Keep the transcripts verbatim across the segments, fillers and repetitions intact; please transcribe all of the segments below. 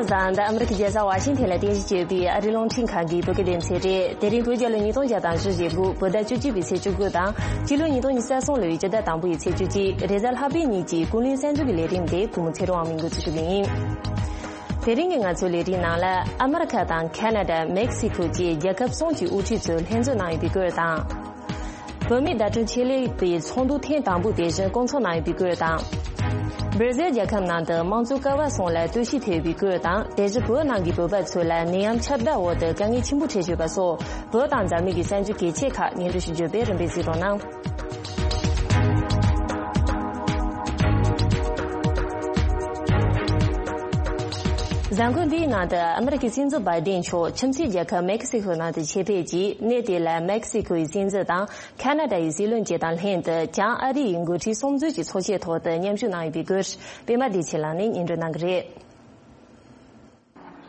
བཟང་། འདི་ཨ་མི་རི་ཀའི་རྒྱལ་ས་ཝ་ཤིང་ཐན་ལ་རྟེན་གཞི་བྱས་པའི་ཨ་རིའི་རླུང་འཕྲིན་ཁང་གི་བོད་སྐད་སྡེ་ཚན་རེད། དེ་རིང་བོད་རྒྱལ་ལོ་ཉིས་སྟོང་བརྒྱ་དང་བཞི་བཅུ་ཞེ་དགུ། བོད་ཟླ་བཅུ་གཅིག་པའི་ཚེས་བཅུ་དགུ་དང་། སྤྱི་ལོ་ཉིས་སྟོང་ཉི་ཤུ་རྩ་གསུམ་ལོའི་སྤྱི་ཟླ་དང་པོ་ཡི་ཚེས་བཅུ་གཅིག་རེས་གཟའ་ལྷག་པའི་ཉིན་གྱི་ཀུན་གླེང་གསར་འགྱུར་གྱི་ལས་རིམ་དེ་བུ་མོ་ཚེ་རིང་དབང་མོས་འགོ་འཛུགས་ཞུ་གི་ཡིན། དེ་རིང་གི་ང་ཚོའི་ལས་རིམ་ནང་ལ། ཨ་མི་རི་ཁ་དང་ཁ་ན་ཌ། མེག་སི་ཁོ་བཅས་རྒྱལ་ཁབ་གསུམ་གྱི་དབུ་ཁྲིད་ཚོས་ལྷན་འཛོམས་གནང་ཡོད་པའི་སྐོར་དང་། བོད་མིའི་བརྡ་སྤྲོད་ཆེད་ལས་པའི་ཚོགས་འདུ་ཐེངས་དང་པོ་དེ་བཞིན་སྐོང་ཚོགས་གནང་ཡོད་པའི་སྐོར་དང་། སྦིར་ཟེལ་རྒྱལ་ཁབ་ནང་དུ་དམངས་གཙོ་ཀ་བ་གསུམ་ལ་ལྟོས་ཤིག་ཐེབས་པའི་སྐོར་དང་། དེ་བཞིན་བོད་ནང་གི་བོད་པ་ཚོ་ལ་ནད་ཡམས་ཁྱབ་གདལ་འོག་ཏུ་དཀའ་ངལ་ཆེན་པོ་འཕྲད་བཞིན་པ་སོགས། བོད་དང་འཛམ་གླིང་གི་གསར་འགྱུར་གལ་ཆེ་ཁག་སྙན་སྒྲོན་ཞུ་རྒྱུ་བས། རིམ་པས་གཟིགས་རོགས་གནང་། གཟའ་འཁོར་འདིའི་ནང་དུ་ཨ་མི་རི་ཀའི་སྲིད་འཛིན་བྷའི་ཏིན་མཆོག་ཁྱིམ་མཚེས་རྒྱལ་ཁབ་མེག་སི་ཁོ་ནང་དུ་ཆེད་ཕེབས་ཀྱིས། གནས་དེ་ལ་མེག་སི་ཁོའི་སྲིད་འཛིན་དང་ཁ་ན་ཌ་ཡི་སྲིད་བློན་བཅས་དང་ལྷན་དུ། བྱང་ཨ་རི་ཡི་འགོ་ཁྲིད་གསུམ་ཚོགས་ཀྱི་ཚོགས་ཆེན་ཐོག་ཏུ་མཉམ་ཞུགས་གནང་ཡོད་པའི་སྐོར། པད་མ་བདེ་ཆེན་ལགས་ནས་སྙན་སྒྲོན་གནང་གི་རེད།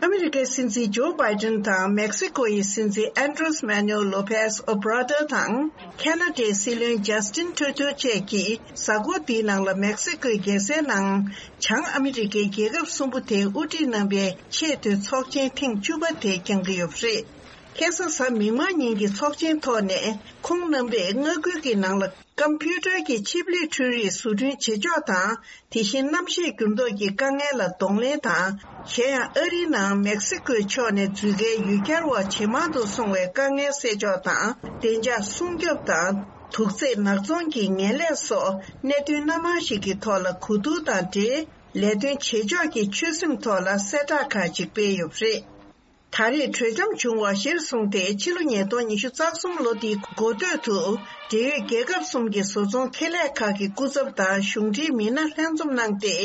ཨ་མི་རི་ཀའི་སྲིད་འཛིན་ཇོ་བྷའི་ཏིན་དང་། མེག་སི་ཀོ་ཡི་སྲིད་འཛིན་ཨན་ཌྲེས་མེ་ནུ་ལོ་པེས་ཨོ་བྷ་ར་ཏོ་དང་། ཁ་ན་ཌའི་སྲིད་བློན་ཇཱ་སི་ཏིན་ཁྲུ་ཏོ་བཅས་ཀྱིས་གཟའ་འཁོར་འདིའི་ནང་ལ་མེག་སི་ཀོའི་རྒྱལ་སའི་ནང་། བྱང་ཨ་མི་རི་ཀའི་རྒྱལ་ཁབ་གསུམ་པོ་དེའི་དབུ་ཁྲིད་རྣམ་པའི་ཆེས་མཐོའི་ཚོགས་ཆེན་ཐེངས་བཅུ་པ་དེ་བསྐྱངས་ཀྱི་ཡོད་པ་རེད། ཁ་སང་གཟའ་མིག་དམར་ཉིན་གྱི་ཚོགས་ཆེན་ཐོག་ནས། ཁོང་རྣམ་པས་མངའ་ཁུལ་གྱི་ནང་ལ་ཀམ་པུ་ཊར་གྱི་ཆིབས་ལས་འཕྲུལ་རིག་བཟོ་སྐྲུན་བྱེད་ཕྱོགས་དང་། དེ་བཞིན་གནམ་གཤིས་འགྱུར་ལྡོག་གི་དཀའ་ངལ་ལ་གདོང་ལེན་དང་། གཞན་ཡང་ཨ་རིའི་ནང་མེག་སི་ཀོའི་ཕྱོགས་ནས་འཛུལ་ཁའི་ཡུལ་གྱར་བ་ཇེ་མང་དུ་སོང་བའི་དཀའ་ངལ་སེལ་ཕྱོགས་དང་། བདེ་འཇགས་སྲུང་སྐྱོབ་དང་། དུག་རྫས་ནག་ཚོང་གི་ངན་ལས་སོགས་གནད་དོན་སྣ་མང་ཞིག་གི་ཐོག་ལ་གོ་བསྡུར་དང་འབྲེལ། ལས་དོན་བྱེད་ཕྱོགས་ཀྱི་ཆོད་སེམས་ཐོག་ལ་གསལ་བསྒྲགས་ཁག་ཅིག་སྤེལ་ཡོད་པ་རེད། ད་རེས་གྲོས་འཆམ་བྱུང་བ་གཞིར་བཟུང་སྟེ། ཕྱི་ལོ་ཉིས་སྟོང་ཉི་ཤུ་རྩ་གསུམ་ལོ་འདིའི་འགོ་སྟོད་དུ། འབྲེལ་ཡོད་རྒྱལ་ཁབ་གསུམ་གྱི་བཟོ་ཚོང་ཁེ་ལས་ཁག་གི་སྐུ་ཚབ་དང་གཞུང་འབྲེལ་མི་སྣ་ལྷན་འཛོམས་གནང་སྟེ།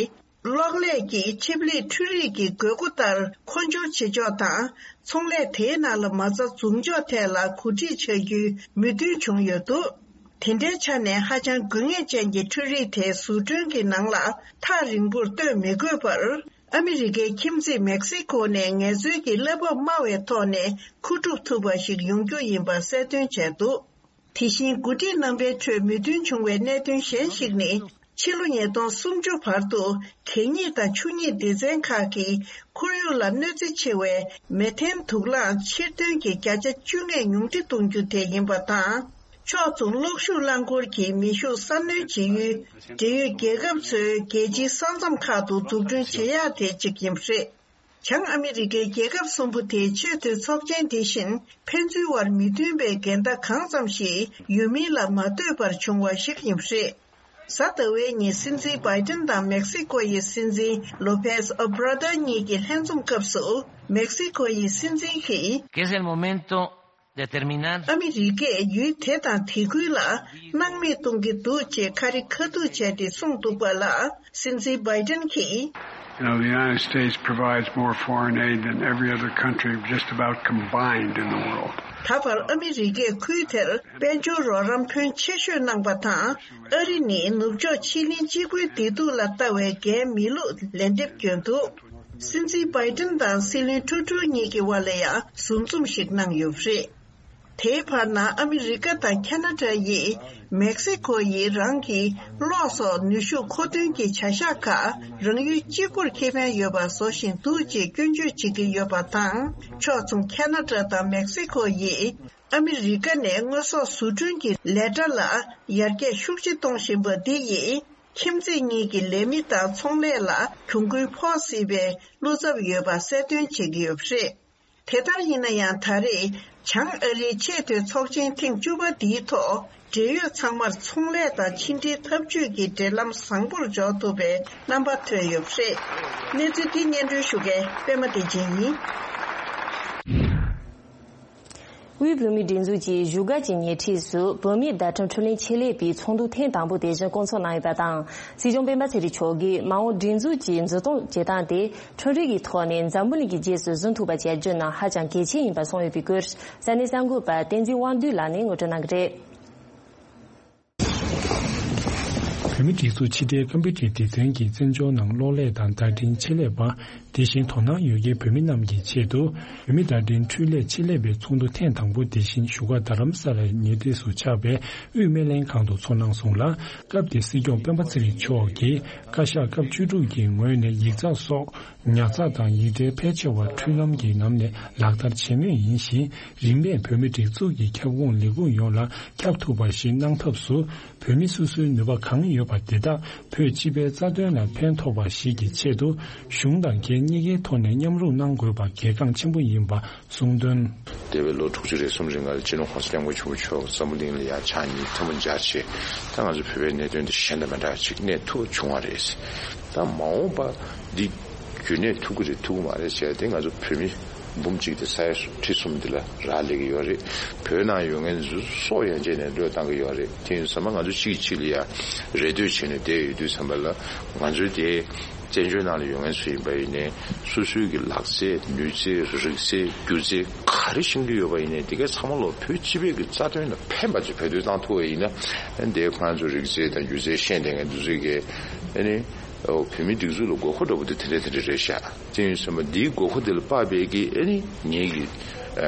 གློག་ཀླད་ཀྱི་ཆིབས་ལས་འཕྲུལ་རིག་གི་དགོས་མཁོ་ལྟར་མཁོ་སྦྱོར་བྱེད་ཕྱོགས་དང་། ཚོང་ལས་དེའི་ནང་ལ་མ་རྩ་འཛུགས་འཇོག་ཐད་ལ་གོ་སྒྲིག་བྱ་རྒྱུའི་མོས་མཐུན་བྱུང་ཡོད་འདུག་དེ་འདྲའི་ཆ་ནས་ཧ་ཅང་དགོས་ངེས་ཅན་གྱི་འཕྲུལ་རིག་དེ་བཟོ་སྐྲུན་གྱི་ནང་ལ་ཐག་རིང་པོར་གཏོད་མི་དགོས་པར། ཨ་མི་རི་ཀའི་ཁྱིམ་མཚེས་མེག་སི་ཀོ་ནས་ངལ་རྩོལ་གྱི་གླ་འབབ་དམའ་བའི་ཐོག་ནས་མཁོ་སྒྲུབ་ཐུབ་པ་ཞིག་ཡོང་རྒྱུ་ཡིན་པ་གསལ་སྟོན་བྱས་འདུག་དེ་བཞིན་འགོ་ཁྲིད་རྣམ་པའི་ཁྲོད་མོས་མཐུན་བྱུང་བའི་གནད་དོན་གཞན་ཞིག་ནི། ཕྱི་ལོ་ཉིས་སྟོང་སུམ་ཅུ་བར་དུ་གད་སྙིགས་དང་ཆུ་སྙིགས་སྡེ་ཚན་ཁག་གིས་ཁོར་ཡུག་ལ་གནོད་འཚེ་ཆེ་བའི་མེ་ཐན་དུག་རླངས་ཕྱིར་ཐོན་གྱི་བརྒྱ་ཆ་བཅོ་ལྔ་ཉུང་འཕྲི་གཏོང་རྒྱུ་དེ་ཡིན་པ་དང་། ཕྱོགས་མཚུངས་གློག་ཤུགས་རླངས་འཁོར་གྱི་མེ་ཤུགས་གསར་སྣོན་བྱེད་ཡུལ་འབྲེལ་ཡོད་རྒྱལ་ཁབ་ཚོའི་རྒྱལ་སྤྱིའི་ས་མཚམས་ཁག་ཏུ་འཛུགས་སྐྲུན་བྱེད་ཡག་དེ་གཅིག་ཡིན་པ་རེད། བྱང་ཨ་མི་རི་ཀའི་རྒྱལ་ཁབ་གསུམ་པོ་དེའི་ཆེས་མཐོའི་ཚོགས་ཆེན་དེ་བཞིན་ཕན་ཚུན་བར་མི་མཐུན་པའི་འགལ་ཟླ་གང་ཙམ་ཞིག་ཡོད་མིན་ལ་མ་ལྟོས་པར་བྱུང་བ་ཞིག་ཡིན་པ་རེད། གཟའ་ཟླ་བའི་ཉིན་སྲིད་འཛིན་བྷའི་ཏིན་དང་མེག་སི་ཀོ་ཡི་སྲིད་འཛིན་ལོ་པེས་ཨོ་བྷ་ར་ཏོ་གཉིས་ཀྱི་ལྷན་འཛོམས་སྐབས་སུ། མེག་སི་ཀོ་ཡི་སྲིད་འཛིན་གྱིས། que es el momento de terminar. ཨ་མི་རི་ཀས་ཡུལ་དེ་དང་དེ་ཁུལ་ལ་སྣང་མེད་གཏོང་གི་འདུག་ཅེས་ཁ་རི་ཁ་ཐུག་བྱས་ཏེ་གསུངས་འདུག་པ་ལ། སྲིད་འཛིན་བྷའི་ཏིན་གྱིས། You know, the United States provides more foreign aid than every other country just about combined in the world. ད་བར་ཨ་མི་རི་ཀས་ཁུལ་དེར་དཔལ་འབྱོར་རོགས་རམ་ཕོན་ཆེ་ཤོས་གནང་པ་དང་། ཨ་རི་ནི་ནུབ་ཕྱོགས་ཕྱེད་གླིང་གཅིག་པུའི་བདེ་སྡུག་ལ་ལྟ་བའི་འགན་མི་ལུས་ལན་འདེབས་བསྐྱོན་འདུག་སྲིད་འཛིན་བྷའི་ཏིན་དང་སྲིད་བློན་ཁྲུ་ཏོ་གཉིས་ཀྱི་བར་ལ་ཡང་ཟུར་འཛོམས་ཤིག་གནང་ཡོད་པ་རེད། དེའི་བར་ན་ཨ་མི་རི་ཀ་དང་ཁ་ན་ཌ་ཡིས་མེག་སི་ཀོ་ཡིས་རང་གི་གློག་སོགས་ནུས་ཤུགས་མཁོ་འདོན་གྱི་བྱ་གཞག་ཁག་རང་ཡུལ་གཅིག་པུར་ཁེ་ཕན་ཡོད་པ་བཟོ་བཞིན་འདུག་ཅེས་སྐྱོན་བརྗོད་བྱེད་ཀྱི་ཡོད་པ་དང་། ཕྱོགས་མཚུངས་ཁ་ན་ཌ་དང་མེག་སི་ཀོ་ཡིས་ཨ་མི་རི་ཀ་ནས་དངོས་ཟོག་བཟོ་སྐྲུན་གྱི་ལས་གྲྭ་ལ་ཡར་རྒྱས་ཤུགས་ཆེ་གཏོང་བཞིན་པ་འདི་ཡིས་ཁྱིམ་མཚེས་གཉིས་ཀྱི་ལས་མི་དང་ཚོང་ལས་ལ་གྱོང་གུན་ཕོག་སྲིད་པའི་བློ་འཚབ་ཡོད་པ་གསལ་སྟོན་བྱེད་ཀྱི་ཡོད་པ་རེད། དེ་ལྟར་ཡིན་ན་ཡང་། ད་རེས་བྱང་ཨ་རིའི་ཆེས་མཐོའི་ཚོགས་ཆེན་ཐེངས་བཅུ་པ་འདིའི་ཐོག་འབྲེལ་ཡོད་ཚང་མར་ཚོང་ལས་དང་ཕྱི་འབྲེལ་འཐབ་ཇུས་ཀྱི་འབྲེལ་ལམ་བཟང་པོར་འཇོག་ཐུབ་པའི་རྣམ་པ་ཐོན་ཡོད་པ་རེད། གནས་ཚུལ་འདི་སྙན་སྒྲོན་ཞུ་མཁན་པད་མ་བདེ་ཆེན་ཡིན། དབུས་བོད་མིའི་སྒྲིག་འཛུགས་ཀྱི་བཞུགས་སྒར་གྱི་ཉེ་འཁྲིས་སུ་བོད་མིའི་བརྡ་འཕྲིན་འཕྲུལ་ལས་ཆེད་ལས་པའི་ཚོགས་འདུ་ཐེངས་དང་པོ་དེ་བཞིན་སྐོང་ཚོགས་གནང་ཡོད་པ་དང་། སྲིད་སྐྱོང་སྤེན་པ་ཚེ་རིང་མཆོག་གིས་མ་འོངས་སྒྲིག་འཛུགས་ཀྱི་འཛུགས་སྐྱོང་བྱེད་སྟངས་དེ་འཕྲུལ་རིག་གི་ཐོག་ནས་འཛམ་བུ་གླིང་གི་རྗེས་སུ་བཟུང་ཐུབ་པ་བྱ་རྒྱུ་ནི་ཧ་ཅང་གལ་ཆེན་ཡིན་པ་གསུངས་ཡོད་པའི་སྐོར། ས་གནས་གསར་འགོད་པ་བསྟན་འཛིན་དབང་འདུས་ལགས་ནས་ངོ་སྤྲོད་གནང་གི་རེད། བོད་མིའི་སྒྲིག་འཛུགས་ཕྱི་དྲིལ་ཀམ་པུ་ཊར་སྡེ་ཚན་གྱིས་བཙན་བྱོལ་ནང་གློག་ཀླད་དང་བརྡ་འཕྲིན་ཆེད་ལས་པ་ དེ་བཞིན་དོ་སྣང་ཡོད་མཁན་བོད་མི་རྣམས་ཀྱི་ཆེད་དུ། བོད་མིའི་བརྡ་འཕྲིན་འཕྲུལ་ལས་ཆེད་ལས་པའི་ཚོགས་འདུ་ཐེངས་དང་པོ་དེ་བཞིན་བཞུགས་སྒར་རྡ་རམ་ས་ལའི་ཉེ་འཁྲིས་སུ་ཆགས་པའི་དབུས་སྨན་ལྷན་ཁང་དུ་ཚོགས་གནང་སོང་ལ། སྐབས་དེར་སྲིད་སྐྱོང་སྤེན་པ་ཚེ་རིང་མཆོག་གིས་བཀའ་ཤག་སྐབས་བཅུ་དྲུག་གི་ངོས་ནས་ཡིག་ཚགས་སོགས་ཉར་ཚགས་དང་ཡིག་ཕྲེང་ཕལ་ཆེ་བ་འཕྲུལ་ལམ་གྱི་ལམ་ནས་ལག་བསྟར་བྱེད་མུས་ཡིན་ཞིང་། རིན་མེད་བོད་མིའི་སྒྲིག་འཛུགས་ཀྱི་ཁྱབ་ཁོངས་ལས་ཁུངས་ཡོངས་ལ་ཁྱབ་ཐུབ་པ་ཞིག་གནང་ཐབས་སུ། བོད་མི་སོ་སོའི་ནུས་པ་གང་ཡོད་པ་དེ་དག་བོད་སྤྱི་པའི་རྩ་དོན་ལ་ཕན་ཐོགས་པ་ཞིག་གི་ཆེད་དུ། གཞུང་དང་སྒེར་གཉིས་ཀའི་ཐོག་ནས་མཉམ་རུབ་གནང་དགོས་པ་གལ་འགངས་ཆེན་པོ་ཡིན་པ་གསུངས་དོན། འདས་པའི་ལོ་དྲུག་ཅུ་རེ་གསུམ་རིང་ལ་སྤྱི་ནོར་༸གོང་ས་༸སྐྱབས་མགོན་ཆེན་པོ་མཆོག་འཛམ་བུ་གླིང་ལ་ཡར་ཕྱག་གཉིས་ཐལ་མོ་སྦྱར་བྱས། ད་ང་ཚོ་བོད་པའི་གནད་དོན་དེ་གཞན་དང་མི་འདྲ་བ་ཅིག་གནས་ཐུབ་བྱུང་བ་རེད། ད་མ་འོངས་པ་འདི་རྒྱུན་གནས་ཐུབ་ཀྱི་རེད་ཐུབ་ཀྱི་མ་རེད་ཟེར་ཏེ། ང་ཚོ་བོད་མི་འབུམ་གཅིག་དེ་ས་ཡ་ཁྲི་གསུམ་འདི་ལ་རག་ལས་ཀྱི་ཡོད་རེད། བོད་ནང་ཡོད་མཁན་ཚོ་སྲོག་ཡན་ཆད་ནས་བློས་བཏང་གི་ཡོད་རེད། དེ་ཡིན་ཙང་ང་ཚོ་གཅིག་གིས་གཅིག་ལ་ཡ་རེ་ལྟོས་བྱས་ནས་བསྡད་ཡོད་དུས་ཙམ་པ་ལ། ང་ཚོའི་དེ་བཙན་བྱོལ་ནང་ལ་ཡོད་མཁན་ཚོ་ཡིན་པ་ཡིན་ནའི། སོ་སོའི་གི་ལག་རྩལ་ནུས་རྩལ་རིག་རྩལ་སྒྱུ་རྩལ་ག་རེ་ཤེས་ཀྱི་ཡོད་པ་ཡིན་ནའི། དེ་གའི་ཚང་མ་ལོ་བོད་སྤྱི་པའི་གི་རྩ་དོན་ལ་ཕན་པ་ཅིག་བེད་སྤྱོད་བཏང་ཐུབ་པ་ཡིན་ན། དེ་ཁོང་ཚོ་རིག་རྩལ་དང་སྒྱུ་རྩལ་ཤེས་ལྡན་མཁན་དེ་ཚོའི་གི་ཨ་ནི་བོད་མིའི་སྒྲིག་འཛུགས་ལ་དགོས་མཁོ་འདྲ་པོ་དེ་དེ་འདྲ་དེ་འདྲ་རེད་ཤག་དེ་ཡིན་ཙང་འདིའི་དགོས་མཁོ་དེ་ལ་དཔག་པའི་གི་ཨ་ནི་ངེད་ཀྱི་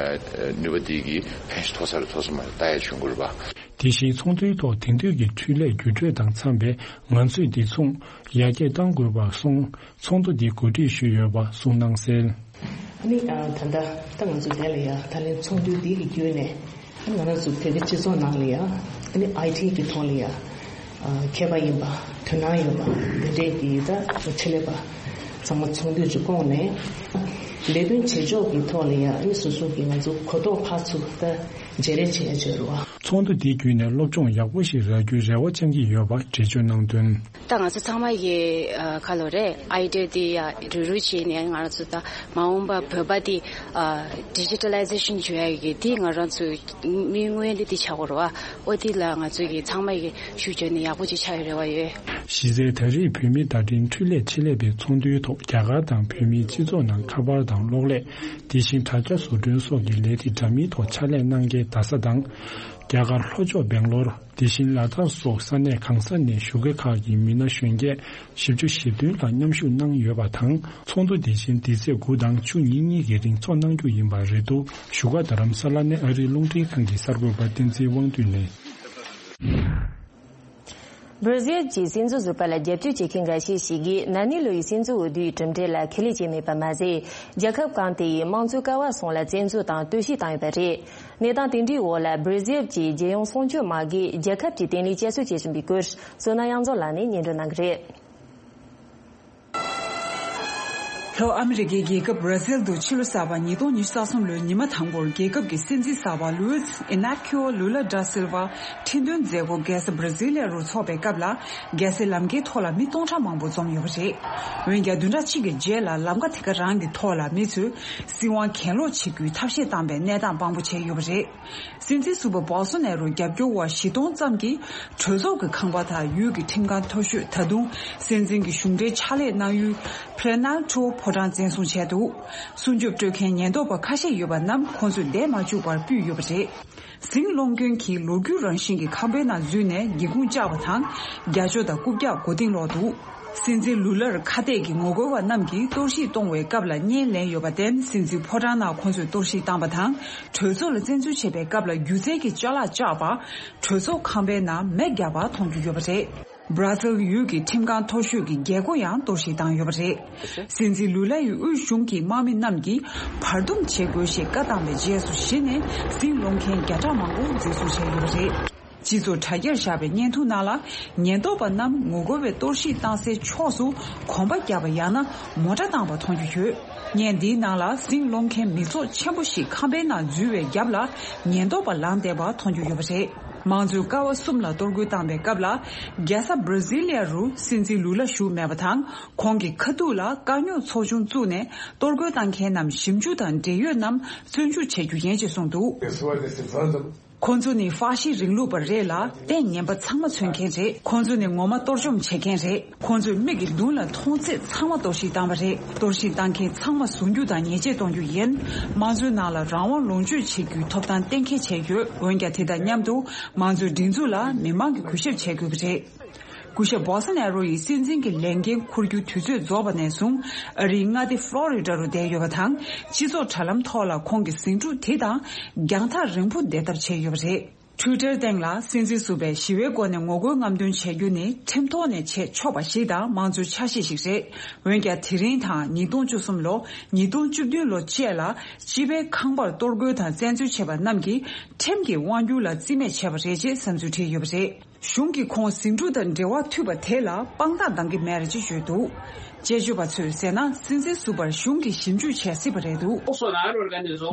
ནུས་པ་དེ་གི་ཕན་ཐོགས་ས་རེད་ཐོགས་ས་མ་རེད་ལྟ་ཡ་བྱུང་དགོས་རེད་པ། དེ་བཞིན་ཚོགས་འདུའི་ཐོག་དེང་དུས་ཀྱི་འཕྲུལ་ལས་བརྒྱུད་སྤྲོད་དང་འཚམས་པའི་ངང་ཚུད་འདི་མཚུངས་ཡར་རྒྱས་གཏང་དགོས་པ་གསུངས། ཚོགས་འདུ་འདི་གོ་སྒྲིག་ཞུས་ཡོད་པ་གསུངས་གནང་གསལ། ཨ་ནི་ད་ལྟ་ད་ང་ཚོ་དེ་ལ་ཡ་ད་ལན་ཚོགས་འདུ་འདི་གི་བརྒྱུད་ནས་ཨ་ནི་ང་རང་ཚོ་བོད་པའི་སྤྱི་ཚོགས་ནང་ལ་ཡ་ཨ་ནི་ཨའི་ཊི་གི་ཐོག་ལ་ཡ་མཁས་པ་ཡིན་པ་དོ་སྣང་ཡོད་པ་འདི་འདྲའི་གི་ད་ཆེད་ལས་པ་ཚང་མ་ཚོགས་འདུ་ཅིག་བསྐོངས་ནས་ལས་དོན་བྱེད་ཕྱོགས་ཀྱི་ཐོག་ལ་ཡ་ཨ་ནི་སོ་སོ་གི་ང་ཚོ་གོ་རྟོགས་འཕར་ཚུལ་ད་བརྗེ་རེས་བྱེད་ཡ་བྱེད་རུ་བ། ཚོགས་འདུ་འདི་བརྒྱུད་ནས་སློབ་སྦྱོང་ཡག་པོ་ཞིག་རག་རྒྱུའི་རེ་བ་བཅང་གི་ཡོད་པ་འགྲེལ་བརྗོད་གནང་དོན། ད་ང་ཚོ་ཚང་མ་གི་ཁ་ལོ་རེད། ཨའི་ཌི་ཡ་དེ་ཡ་རུ་རུ་བྱས་ནས་ང་རང་ཚོ་ད་མ་འོངས་པ་བོད་པ་དེ་ཌི་ཇི་ཊ་ལའི་ཟེ་ཤན་བྱུང་ཡ་གི་དེ་ང་རང་ཚོ་དམིགས་ཡུལ་དེ་ཆགས་ཀྱི་རེད་བ། ཨོ་དེ་ལ་ང་ཚོ་གི་ཚང་མ་གི་ཤུགས་བརྒྱབ་ནས་ཡག་པོ་ཅིག་ཆགས་ཡ་རེ་བ་ཡོད། གཞི་རྩའི་ད་རེས་བོད་མིའི་བརྡ་འཕྲིན་འཕྲུལ་ལས་ཆེད་ལས་པའི་ཚོགས་འདུའི་ཐོག་རྒྱ་གར་དང་བོད་མིའི་སྤྱི་ཚོགས་ནང་ཁ་པར་དང་གློག་ཀླད། དེ་བཞིན་དྲ་རྒྱ་བཟོ་སྐྲུན་སོགས་ཀྱི་ལས་རིགས་འདྲ་མིན་ཐོག་ཕྱག་ལས་གནང་མཁན་རྡ་ས་དང་། རྒྱ་གར་ལྷོ་ཕྱོགས་སྦེང་ལོར། དེ་བཞིན་ལ་དྭགས་སོགས་ས་གནས་གང་ས་ནས་བཞུགས་མཁན་ཁག་གི་མི་སྣ་གཞོན་སྐྱེས་བཞི་བཅུ་ཞེ་བདུན་ལྷག་མཉམ་ཞུགས་གནང་ཡོད་པ་དང་། ཚོགས་འདུ་དེ་བཞིན་འདི་ཚེས་དགུ་དང་བཅུ་གཉིས་གཉིས་ཀྱི་རིང་ཚོགས་གནང་རྒྱུ་ཡིན་པ་རེད་འདུག་བཞུགས་སྒར་རྡ་རམ་ས་ལ་ནས་ཨ་རིའི་རླུང་འཕྲིན་ཁང་གི་གསར་འགོད་པ་བསྟན་འཛིན་དབང་འདུས་ནས། སྦར་ཟིལ་གྱི་སྲིད་འཛིན་ཟུར་པ་ལ་རྒྱབ་སྐྱོར་བྱེད་མཁན་འགའ་ཤས་ཤིག་གིས་ན་ནིང་ལོ་ཡི་སྲིད་འཛིན་འོས་བསྡུའི་གྲུབ་འབྲས་ལ་ཁས་ལེན་བྱས་མེད་པ་མ་ཟད། རྒྱལ་ཁབ་གང་དེ་ཡི་དམངས་གཙོའི་ཀ་བ་གསུམ་ལ་བཙན་འཛུལ་དང་གཏོར་བཤིག་བཏང་ཡོད་པ་རེད། གནས་སྟངས་དེ་འདྲའི་འོག་ལ་སྦར་ཟིལ་གྱི་རྒྱལ་ཡོངས་སྲུང་སྐྱོབ་དམག་གིས་རྒྱལ་ཁབ་ཀྱི་བརྟན་ལྷིང་བསྐྱར་གསོ་བྱེད་བཞིན་པའི་སྐོར་བསོད་ནམས་དབྱངས་འཛོམས་ལགས་ནས་སྙན་སྒྲོན་གནང་གི་རེད། ལྷོ་ཨ་མི་རི་ཀའི་རྒྱལ་ཁབ་བྷ་ར་ཟིལ་དུ་ཕྱི་ལོ་གསར་པ་ཉིས་སྟོང་ཉི་ཤུ་རྩ་གསུམ་ལོའི་ཉི་མ་དང་པོར་རྒྱལ་ཁབ་ཀྱི་སྲིད་འཛིན་གསར་པ་ལུའིས་ཨི་ནར་ཁི་ཨོ་ལུ་ལ་ད་སིལ་ཝ་ཁྲི་འདོན་མཛད་སྒོ་རྒྱལ་ས་བྷ་ར་ཟི་ལི་ཡ་རུ་འཚོགས་པའི་སྐབས་ལ། རྒྱལ་སའི་ལམ་ཁའི་ཐོག་ལ་མི་སྟོང་ཕྲག་མང་པོ་འཛོམས་ཡོད་པ་རེད། འོན་ཀྱང་བདུན་ཕྲག་གཅིག་གི་རྗེས་ལ་ལམ་ཁ་དེ་ག་རང་གི་ཐོག་ལ་མི་ཚོས་སྲིད་དབང་གྱེན་ལོག་བྱེད་རྒྱུའི་ཐབས་ཤེས་བཏང་པའི་གནས་སྟངས་དཔང་པོ་བྱས་ཡོད་པ་རེད། སྲིད་འཛིན་ཟུར་པ་བོལ་སོ་ནེ་རོའི་རྒྱབ་སྐྱོར་བ་བཞི་སྟོང་ཙམ་གྱིས་གྲོས་ཚོགས་ཀྱི་ཁང་པ་དང་ཡུལ་གྱི་ཁྲིམས་ཁང་མཐོ་ཤོས། ད་དུང་སྲིད་འཛིན་གྱི་གཞུང་འབྲེལ་ཕྱག་ལས་གནང་ཡུལ་Planalto་ཕོ་བྲང་བཙན་བཟུང་བྱས་འདུག་སྲུང་སྐྱོབ་སྤྲོད་མཁན་ཉེན་རྟོག་པ་ཁ་ཤས་ཡོད་པ་རྣམས་ཁོང་ཚོས་བསྡད་མ་བཅུག་པར་སྤུད་ཡོད་པ་རེད། ཟིང་སློང་མཁན་གྱིས་ལོ་རྒྱུས་རང་བཞིན་གྱི་ཁང་པའི་ནང་འཛུལ་ནས་སྒེའུ་ཁུང་བཅག་པ་དང་། རྒྱ་ཅོ་དང་རྐུབ་བཀྱག་མགོ་རྟིང་སློག་འདུག་སྲིད་འཛིན་ལུ་ལར་ཁ་གཏད་ཀྱི་ངོ་རྒོལ་བ་རྣམས་ཀྱིས་གཏོར་བཤིག་གཏོང་བའི་སྐབས་ལ་བརྙན་ལེན་ཡོད་པར་བརྟེན། སྲིད་འཛིན་ཕོ་བྲང་ནང་ཁོང་ཚོས་གཏོར་བཤིག་བཏང་པ་དང་། གྲོས་ཚོགས་ལ་བཙན་འཛུལ་བྱེད་པའི་སྐབས་ལ་སྒྱུ་རྩལ་གྱི་ཅ་ལག་བཅག་པ། གྲོས་ཚོགས་ཁང་པའི་ནང་མེ་བརྒྱབ་པ་མཐོང་རྒྱུ་ཡོད་པ་རེད། བྷ་ར་ཟིལ་ཡུལ་གྱི་ཁྲིམས་ཁང་མཐོ་ཤོས་ཀྱི་རྒྱལ་སྒོ་ཡང་གཏོར་བཤིག་བཏང་ཡོད་པ་རེད། སྲིད་འཛིན་ལུ་ལ་ཡི་དབུས་གཞུང་གི་དམག་མི་རྣམས་ཀྱིས་བར་འདུམ་བྱེད་དགོས་ཞེས་བཀའ་བཏང་བའི་རྗེས་སུ་གཞི་ནས་ཟིང་སློང་མཁན་བརྒྱ་ཕྲག་མང་པོ་འཛིན་བཟུང་བྱས་ཡོད་པ་རེད། སྤྱི་ཚོགས་དྲ་རྒྱར་བཞག་པའི་བརྙན་ཐུང་ནང་ལ། ཉེན་རྟོག་པ་རྣམས་ངོ་རྒོལ་བས་གཏོར་བཤིག་བཏང་སའི་ཕྱོགས་སུ་གོམ་པ་བརྒྱབ་པ་ཡང་ན་མོ་ཊ་བཏང་པ་མཐོང་རྒྱུ་ཡོད། བརྙན་འདིའི་ནང་ལ་ཟིང་སློང་མཁན་མི་ཚོགས་ཆེན་པོ་ཞིག་ཁང་པའི་ནང་འཛུལ་བའི་རྒྱབ་ལ་ཉེན་རྟོག་པ་ལངས་བསྡད་པ་མཐོང་རྒྱུ་ཡོད་པ་རེད། དམངས་གཙོའི་ཀ་བ་གསུམ་ལ་གཏོར་རྒོལ་བཏང་བའི་སྐབས་ལ། རྒྱལ་ས་བྷ་ར་ཟི་ལི་ཡ་རུ་སྲིད་འཛིན་ལུ་ལ་བཞུགས་མེད་པ་དང་། ཁོང་གི་ཁ་ཐུག་ལ་དཀའ་རྙོག་ཚོགས་ཆུང་བཙུགས་ནས་གཏོར་རྒོལ་བཏང་མཁན་རྣམས་ཞིབ་འཇུག་དང་འབྲེལ་ཡོད་རྣམས་བཙོན་འཇུག་བྱེད་རྒྱུ་ཡིན་ཞེས་གསུངས་འདུག་ཁོང་ཚོ་ནི་ཧྥ་ཤི་རིང་ལུགས་པ་རེད་ལ། ལྟས་ངན་པ་ཚང་མ་མཚོན་མཁན་རེད། ཁོང་ཚོ་ནི་ངོ་མ་གཏོར་བཅོམ་བྱེད་མཁན་རེད། ཁོང་ཚོས་མིག་གི་མདུན་ལ་མཐོང་ཚད་ཚང་མ་གཏོར་བཤིག་བཏང་བ་རེད། གཏོར་བཤིག་བཏང་མཁན་ཚང་མ་བཟུང་རྒྱུ་དང་ཉེས་ཆད་གཏོང་རྒྱུ་ཡིན། དམངས་གཙོའི་ནང་ལ་རང་དབང་ལོངས་སྤྱོད་བྱེད་རྒྱུའི་ཐོབ་ཐང་གཏན་འཁེལ་བྱས་ཡོད། འོན་ཀྱང་དེ་དང་མཉམ་དུ་དམངས་གཙོའི་སྒྲིག་འཛུགས་ལ་མི་མང་གིས་གུས་ཞབས་བྱེད་དགོས་ཀྱི་རེད། སྐུ་ཞབས་བོལ་སོ་ནེ་རོ་ཡིས་སྲིད་འཛིན་གྱི་ལས་འགན་འཁུར་རྒྱུ་དུས་ཚོད་རྫོགས་པ་ནས་བཟུང་ཨ་རིའི་མངའ་སྡེ་ཕློ་རི་ཌ་རུ་བསྡད་ཡོད་པ་དང་། སྤྱི་ཚོགས་དྲ་ལམ་ཐོག་ལ་ཁོང་གི་ཟིང་འཁྲུག་དེ་དང་རྒྱང་ཐག་རིང་པོ་བསྡད་ཐབས་བྱས་ཡོད་པ་རེད། ཊུའི་ཊར་སྟེང་ལ་སྲིད་འཛིན་ཟུར་པས་ཞི་བའི་སྒོ་ནས་ངོ་རྒོལ་རྔམ་སྟོན་བྱེད་རྒྱུ་ནི་ཁྲིམས་ཐོག་ནས་བྱེད་ཆོག་པ་ཞིག་དང་མང་གཙོའི་ཆ་ཤས་ཤིག་རེད། འོན་ཀྱང་དེ་རིང་དང་ཉིས་སྟོང་བཅུ་གསུམ་ལོ། ཉིས་སྟོང་བཅུ་བདུན་ལོ་བཅས་ལ་སྤྱི་པའི་ཁང་པར་གཏོར་རྒོལ་དང་བཙན་འཛུལ་བྱས་པ་རྣམས་ཀྱིས་ཁྲིམས་ཀྱི་དབང་སྒྱུར་ལ་རྩིས་མེད་བྱས་པ་རེད་ཅེས་བསམ་ཚུལ་བྲིས་ཡོད་པ་རེད། གཞུང་གིས་ཁོང་ཟིང་འཁྲུག་དང་འབྲེལ་བ་མཐུད་པ་དེ་ལ་དཔང་རྟགས་འདང་གི་མེད་རེད་ཅེས་བརྗོད་འདུག་དཔྱད་བརྗོད་པ་ཚོས་ཟེར་ན། སྲིད་འཛིན་ཟུར་པར་གཞུང་གིས་ཞིབ་འཇུག་བྱས་སྲིད་པ་རེད་འདུག་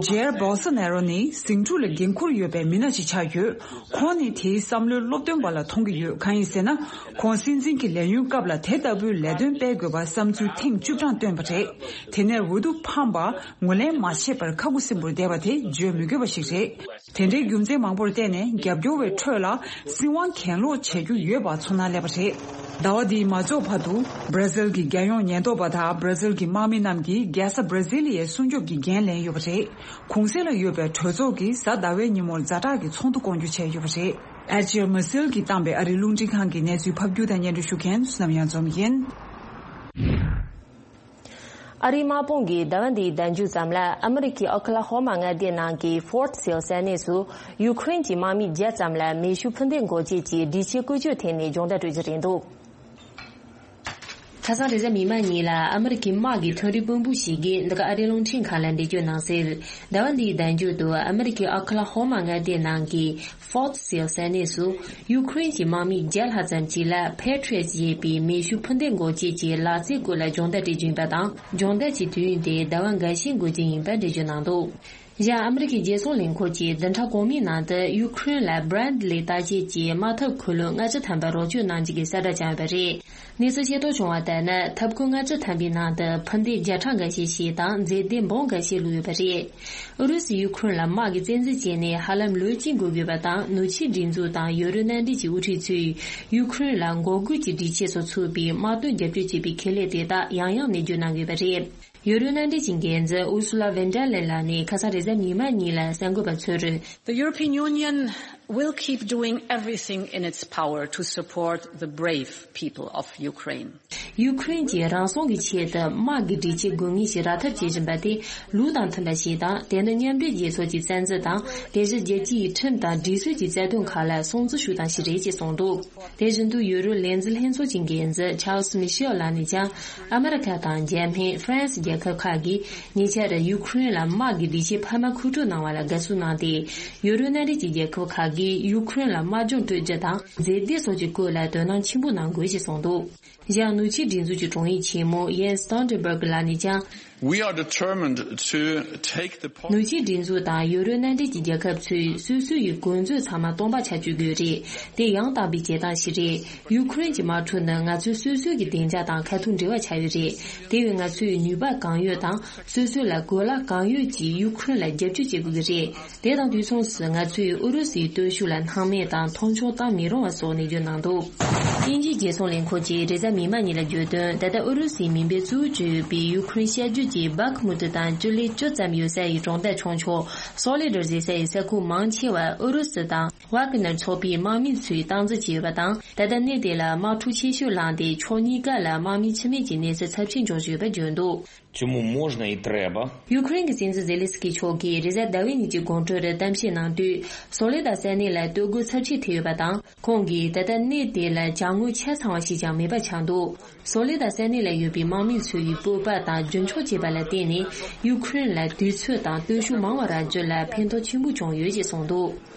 ཇེར་བོལ་སོ་ནེ་རོ་ནི་ཟིང་འཁྲུག་ལ་འགན་འཁུར་ཡོད་པའི་མི་སྣ་ཞིག་ཆགས་ཡོད། ཁོང་ནི་དེའི་བསམ་བློའི་སློབ་སྟོན་པ་ལ་མཐོང་གི་ཡོད། གང་ཡིན་ཟེར་ན། ཁོང་སྲིད་འཛིན་གྱི་ལས་ཡུན་སྐབས་ལ་དེ་ལྟ་བུའི་ལས་དོན་སྤེལ་དགོས་པ་བསམ་ཚུལ་ཐེངས་བཅུ་གྲངས་བཏོན་པ་རེད། དེ་ནས་འོས་བསྡུ་ཕམ་པ་ངོས་ལེན་མ་བྱས་པར་ཁ་ཁུ་སིམ་པོར་བསྡད་པ་དེ་བརྗོད་མི་དགོས་པ་ཞིག་རེད། དེ་འདྲའི་རྒྱུ་མཚན་མང་པོར་བརྟེན་ནས་རྒྱབ་སྐྱོར་བའི་ཁྲོད་ལ་སྲིད་དབང་གྱེན་ལོག་བྱེད་རྒྱུ་ཡོད་པ་ཚོར་སྣང་སླེབས་པ་རེད། ཟླ་བ་འདིའི་མ་རྫོགས་བར་དུ་བྷར་ཛིལ་གྱི་རྒྱལ་ཡོངས་ཉེན་རྟོག་པ་དང་བྷར་ཛིལ་གྱི་དམག་མི་རྣམས་ཀྱིས་རྒྱལ་ས་བྷར་ཛི་ལི་ཡའི་སྲུང་སྐྱོབ་ཀྱི་འགན་ལེན་ཡོད་པ་རེད། གུང་གསེང་ལ་ཡོད་པའི་གྲོས་ཚོགས་ཀྱིས་གཟའ་ཟླ་བའི་ཉིན་མོར་ཛ་དྲག་གི་ཚོགས་འདུ་སྐོང་རྒྱུ་བྱས་ཡོད་པ་རེད། ཨེ་ཅི་ཨར་མ་སིལ་གྱིས་བཏང་པའི་ཨ་རིའི་རླུང་འཕྲིན་ཁང་གི་གནས་ཚུལ་ཕབ་སྒྱུར་དང་སྙན་སྒྲོན་ཞུ་མཁན་བསོད་ནམས་གཡང་འཛོམས་ཡིན། ཨ་རིའི་དམག་དཔུང་གིས་ཟླ་བ་འདིའི་ཟླ་མཇུག་ཙམ་ལ་ཨ་མི་རི་ཀའི་ཨོ་ཁ་ལ་ཧོ་མ་མངའ་སྡེ་ནང་གི་ཧྥོར་ཊི་སེལ་ས་གནས་སུ་ཡུ་ཁུ་རེན་གྱི་དམག་མི་བརྒྱ་ཙམ་ལ་མེ་ཤུགས་འཕུར་མདེལ་འགོག་བྱེད་ཀྱི་སྒྲིག་ཆས་བཀོལ་སྤྱོད་ཐད་ནས་སྦྱོང་བརྡར་སྤྲོད་ཀྱི་རེད་འདུག་ཁ་སང་རེས་གཟའ་མིག་དམར་ཉིན་ལ་ཨ་མི་རི་ཀའི་དམག་གི་ཐོན་རིགས་དཔོན་པོ་ཞིག་གིས་འདི་ག་ཨ་རིའི་རླུང་འཕྲིན་ཁང་ལ་འགྲེལ་བརྗོད་གནང་གསལ། ཟླ་བ་འདིའི་ཟླ་མཇུག་ཏུ་ཨ་མི་རི་ཀའི་ཨོ་ཁ་ལ་ཧོ་མ་མངའ་སྡེ་ནང་གི་ཧྥོར་ཊི་སེལ་ས་གནས་སུ་ཡུ་ཁུ་རེན་གྱི་དམག་མི་བརྒྱ་ལྷག་ཙམ་ཞིག་ལ་ཕེ་ཊི་རི་ཡོཊ་ཅེས་པའི་མེ་ཤུགས་འཕུར་མདེལ་འགོག་བྱེད་ཀྱི་ལག་རྩལ་སྐོར་ལ་སྦྱོང་བརྡར་སྤྲད་ཀྱི་ཡིན་པ་དང་། སྦྱོང་བརྡར་གྱི་དུས་ཡུན་དེ་ཟླ་བ་འགའ་ཤས་འགོར་རྒྱུ་ཡིན་པ་འགྲེལ་བརྗོད་གནང་འདུག་གཞན་ཨ་མི་རི་ཀའི་རྒྱལ་སྲུང་ལས་ཁུངས་ཀྱིས་བདུན་ཕྲག་གོང་མའི་ནང་དུ་ཡུ་ཁུ་རེན་ལ་བྷ་རེད་ལི་རྟ་དཔྱད་ཀྱི་དམག་འཐབ་འཁོར་ལོ་ལྔ་བཅུ་ཐམ་པ་རོགས་སྐྱོར་གནང་རྒྱུ་གི་གསལ་བསྒྲགས་བྱུང་ཡོད་པ་རེད། གནས་ཚུལ་ཤེས་རྟོགས་བྱུང་བ་ལྟར་ན། འཐབ་འཁོར་ལྔ་བཅུ་ཐམ་པའི་ནང་དུ་འཕུར་མདེལ་བརྒྱ་ཕྲག་འགའ་ཤས་ཤིག་དང་མཛེས་ལྡན་འབུམ་འགའ་ཤས་བླུགས་ཡོད་པ་རེད། ཨུ་རུ་སུས་ཡུ་ཁུ་རེན་ལ་དམག་གི་བཙན་འཛུལ་བྱས་ནས་ཧ་ལམ་ལོ་གཅིག་འགོར་དགོས་པ་དང་། ནུབ་ཕྱོགས་སྒྲིག་འཛུགས་དང་ཡོ་རོབ་མནའ་འབྲེལ་གྱི་དབུ་ཁྲིད་ཚོས་ཡུ་ཁུ་རེན་ལ་འགོག་རྒོལ་གྱི་སྒྲིག་ཆས་སོགས་ཚུགས་པའི་དམག་དོན་རྒྱབ་སྐྱོར་བྱེད་པའི་ཁེ་ལས་དེ་དག་ཡང་ཡང་ནས་བརྗོད་གནང་ཡོད་པ་རེད། ཡོ་རོབ་མནའ་འབྲེལ་གྱི་འགན་འཛིན་ཨུར་སུ་ལ་ཝན་ཌར་ལེན་ལགས་ནས་ཁ་སང་རེས་གཟའ་མིག་དམར་ཉིན་ལ་གསར་འགོད་པ་ཚོར། The European Union will keep doing everything in its power to support the brave people of Ukraine. ཡུ་ཁུ་རེན་གྱིས་རང་སྲུང་གི་ཆེད་དུ་དམག་གི་སྒྲིག་ཆས་དགོས་ངེས་ཤིག་རག་ཐབས་བྱེད་བཞིན་པ་དེ་ལུགས་དང་མཐུན་པ་ཞིག་དང་། དེ་ནི་མཉམ་འབྲེལ་རྒྱལ་ཚོགས་ཀྱི་རྩ་འཛིན་དང་། དེ་བཞིན་རྒྱལ་སྤྱིའི་ཁྲིམས་དང་སྒྲིག་སྲོལ་གྱི་རྩ་དོན་ཁག་ལ་སྲུང་བརྩི་ཞུ་སྟངས་ཤིག་རེད་ཅེས་གསུངས་འདུག་དེ་བཞིན་དུ་ཡུ་རོབ་ལས་འཛིན་ལྷན་ཚོགས་ཀྱི་འགན་འཛིན་ཆཱལ་སི་མི་ཤེལ་ལགས་ནས་ཀྱང་། ཨ་མི་རི་ཁ་དང་འཇར་མན། ཧྥ་རན་སི་རྒྱལ་ཁབ་ཁག་གིས་ཉེ་ཆར་ཡུ་ཁུ་རེན་ལ་དམག་གི་སྒྲིག་ཆས་འཕར་མ་མཁོ་སྤྲོད་གནང་བ་ལ་དགའ་བསུ་གནང་སྟེ། ཡུ་རོབ་མནའ་འབྲེལ་གྱི་རྒྱལ་ཁབ་ཁག་གིས་ཡུ་ཁུ་རེན་ལ་དམག་སྦྱོང་སྤྲོད་རྒྱུ་དང་། མཛེས་སྡུག་སོགས་ཀྱི་སྐོར་ལ་དོ་སྣང་ཆེན་པོ་གནང་དགོས་ཞེས་གསུངས་འདུག་གཞན་ནུབ་ཕྱོགས་སྒྲིག་འཛུགས་ཀྱི་དྲུང་ཡིག་ཆེན་མོ་ཡེན་སི་སྟོལ་ཊེན་སྦུག་ལགས་ནས་ཀྱང་། We are determined to take the po- ནུབ་ཕྱོགས་སྒྲིག་འཛུགས་དང་ཡུ་རོབ་མནའ་འབྲེལ་གྱི་རྒྱལ་ཁབ་ཚོས་སོ་སོ་ཡི་གོ་མཛོད་ཚང་མ་སྟོང་པ་ཆགས་བཅུག་དགོས་རེད། དེ་ཡང་དག་པའི་བྱེད་སྟངས་ཤིག་རེད། ཡུ་ཁུ་རེན་གྱི་དམག་འཁྲུག་ནི་ང་ཚོའི་སོ་སོའི་གི་བདེ་འཇགས་དང་ཁ་ཐུག་འབྲེལ་བ་ཆགས་ཡོད་རེད། དེ་བས་ང་ཚོས་ནུས་པ་གང་ཡོད་དང་སོ་སོ་ལ་གོ་ལ་གང་ཡོད་ཀྱིས་ཡུ་ཁུ་རེན་ལ་རྒྱབ་སྐྱོར་བྱེད་དགོས་ཀྱི་རེད། དེ་དང་དུས་མཚུངས་སུ་ང་ཚོས་ཨུ་རུ་སུའི་སྟོབས་ཤུགས་ལ་སྣང་མེད་དང་མཐོང་ཆུང་བཏང་མི་རུང་བ་སོགས་ནས་བརྗོད་གནང་འདུག་དབྱིན་ཇིའི་རྒྱལ་སྲུང་ལས་ཁུངས་ཀྱིས་རེས་གཟའ་མིག་དམར་ཉིན་ལ་བརྗོད་དོན། ད་ལྟ་ཨུ་རུ་སུའི་མུན་པའི་གཙོ་བོ་གྱུར་ཡོད་པའི་ཡུ་ཁུ་རེན་ཤར་རྒྱུད་ཀྱི་སྦག་མུ་ཏི་དང་ཅུ་ལི་ཅུ་ཙམ་ཡོད་ས་ཡི་གྲོང་རྡལ་ཆུང་ཆུང་སོ་ལེ་དར་ཟེར་ས་ཡི་ས་ཁུལ་མང་ཆེ་བ་ཨུ་རུ་སུ་དང་ཝག་ནར་ཚོགས་པའི་དམག་མི་ཚོས་སྟངས་འཛིན་བྱས་ཡོད་པ་དང་། ད་ལྟ་གནས་དེ་ལ་དམག་འཁྲུག་ཆེ་ཤོས་ལངས་ཏེ། ཕྱོགས་གཉིས་ཀ་ལ་དམག་མི་འཆི་རྨས་ཀྱི་གནས་ཚུལ་ཚབས་ཆེན་འབྱུང་བཞིན་ཡོད་པ་བརྗོད་འདུག Чому можна і треба? ཡུ་ཁུ་རེན་གྱི་སྲིད་འཛིན་ཛེ་ལེན་སི་ཀི་མཆོག་གིས་རེས་གཟའ་ཟླ་བའི་ཉིན་གྱི་དགོང་དྲོར་གཏམ་བཤད་གནང་དུས། སོ་ལེ་དར་ས་གནས་ལ་སྟོད་གོས་ཚབས་ཆེ་ཐེབས་ཡོད་པ་དང་། ཁོང་གིས་ད་ལྟ་གནས་དེ་ལ་ཅ་དངོས་ཆ་ཚང་བ་ཞིག་ཀྱང་མེད་པ་ཆགས་འདུག་སོ་ལེ་དར་ས་གནས་ལ་ཡོད་པའི་དམག་མི་ཚོ་ཡི་སྤོབས་པ་དང་རྒྱུན་འཁྱོངས་བྱས་པ་ལ་བརྟེན་ནས། ཡུ་ཁུ་རེན་ལ་དུས་ཚོད་དང་སྟོབས་ཤུགས་མང་བ་རག་རྒྱུ་ལ་ཕན་ཐོགས་ཆེན་པོ་བྱུང་ཡོད་ཅེས་གསུངས་འདུག་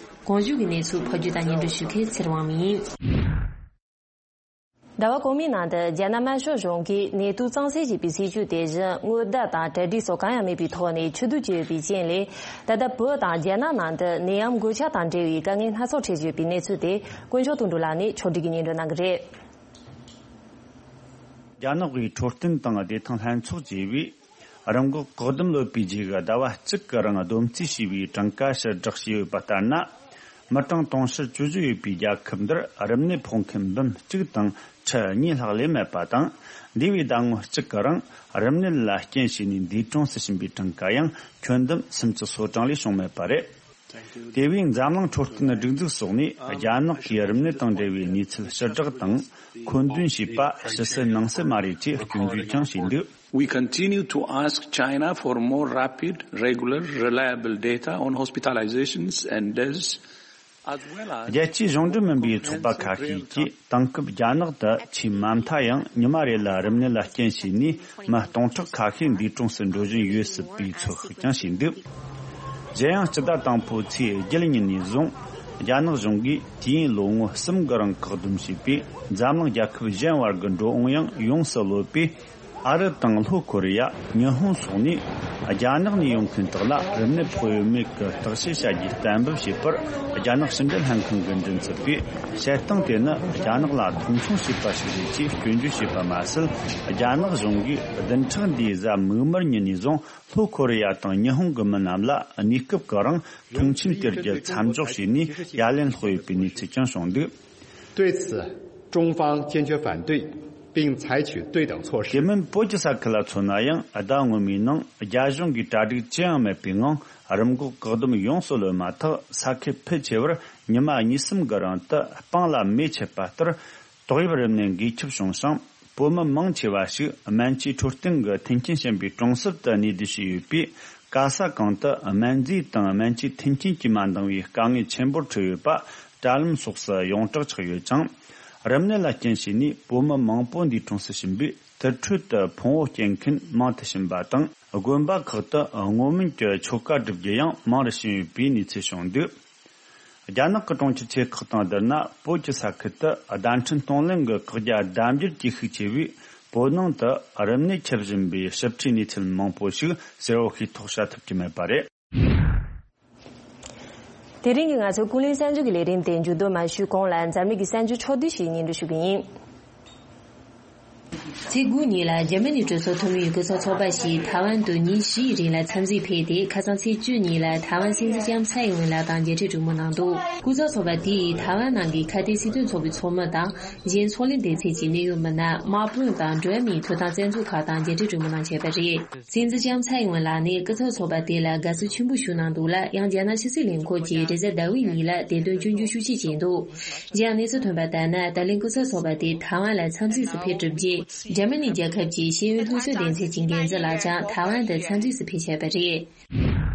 གོང་བརྗོད་ཀྱི་གནས་ཚུལ་ཕབ་སྒྱུར་དང་སྙན་སྒྲོན་ཞུ་མཁན་ཚེ་རིང་དབང་མོ་ཡིན། ཟླ་བ་གོང་མའི་ནང་དུ་རྒྱ་ནག་དམར་ཤོག་གཞུང་གིས་ནེ་ཏུ་གཙང་སེལ་བྱས་པའི་སྲིད་ཇུས་དེ་བཞིན་སྔོན་བརྡ་དང་གྲ་སྒྲིག་སོགས་གང་ཡང་མེད་པའི་ཐོག་ནས་ཕྱིར་བསྡུ་བྱས་ཡོད་པའི་རྐྱེན་ལས། ད་ལྟ་བོད་དང་རྒྱ་ནག་ནང་དུ་ནད་ཡམས་འགོས་ཁྱབ་དང་འབྲེལ་བའི་དཀའ་ངལ་སྣ་ཚོགས་འཕྲད་བཞིན་ཡོད་པའི་གནས་ཚུལ་དེ་དཀོན་མཆོག་དོན་གྲུབ་ལགས་ནས་ཕྱོགས་སྒྲིག་གིས་སྙན་སྒྲོན་གནང་གི་རེད། རྒྱ་ནག་གི་འཕྲོད་བསྟེན་དང་བདེ་ཐང་ལྷན་ཚོགས་ཀྱིས་རིམས་འགོག་བཀག་སྡོམ་ལོ་པའི་རྗེས་ཟླ་བ་གཅིག་གི་རིང་བསྡོམས་རྩིས་བྱས་པའི་གྲངས་ཀ་ཕྱིར་བསྒྲགས་བྱས་ཡོད་པ་ལྟར་ན། མི་གྲངས་དུང་ཕྱུར་བཅུ་བཞི་ཡོད་པའི་རྒྱལ་ཁབ་འདིར་རིམས་ནད་ཕོག་མཁན་འབུམ་གཅིག་དང་ཁྲི་གཉིས་ལྷག་ལས་མེད་པ་དང་། འདས་པའི་ཟླ་ངོ་གཅིག་གི་རིང་རིམས་ནད་ལ་རྐྱེན་བྱས་ནས་འདས་གྲོངས་སུ་ཕྱིན་པའི་གྲངས་ཀ་ཡང་ཁྱོན་བསྡོམས་སུམ་ཅུ་སོ་གྲངས་ལས་བྱུང་མེད་པ་རེད། དེ་བས་འཛམ་གླིང་འཕྲོད་བསྟེན་སྒྲིག་འཛུགས་སོགས་ནས་རྒྱ་ནག་གིས་རིམས་ནད་དང་འབྲེལ་བའི་གནས་ཚུལ་ཕྱིར་བསྒྲགས་དང་མཁོ་འདོན་བྱས་པ་ཕྱི་གསལ་ནང་གསལ་མ་རེད་ཅེས་སྐྱོན་བརྗོད་ཀྱང་བྱས་འདུག We continue to ask China for more rapid, regular, reliable data on hospitalizations and deaths, as well as རྒྱལ་སྤྱིའི་གཞུང་འབྲེལ་མིན་པའི་ཚོགས་པ་ཁ་ཤས་ཀྱིས་དེང་སྐབས་རྒྱ་ནག་ཏུ་ཆེས་མ་མཐའ་ཡང་ཉི་མ་རེ་ལ་རིམས་ནད་ལ་རྐྱེན་བྱས་ནས་མི་སྟོང་ཕྲག་ཁ་ཤས་འདས་གྲོངས་སུ་འགྲོ་བཞིན་ཡོད་སྲིད་པའི་ཚོད་དཔག་ཀྱང་བྱས་འདུག་གཞན་ཡང་སྤྱི་ཟླ་དང་པོའི་ཚེས་བརྒྱད་ཉིན་ནས་བཟུང་རྒྱ་ནག་གཞུང་གིས་དུས་ཡུན་ལོ་ངོ་གསུམ་གྱི་རིང་བཀག་སྡོམ་བྱས་པའི་འཛམ་གླིང་རྒྱལ་ཁབ་གཞན་བར་གྱི་འགྲོ་འོང་ཡང་ཡོངས་སུ་གློད་པས། ཨ་རི་དང་ལྷོ་ཁོ་རེ་ཡ། ཉི་ཧོང་སོགས་ནས་རྒྱ་ནག་ནས་ཡོང་མཁན་དག་ལ་རིམས་ནད་ཕོག་ཡོད་མེད་ཀྱི་བརྟག་དཔྱད་བྱ་རྒྱུའི་གཏན་འབེབས་བྱས་པར། རྒྱ་ནག་ཕྱི་འབྲེལ་ལྷན་ཁང་གི་མགྲིན་ཚབ་པས། བྱེད་སྟངས་དེ་ནི་རྒྱ་ནག་ལ་མཐོང་ཆུང་བྱས་པ་ཞིག་རེད་ཅེས་སྐྱོན་བརྗོད་བྱས་པ་མ་ཟད། རྒྱ་ནག་གཞུང་གིས་བདུན་ཕྲག་འདིའི་གཟའ་མིག་དམར་ཉིན་ནས་བཟུང་ལྷོ་ཁོ་རེ་ཡ་དང་ཉི་ཧོང་གི་མི་རྣམས་ལ་གནས་སྐབས་ཀྱི་རིང་མཐོང་ཆེན་སྟེར་རྒྱུ་མཚམས་འཇོག་བྱས་ནས་ཡ་ལན་སློག་ཡོད་པའི་གནས་ཚུལ་ཀྱང་བྱུང་འདུག་དེ་མིན་བོད་ཀྱི་ས་ཁུལ་ལ་མཚོན་ན་ཡང་ཟླ་སྔོན་མའི་ནང་རྒྱ་གཞུང་གིས་གྲ་སྒྲིག་ཅི་ཡང་མེད་པའི་ངང་རིམས་འགོག་བཀག་སྡོམ་ཡོངས་སུ་གློད་མ་ཐག་ས་ཁུལ་ཕལ་ཆེ་བར་ཉི་མ་གཉིས་གསུམ་གྱི་རིང་དུ་སྤང་ལ་མེ་མཆེད་པ་ལྟར་ཏོག་དབྱིབས་རིམས་ནད་འགོས་ཁྱབ་བྱུང་ཞིང་། བོད་མི་མང་ཆེ་བ་ཞིག་སྨན་བཅོས་འཕྲོད་བསྟེན་གྱི་མཐུན་རྐྱེན་ཞན་པའི་གྲོང་གསེབ་ཏུ་གནས་སྡོད་བྱས་ཡོད་པས། ག་ས་གང་དུ་སྨན་རྫས་དང་སྨན་བཅོས་མཐུན་རྐྱེན་གྱིས་མ་འདང་བའི་དཀའ་ངལ་ཆེན་པོར་འཕྲད་ཡོད་པ་དྲ་ལམ་སོགས་སུ་ཡོངས་གྲགས་ཆགས་ཡོད་ཅིང་། རིམས་ནད་ལ་རྐྱེན་བྱས་ནས་བོད་མི་མང་པོ་འདས་གྲོངས་སུ་ཕྱིན་པས། དུར་ཁྲོད་དུ་ཕུང་བོ་སྐྱེལ་མཁན་མང་དུ་ཕྱིན་པ་དང་། དགོན་པ་ཁག་ཏུ་བསྔོ་སྨོན་གྱི་ཆོ་ག་སྒྲུབ་རྒྱུ་ཡང་མང་རུ་ཕྱིན་ཡོད་པའི་གནས་ཚུལ་བྱུང་འདུག་རྒྱ་ནག་གི་གྲོང་ཁྱེར་ཆེ་ཁག་དང་བསྡུར་ན། བོད་ཀྱི་ས་ཁུལ་དུ་བརྡ་འཕྲིན་གཏོང་ལེན་གྱི་བཀག་རྒྱ་ལྡབ་འགྱུར་གྱིས་ཤུགས་ཆེ་བས། བོད་ནང་དུ་རིམས་ནད་ཁྱབ་བཞིན་པའི་ཞིབ་ཕྲའི་གནས་ཚུལ་མང་པོ་ཞིག་གསལ་བོ་ཤེས་རྟོགས་བྱ་ཐུབ་ཀྱི་མེད་པ་རེད། དེ་རིང་གི་ང་ཚོའི་ཀུན་གླེང་གསར་འགྱུར་གྱི་ལས་རིམ་དེ་མཇུག་བསྡོམས་མ་ཞུས་གོང་ལ། འཛམ་གླིང་གི་གསར་འགྱུར་ཕྱོགས་བསྡུས་ཤིག་སྙན་སྒྲོན་ཞུ་གི་ཡིན། ཚེས་དགུ་ཉིན་ལ་འཇར་མ་ནི་གྲོས་ཚོགས་འཐུས་མི་ཡི་སྐུ་ཚབ་ཚོགས་པ་ཞིག་ཐའེ་ཝན་དུ་ཉིན་བཞིའི་རིང་ལ་འཚམས་གཟིགས་ཕེབས་ཏེ། ཁ་སང་ཚེས་བཅུ་ཉིན་ལ་ཐའེ་ཝན་སྲིད་འཛིན་ལྕམ་ཚའེ་ཨིན་ཝེན་ལགས་དང་མཇལ་འཕྲད་གྲོས་མོལ་གནང་འདུག་སྐུ་ཚབ་ཚོགས་པ་དེ་ཡིས་ཐའེ་ཝན་ནང་གི་ཁ་གཏད་སྲིད་དོན་ཚོགས་པའི་ཚོགས་མི་དང་། གཞན་ཚོགས་ལས་སྡེ་ཚན་གྱི་གནད་ཡོད་མི་སྣ། དམག་དཔོན་དང་འགྲོ་བ་མིའི་ཐོབ་ཐང་རྩ་འཛུགས་ཁག་དང་མཇལ་འཕྲད་གྲོས་མོལ་གནང་བྱས་པ་རེད། སྲིད་འཛིན་ལྕམ་ཚའེ་ཨིན་ཝེན་ལགས་ནས་སྐུ་ཚབ་ཚོགས་པ་དེ་ལ་དགའ་བསུ་ཆེན་པོ་ཞུ་གནང་འདུག་ལ། ཡང་རྒྱ་ནག་ཕྱི་སྲིད་ལས་ཁུངས་ཀྱིས་རེས་གཟའ་ཟླ་བའི་ཉིན་ལ་དེ་དོན་སྐྱོན་བརྗོད་ཤུགས་ཆེ་བྱས་འདུག་གཞན་ཡང་གནས་ཚུལ་ཐོན་པ་ལྟར་ན། ད་ལན་སྐུ་ཚབ་ཚོགས་པ་དེ་ཐའེ་ཝན་ལ་འཚམས་གཟིགས་སུ་ཕེབས་གྲུབ་རྗེས། འཇར་མ་ནི་རྒྱལ་ཁབ་ཀྱི་ཤེས་ཡོན་སློབ་གསོ་སྡེ་ཚན་གྱི་འགན་འཛིན་ལགས་ཀྱང་ཐའེ་ཝན་དུ་འཚམས་གཟིགས་སུ་ཕེབས་བཞག་པ་རེད།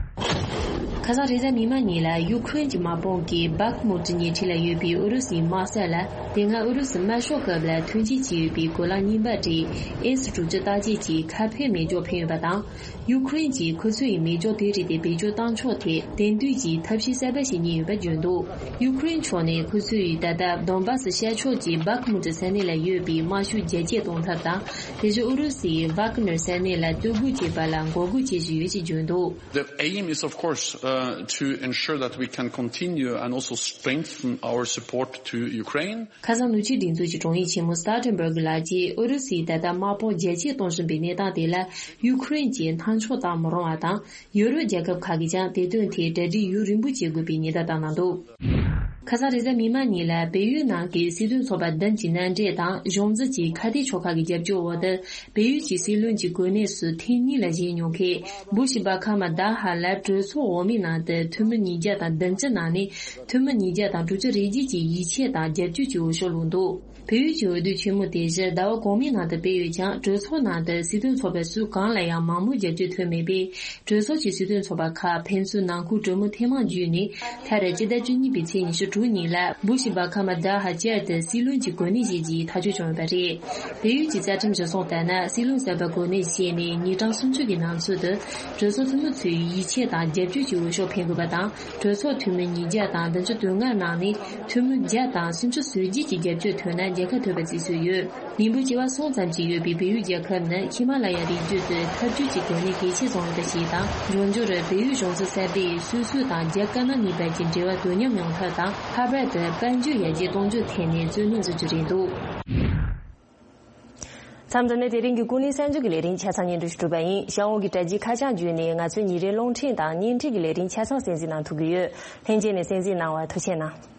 ཁ་སང་རེས་གཟའ་མིག་དམར་ཉིན་ལ་ཡུ་ཁུ་རེན་གྱི་དམག་དཔུང་གིས་བྷག་མུ་ཏི་ཉེ་འཁྲིས་ལ་ཡོད་པའི་ཨུ་རུ་སུའི་དམག་ས་ལ། དེ་སྔ་ཨུ་རུ་སུ་དམར་ཤོག་སྐབས་ལ་ཐོན་སྐྱེད་བྱས་ཡོད་པའི་གོ་ལག་རྙིང་པ་རིགས་ཨེ་སི་དྲུག་ཅུ་རྟགས་བརྒྱད་ཀྱི་ཁ་ཕེབས་མེ་སྒྱོགས་འཕེན་ཡོད་པ་དང་། ཡུ་ཁུ་རེན་གྱིས་ཁོ་ཚོ་ཡི་མེ་སྒྱོགས་དེ་རིགས་དེ་བེད་སྤྱོད་བཏང་ཕྱོགས་ཐད་དེང་དུས་ཀྱི་ཐབས་ཤེས་གསར་པ་ཞིག་རྙེད་ཡོད་པ་བརྗོད་འདུག་ཡུ་ཁུ་རེན་ཕྱོགས་ནས་ཁོ་ཚོས་ད་ལྟ་དོན་བྷ་སི་ཤར་ཕྱོགས་ཀྱི་བྷག་མུ་ཏི་ས་གནས་ལ་ཡོད་པའི་དམག་ཤུགས་རྒྱ་སྐྱེད་གཏོང་ཐབས་དང་། དེ་བཞིན་ཨུ་རུ་སུའི་ཝག་ནར་ས་གནས་ལ་སྟོད་སྒོ་བྱེད་པ་ལ་འགོག་རྒོལ་བྱེད་བཞིན་ཡོད་ཅེས་བརྗོད་འདུག The aim is, of course, uh, to ensure that we can continue and also strengthen our support to Ukraine. ཁ་སང་ནུབ་ཕྱོགས་སྒྲིག་འཛུགས་ཀྱི་དྲུང་ཡིག་ཆེན་མོ་སྟར་ཊེན་བྷར་གི་ལགས་ཀྱིས་ཨུ་རུ་སུས་ད་ལྟ་དམག་དཔུང་རྒྱ་སྐྱེད་གཏོང་བཞིན་པའི་གནས་སྟངས་དེ་ལ་ཡུ་ཁུ་རེན་གྱིས་སྣང་ཆུང་བཏང་མི་རུང་བ་དང་། ཡུ་རོབ་རྒྱལ་ཁབ་ཁག་གིས་ཀྱང་དེ་དོན་ཐད་གྲ་སྒྲིག་ཡུན་རིང་པོ་བྱེད་དགོས་པའི་ཉེན་བརྡ་བཏང་གནང་འདུག་ཁ་སང་རེས་གཟའ་མིག་དམར་ཉིན་ལ་བལ་ཡུལ་ནང་གི་སྲིད་དོན་ཚོགས་པ་བདུན་གྱི་མནའ་འབྲེལ་དང་གཞུང་འཛིན་གྱི་ཁ་གཏད་ཕྱོགས་ཁག་གི་རྒྱབ་སྐྱོར་འོག་ཏུ། བལ་ཡུལ་གྱི་སྲིད་བློན་གྱི་གོ་གནས་སུ་ཐེངས་གཉིས་ལ་བཞེངས་མྱོང་མཁན་བུ་ཤི་བ་ཁ་མ་ད་ཧ་ལ་གྲོས་ཚོགས་འོག་མའི་ནང་དུ་འཐུས་མི་ཉིས་བརྒྱ་དང་བདུན་ཅུ་ནང་ནས་འཐུས་མི་ཉིས་བརྒྱ་དང་དྲུག་ཅུ་རེ་བརྒྱད་ཀྱིས་ཡིད་ཆེས་དང་རྒྱབ་སྐྱོར་གྱི་འོས་ཤོག་བླུགས་འདུག་བལ་ཡུལ་གྱི་འོས་བསྡུ་ཆེན་མོ་དེ་བཞི་ཟླ་བ་གོང་མའི་ནང་དུ་སྤེལ་ཡོད་ཀྱང་། གྲོས་ཚོགས་ནང་དུ་སྲིད་དོན་ཚོགས་པ་སུ་གང་ལ་ཡང་མང་མོས་རྒྱབ་སྐྱོར་ཐོན་མེད་པས། གྲོས་ཚོགས་ཀྱི་སྲིད་དོན་ཚོགས་པ་ཁག་ཕན་ཚུན་ནང་ཁུལ་གྲོས་མོལ་ཐེངས་མང་བརྒྱུད་ནས། མཐར་སྤྱི་ཟླ་བཅུ་གཉིས་པའི་ཚེས་ཉི་ཤུ་དྲུག་ཉིན་ལ་བུ་ཤི་བ་ཁ་མ་ད་ཧ་བསྐྱར་དུ་སྲིད་བློན་གྱི་གོ་གནས་བཞེས་རྒྱུའི་ཐག་གཅོད་བྱུང་ཡོད་པ་རེད། བལ་ཡུལ་གྱི་རྩ་ཁྲིམས་གཞི་བཟུང་ལྟར་ན། སྲིད་བློན་གསར་པ་གོ་གནས་བཞེས་ནས་ཉིན་གྲངས་སུམ་ཅུ་གི་ནང་ཚུད་དུ། གྲོས་ཚོགས་འཐུས་མི་ཚོའི་ཡིད་ཆེས་དང་རྒྱབ་སྐྱོར་གྱི་འོས་ཤོག་འཕེན་དགོས་པ་དང་། གྲོས་ཚོགས་འཐུས་མི་ཉིས་བརྒྱ་དང་བདུན་ཅུ་དོན་ལྔ་ནང་ནས་འཐུས་མི་བརྒྱ་དང་སུམ་ཅུ་སོ་བརྒྱད་ཀྱི་རྒྱབ་སྐྱོར་ཐོན་ན་རྒྱལ་ཁ་ཐོབ་པ་བརྩི་སྲོལ་ཡོད། མི་འབོར་བྱེ་བ་གསུམ་ཙམ་ཞིག་ཡོད་པའི་བལ་ཡུལ་རྒྱལ་ཁབ་ནི་ཧི་མ་ལ་ཡ་རི་རྒྱུད་དུ་འཐབ་ཇུས་ཀྱི་གོ་གནས་གལ་ཆེ་བཟུང་ཡོད་པ་ཞིག་དང་། འབྱུང་འགྱུར་བལ་ཡུལ་གཞུང་ཚབ་གསར་པས་སུད་སི་དང་རྒྱ་དཀར་ནག་གཉིས་བར་གྱི་འབྲེལ་བ་དོ་མཉམ་ཡོང་ཐབས་དང་། ལྷག་པར་དུ་དཔལ་འབྱོར་ཡར་རྒྱས་གཏོང་རྒྱུའི་ཐད་ནས་བརྩོན་ལེན་བཟོ་རྒྱུ་རེད་འདུག་མཚམས་འདི་ནས་དེ་རིང་གི་ཀུན་གླེང་གསར་འགྱུར་གྱི་ལས་རིམ་ཆ་ཚང་སྙན་སྒྲོན་ཞུ་གྲུབ་པ་ཡིན། ཞང་བོ་གི་དྲ་རྒྱའི་ཁ་བྱང་བརྒྱུད་ནས་ང་ཚོའི་ཉིན་རེའི་རླུང་འཕྲིན་དང་བརྙན་འཕྲིན་གྱི་ལས་རིམ་ཆ་ཚང་གསན་གཟིགས་གནང་ཐུབ་ཀྱི་ཡོད། ལྷན་རྒྱས་ནས་གསན་གཟིགས་གནང་བར་ཐུགས་རྗེ་གནང་།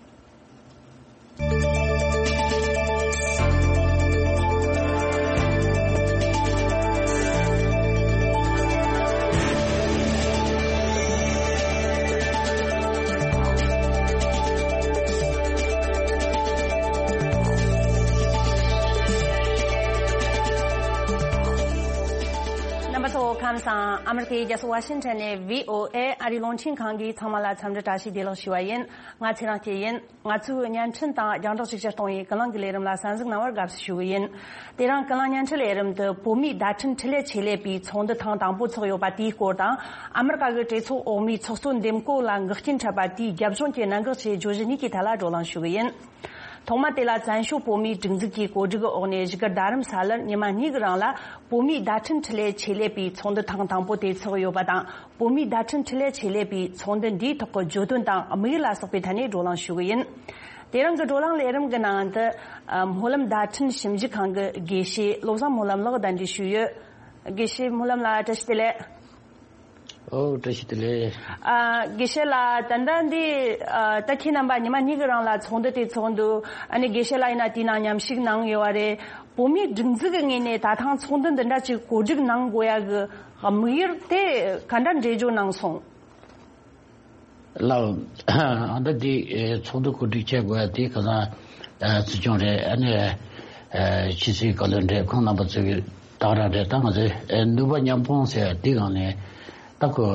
ཨ་མེ་རི་ཀའི་རྒྱལ་ས་ཝ་ཤིང་ཊོན་ནས་བྷི་ཨོ་ཨེ་ཨ་རིའི་རླུང་འཕྲིན་ཁང་གིས་ཚང་མ་ལ་འཚམས་འདྲི་བཀྲ་ཤིས་བདེ་ལེགས་ཞུ་བ་ཡིན། ང་ཚེ་རིང་སྐྱིད་ཡིན། ང་ཚོའི་བརྙན་འཕྲིན་དང་རྒྱང་བསྒྲགས་ཤུགས་ཆེར་གཏོང་བའི་ཀུན་གླེང་གི་ལས་རིམ་ལ་གསན་གཟིགས་གནང་བར་དགའ་བསུ་ཞུ་གི་ཡིན། དེ་རིང་ཀུན་གླེང་བརྙན་འཕྲིན་ལས་རིམ་དུ་བོད་མིའི་བརྡ་འཕྲིན་འཕྲིན་ལས་ཆེད་ལས་པའི་ཚོགས་འདུ་ཐེངས་དང་པོ་ཚོགས་ཡོད་པ་དེའི་སྐོར་དང་། ཨ་མེ་རི་ཀ་གི་གྲོས་ཚོགས་འོག་མའི་ཚོགས་གཙོ་འདེམས་བསྐོ་ལ་འགོག་རྐྱེན་འཕྲད་པ་དེའི་རྒྱབ་ལྗོངས་ཀྱི་གནད་འགག་ཆེའི་བརྗོད་གཞི་གཉིས་ཀྱི་ཐད་ལ་བགྲོ་གླེང་ཞུ་གི་ཡིན། ཐོག་མ་དེ་ལ་བཙན་བྱོལ་བོད་མིའི་སྒྲིག་འཛུགས་ཀྱི་གོ་སྒྲིག་འོག་ནས་བཞུགས་སྒར་རྡ་རམ་ས་ལར་ཉི་མ་གཉིས་ཀྱི་རིང་ལ་བོད་མིའི་བརྡ་འཕྲིན་འཕྲིན་ལས་ཆེད་ལས་པའི་ཚོགས་འདུ་ཐེངས་དང་པོ་དེ་ཚོགས་ཡོད་པ་དང་། བོད་མིའི་བརྡ་འཕྲིན་འཕྲིན་ལས་ཆེད་ལས་པའི་ཚོགས་འདུ་འདིའི་ཐོག་གི་བརྗོད་དོན་དང་དམིགས་ཡུལ་ལ་སོགས་པའི་ཐད་ནས་བགྲོ་གླེང་ཞུ་གི་ཡིན། དེ་རིང་གི་བགྲོ་གླེང་ལས་རིམ་གྱི་ནང་དུ་སྨོན་ལམ་བརྡ་འཕྲིན་ཞིབ་འཇུག་ཁང་གི་དགེ་བཤེས་བློ་བཟང་སྨོན་ལམ་ལགས་གདན་འདྲེན་ཞུས་ཡོད། དགེ་བཤེས་སྨོན་ལམ་ལགས་བཀྲ་ཤིས་བདེ་ལེགས། ཨོ་བཀྲ་ཤིས་བདེ་ལེགས། ཨ། དགེ་བཤེས་ལགས། ད་ལྟ་འདི་ཨ། ད་ཁྱེད་རྣམ་པ་ཉི་མ་གཉིས་ཀྱི་རིང་ལ་ཚོགས་འདུ་དེ་ཚོགས་འདུག་ཨ་ནི་དགེ་བཤེས་ལགས་ཡིན་ན་དེའི་ནང་མཉམ་ཞུགས་གནང་ཡོད་པ་རེད། བོད་མིའི་སྒྲིག་འཛུགས་ཀྱི་ངོས་ནས་ད་ཐེངས་ཚོགས་འདུ་འདི་འདྲ་ཅིག་གོ་སྒྲིག་གནང་དགོས་ཡ་གི་དམིགས་ཡུལ་དེ་ག་འདྲ་འགྲེལ་བརྗོད་གནང་སོང་། ལགས། ཨ་ད་འདི་ཚོགས་འདུ་གོ་སྒྲིག་བྱེད་དགོས་ཡ་དེ་ཁ་སང་སྲིད་སྐྱོང་རེད། ཨ་ནི་ཕྱི་སྲིད་བཀའ་བློན་རེད། ཁོང་རྣམ་པ་ཚོས་གི་དང་རང་རེད། ད་ང་ཚོས་ནུས་པ་མཉམ་སྤུངས་ཟེར་དེ་སྒང་ནས་ད་ཁོ་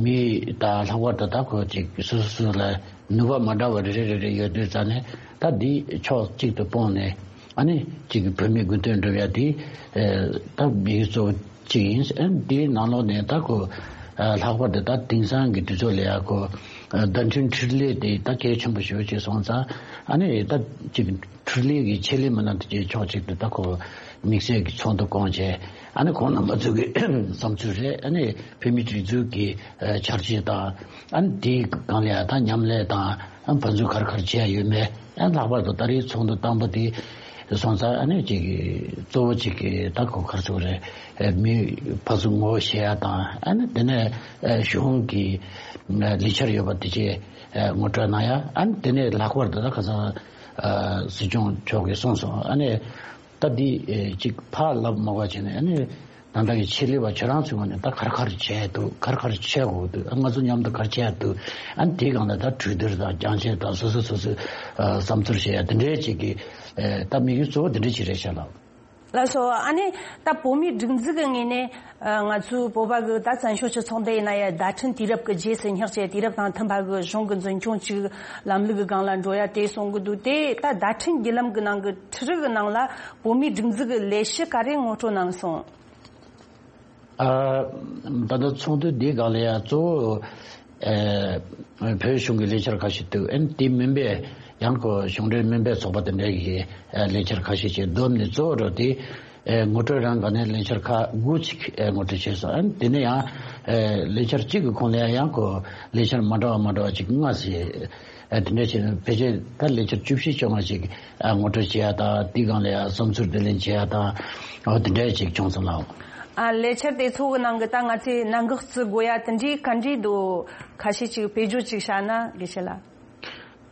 མི་ད་ལྷག་པར་དུ་ད་ཁོ་ཅིག་སོ་སོ་སོ་ལ་ནུས་པ་མ་འདྲ་བ་རེ་རེ་རེ་རེ་ཡོད་དུས་ཙང་ནས་ད་འདི་ཕྱོགས་གཅིག་ཏུ་སྤུངས་ནས་ཨ་ནི་ཅིག་བོད་མིའི་དགོས་དོན་སྒྲུབ་ཡ་དེ་ད་མི་གཙོ་བོ་གཅིག་ཡིན། ཨ་ནི་དེའི་ནང་ལོགས་ནས་ད་ཁོ་ལྷག་པར་དུ་ད་དེང་སང་གི་དུས་ཚོད་ལ་ཡ་ཁོ་བརྡ་འཕྲིན་འཕྲུལ་ལས་དེ་ད་གལ་ཆེན་པོ་ཞེ་པོ་ཅིག་སོང་ཙང་ཨ་ནི་ད་ཅིག་འཕྲུལ་ལས་ཀྱི་ཆེད་ལས་མི་སྣ་དེ་ཅིག་ཕྱོགས་གཅིག་ཏུ་ད་ཁོ་དམིགས་བསལ་གྱི་ཚོགས་འདུ་བསྐོང་བྱས། ཨ་ནི་ཁོང་རྣམ་པ་ཚོ་གི་བསམ་ཚུལ་རེད། ཨ་ནི་བོད་མིའི་སྒྲིག་འཛུགས་ཀྱི་འཆར་གཞི་དང་ཨ་ནི་དེའི་སྒང་ལ་ཡ་ད་མཉམ་ལས་དང་ཨ་ནི་ཕན་ཚུན་ག་རེ་ག་རེ་བྱས་ཡོད་མེད། ཨ་ནི་ལྷག་པར་དུ་ད་རེས་ཚོགས་འདུ་དང་པོ་དེ་སོང་ཙང་ཨ་ནི་ཅིག་གཙོ་བོ་ཅིག་གི་ད་ཁོ་ག་རེ་ཟེར་དགོས་རེད། མི་ཕར་ཚུར་ངོ་ཤེས་ཡ་དང་ཨ་ནི་དེ་ནས་གཞུང་གི་ལས་འཆར་ཡོད་པ་དེ་ཅིག་ངོ་སྤྲོད་གནང་ཡ། ཨ་ནི་དེ་ནས་ལྷག་པར་དུ་ད་ཁ་སང་སྲིད་སྐྱོང་མཆོག་གིས་གསུངས་སོང་། ཨ་ནི་ད་འདི་ཅིག་ཕར་ལབ་མ་དགོས་བྱས་ནས་ཨ་ནི་ད་ལྟ་གི་ཆེད་ལས་པ་ཁྱེད་རང་ཚོའི་ངོས་ནས་ད་ག་རེ་ག་རེ་བྱས་འདུག་ག་རེ་ག་རེ་བྱེད་དགོས་འདུག་ང་ཚོ་མཉམ་དུ་ག་རེ་བྱེད་འདུག་ཨ་ནི་དེའི་སྒང་ལ་ད་གྲོས་བསྡུར་དང་རྒྱང་ཆེ་དང་སོ་སོ་སོ་སོའི་བསམ་ཚུལ་བཤད་ཡ་དེ་འདྲའི་ཅིག་གི་ད་དམིགས་ཡུལ་གཙོ་བོ་དེ་འདྲ་ཅིག་རེད་ཤག་ལགས། ལགས་སོ། ཨ་ནི་ད་བོད་མིའི་སྒྲིག་འཛུགས་ཀྱི་ངོས་ནས་ང་ཚོའི་བོད་པ་གི་ད་བཙན་བྱོལ་སྤྱི་ཚོགས་འདི་ཡིན་ན་ཡང་བརྡ་འཕྲིན་དུས་རབས་ཀྱི་རྗེས་སུ་སྙེག་བྱས་དུས་རབས་དང་མཐུན་པ་གི་གཞུང་གི་འཛིན་སྐྱོང་ཅིག་ལམ་ལུགས་ཀྱི་སྒང་ལ་འགྲོ་ཡ་དེ་གསུང་གི་འདུག་དེ་ད་བརྡ་འཕྲིན་བརྒྱུད་ལམ་གྱི་ནང་གི་འཕྲུལ་རིག་གི་ནང་ལ་བོད་མིའི་སྒྲིག་འཛུགས་ཀྱི་ལས་གཞི་ག་རེ་ངོ་སྤྲོད་གནང་སོང་། ཨ། ད་ལྟ་ཚོགས་འདུ་འདིའི་སྒང་ལ་ཡང་གཙོ་བོ་ཨ་བོད་གཞུང་གི་ལས་འཆར་ཁ་ཤས་འདུག་ཨ་ནི་དེ་མིན་པའི་ཡང་ཁོ་གཞུང་འབྲེལ་མིན་པའི་ཚོགས་པ་དེ་འདྲའི་གི་ལས་འཆར་ཁ་ཤས་ཅིག་བསྡོམས་ནས་གཙོ་བོ་རུ་དེ་ངོ་སྤྲོད་རང་སྒང་ནས་ལས་འཆར་ཁག་དགུ་ཅིག་ངོ་སྤྲོད་བྱས་སོང་། ཨ་ནི་དེ་ནས་ཡང་ལས་འཆར་གཅིག་གི་ཁོངས་ལ་ཡང་ཁོ་ལས་འཆར་མ་འདྲ་བ་མ་འདྲ་བ་ཅིག་ལྔ་ཟེར། ཨ་དེ་འདྲ་བྱས་ནས་ཕལ་ཆེར་ད་ལས་འཆར་བཅུ་བཞི་བཅོ་ལྔ་ཞིག་ཨ་ངོ་སྤྲོད་བྱེད་ཡ་དང་དེའི་སྒང་ལ་ཡ་བསམ་ཚུལ་བསྡུ་ལེན་བྱེད་ཡ་དང་ཨོ་དེ་འདྲ་ཞིག་བྱུང་སོང་ལགས། ཨ་ལས་འཆར་དེ་ཚོ་གི་ནང་གི་ད་ང་ཚོས་གནད་འགག་བརྩི་དགོས་ཡ་དེ་འདྲའི་ག་འདྲའི་འདུག་ཁ་ཤས་ཅིག་དཔེ་བརྗོད་ཅིག་བྱས་ན་དགེ་བཤེས་ལགས།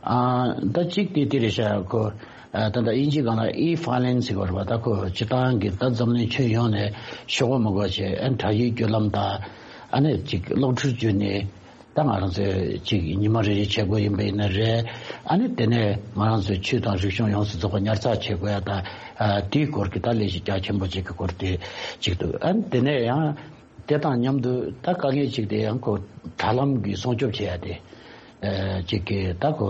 ཨ་ད་གཅིག་དེ་དེ་རེད་ཤག་ཁོ་ཨ་ད་ད་དབྱིན་ཇིའི་སྒང་ལ་ཨི་ཕའི་ལིང་ཟེར་བ་རེད་པ། ད་ཁོ་སྤྱི་བཏང་གི་ད་འཛམ་གླིང་ཁྱོན་ཡོངས་ནས་ཤོག་བུ་མི་དགོས་བྱས་ཨ་དྲ་ཡིག་བརྒྱུད་ལམ་དང་ཨ་ནི་ཅིག་གློག་འཕྲུལ་བརྒྱུད་ནས། ད་ང་རང་ཚོས་ཅིག་ཉི་མ་རེ་རེ་བྱེད་དགོས་ཡིན་པ་ཡིན་ན་རེད། ཨ་ནི་དེ་ནས་ང་རང་ཚོའི་ཆོས་དང་རིག་གཞུང་ཡོངས་སུ་རྫོགས་པ་ཉར་ཚགས་བྱེད་དགོས་ཡ་ད་ཨ་དེའི་སྐོར་གྱི་ད་ལས་གཞི་རྒྱ་ཆེན་པོ་ཅིག་གི་སྐོར་དེ་ཅིག་འདུག་ཨ་ནི་དེ་ནས་ཡང་དེ་དང་མཉམ་དུ་ད་དཀའ་ངལ་ཅིག་དེ་ཡང་ཁོ་དྲ་ལམ་གྱི་སྲུང་སྐྱོབ་བྱེད་ཡ་དེ་ཨ་ཅིག་གི་ད་ཁོ་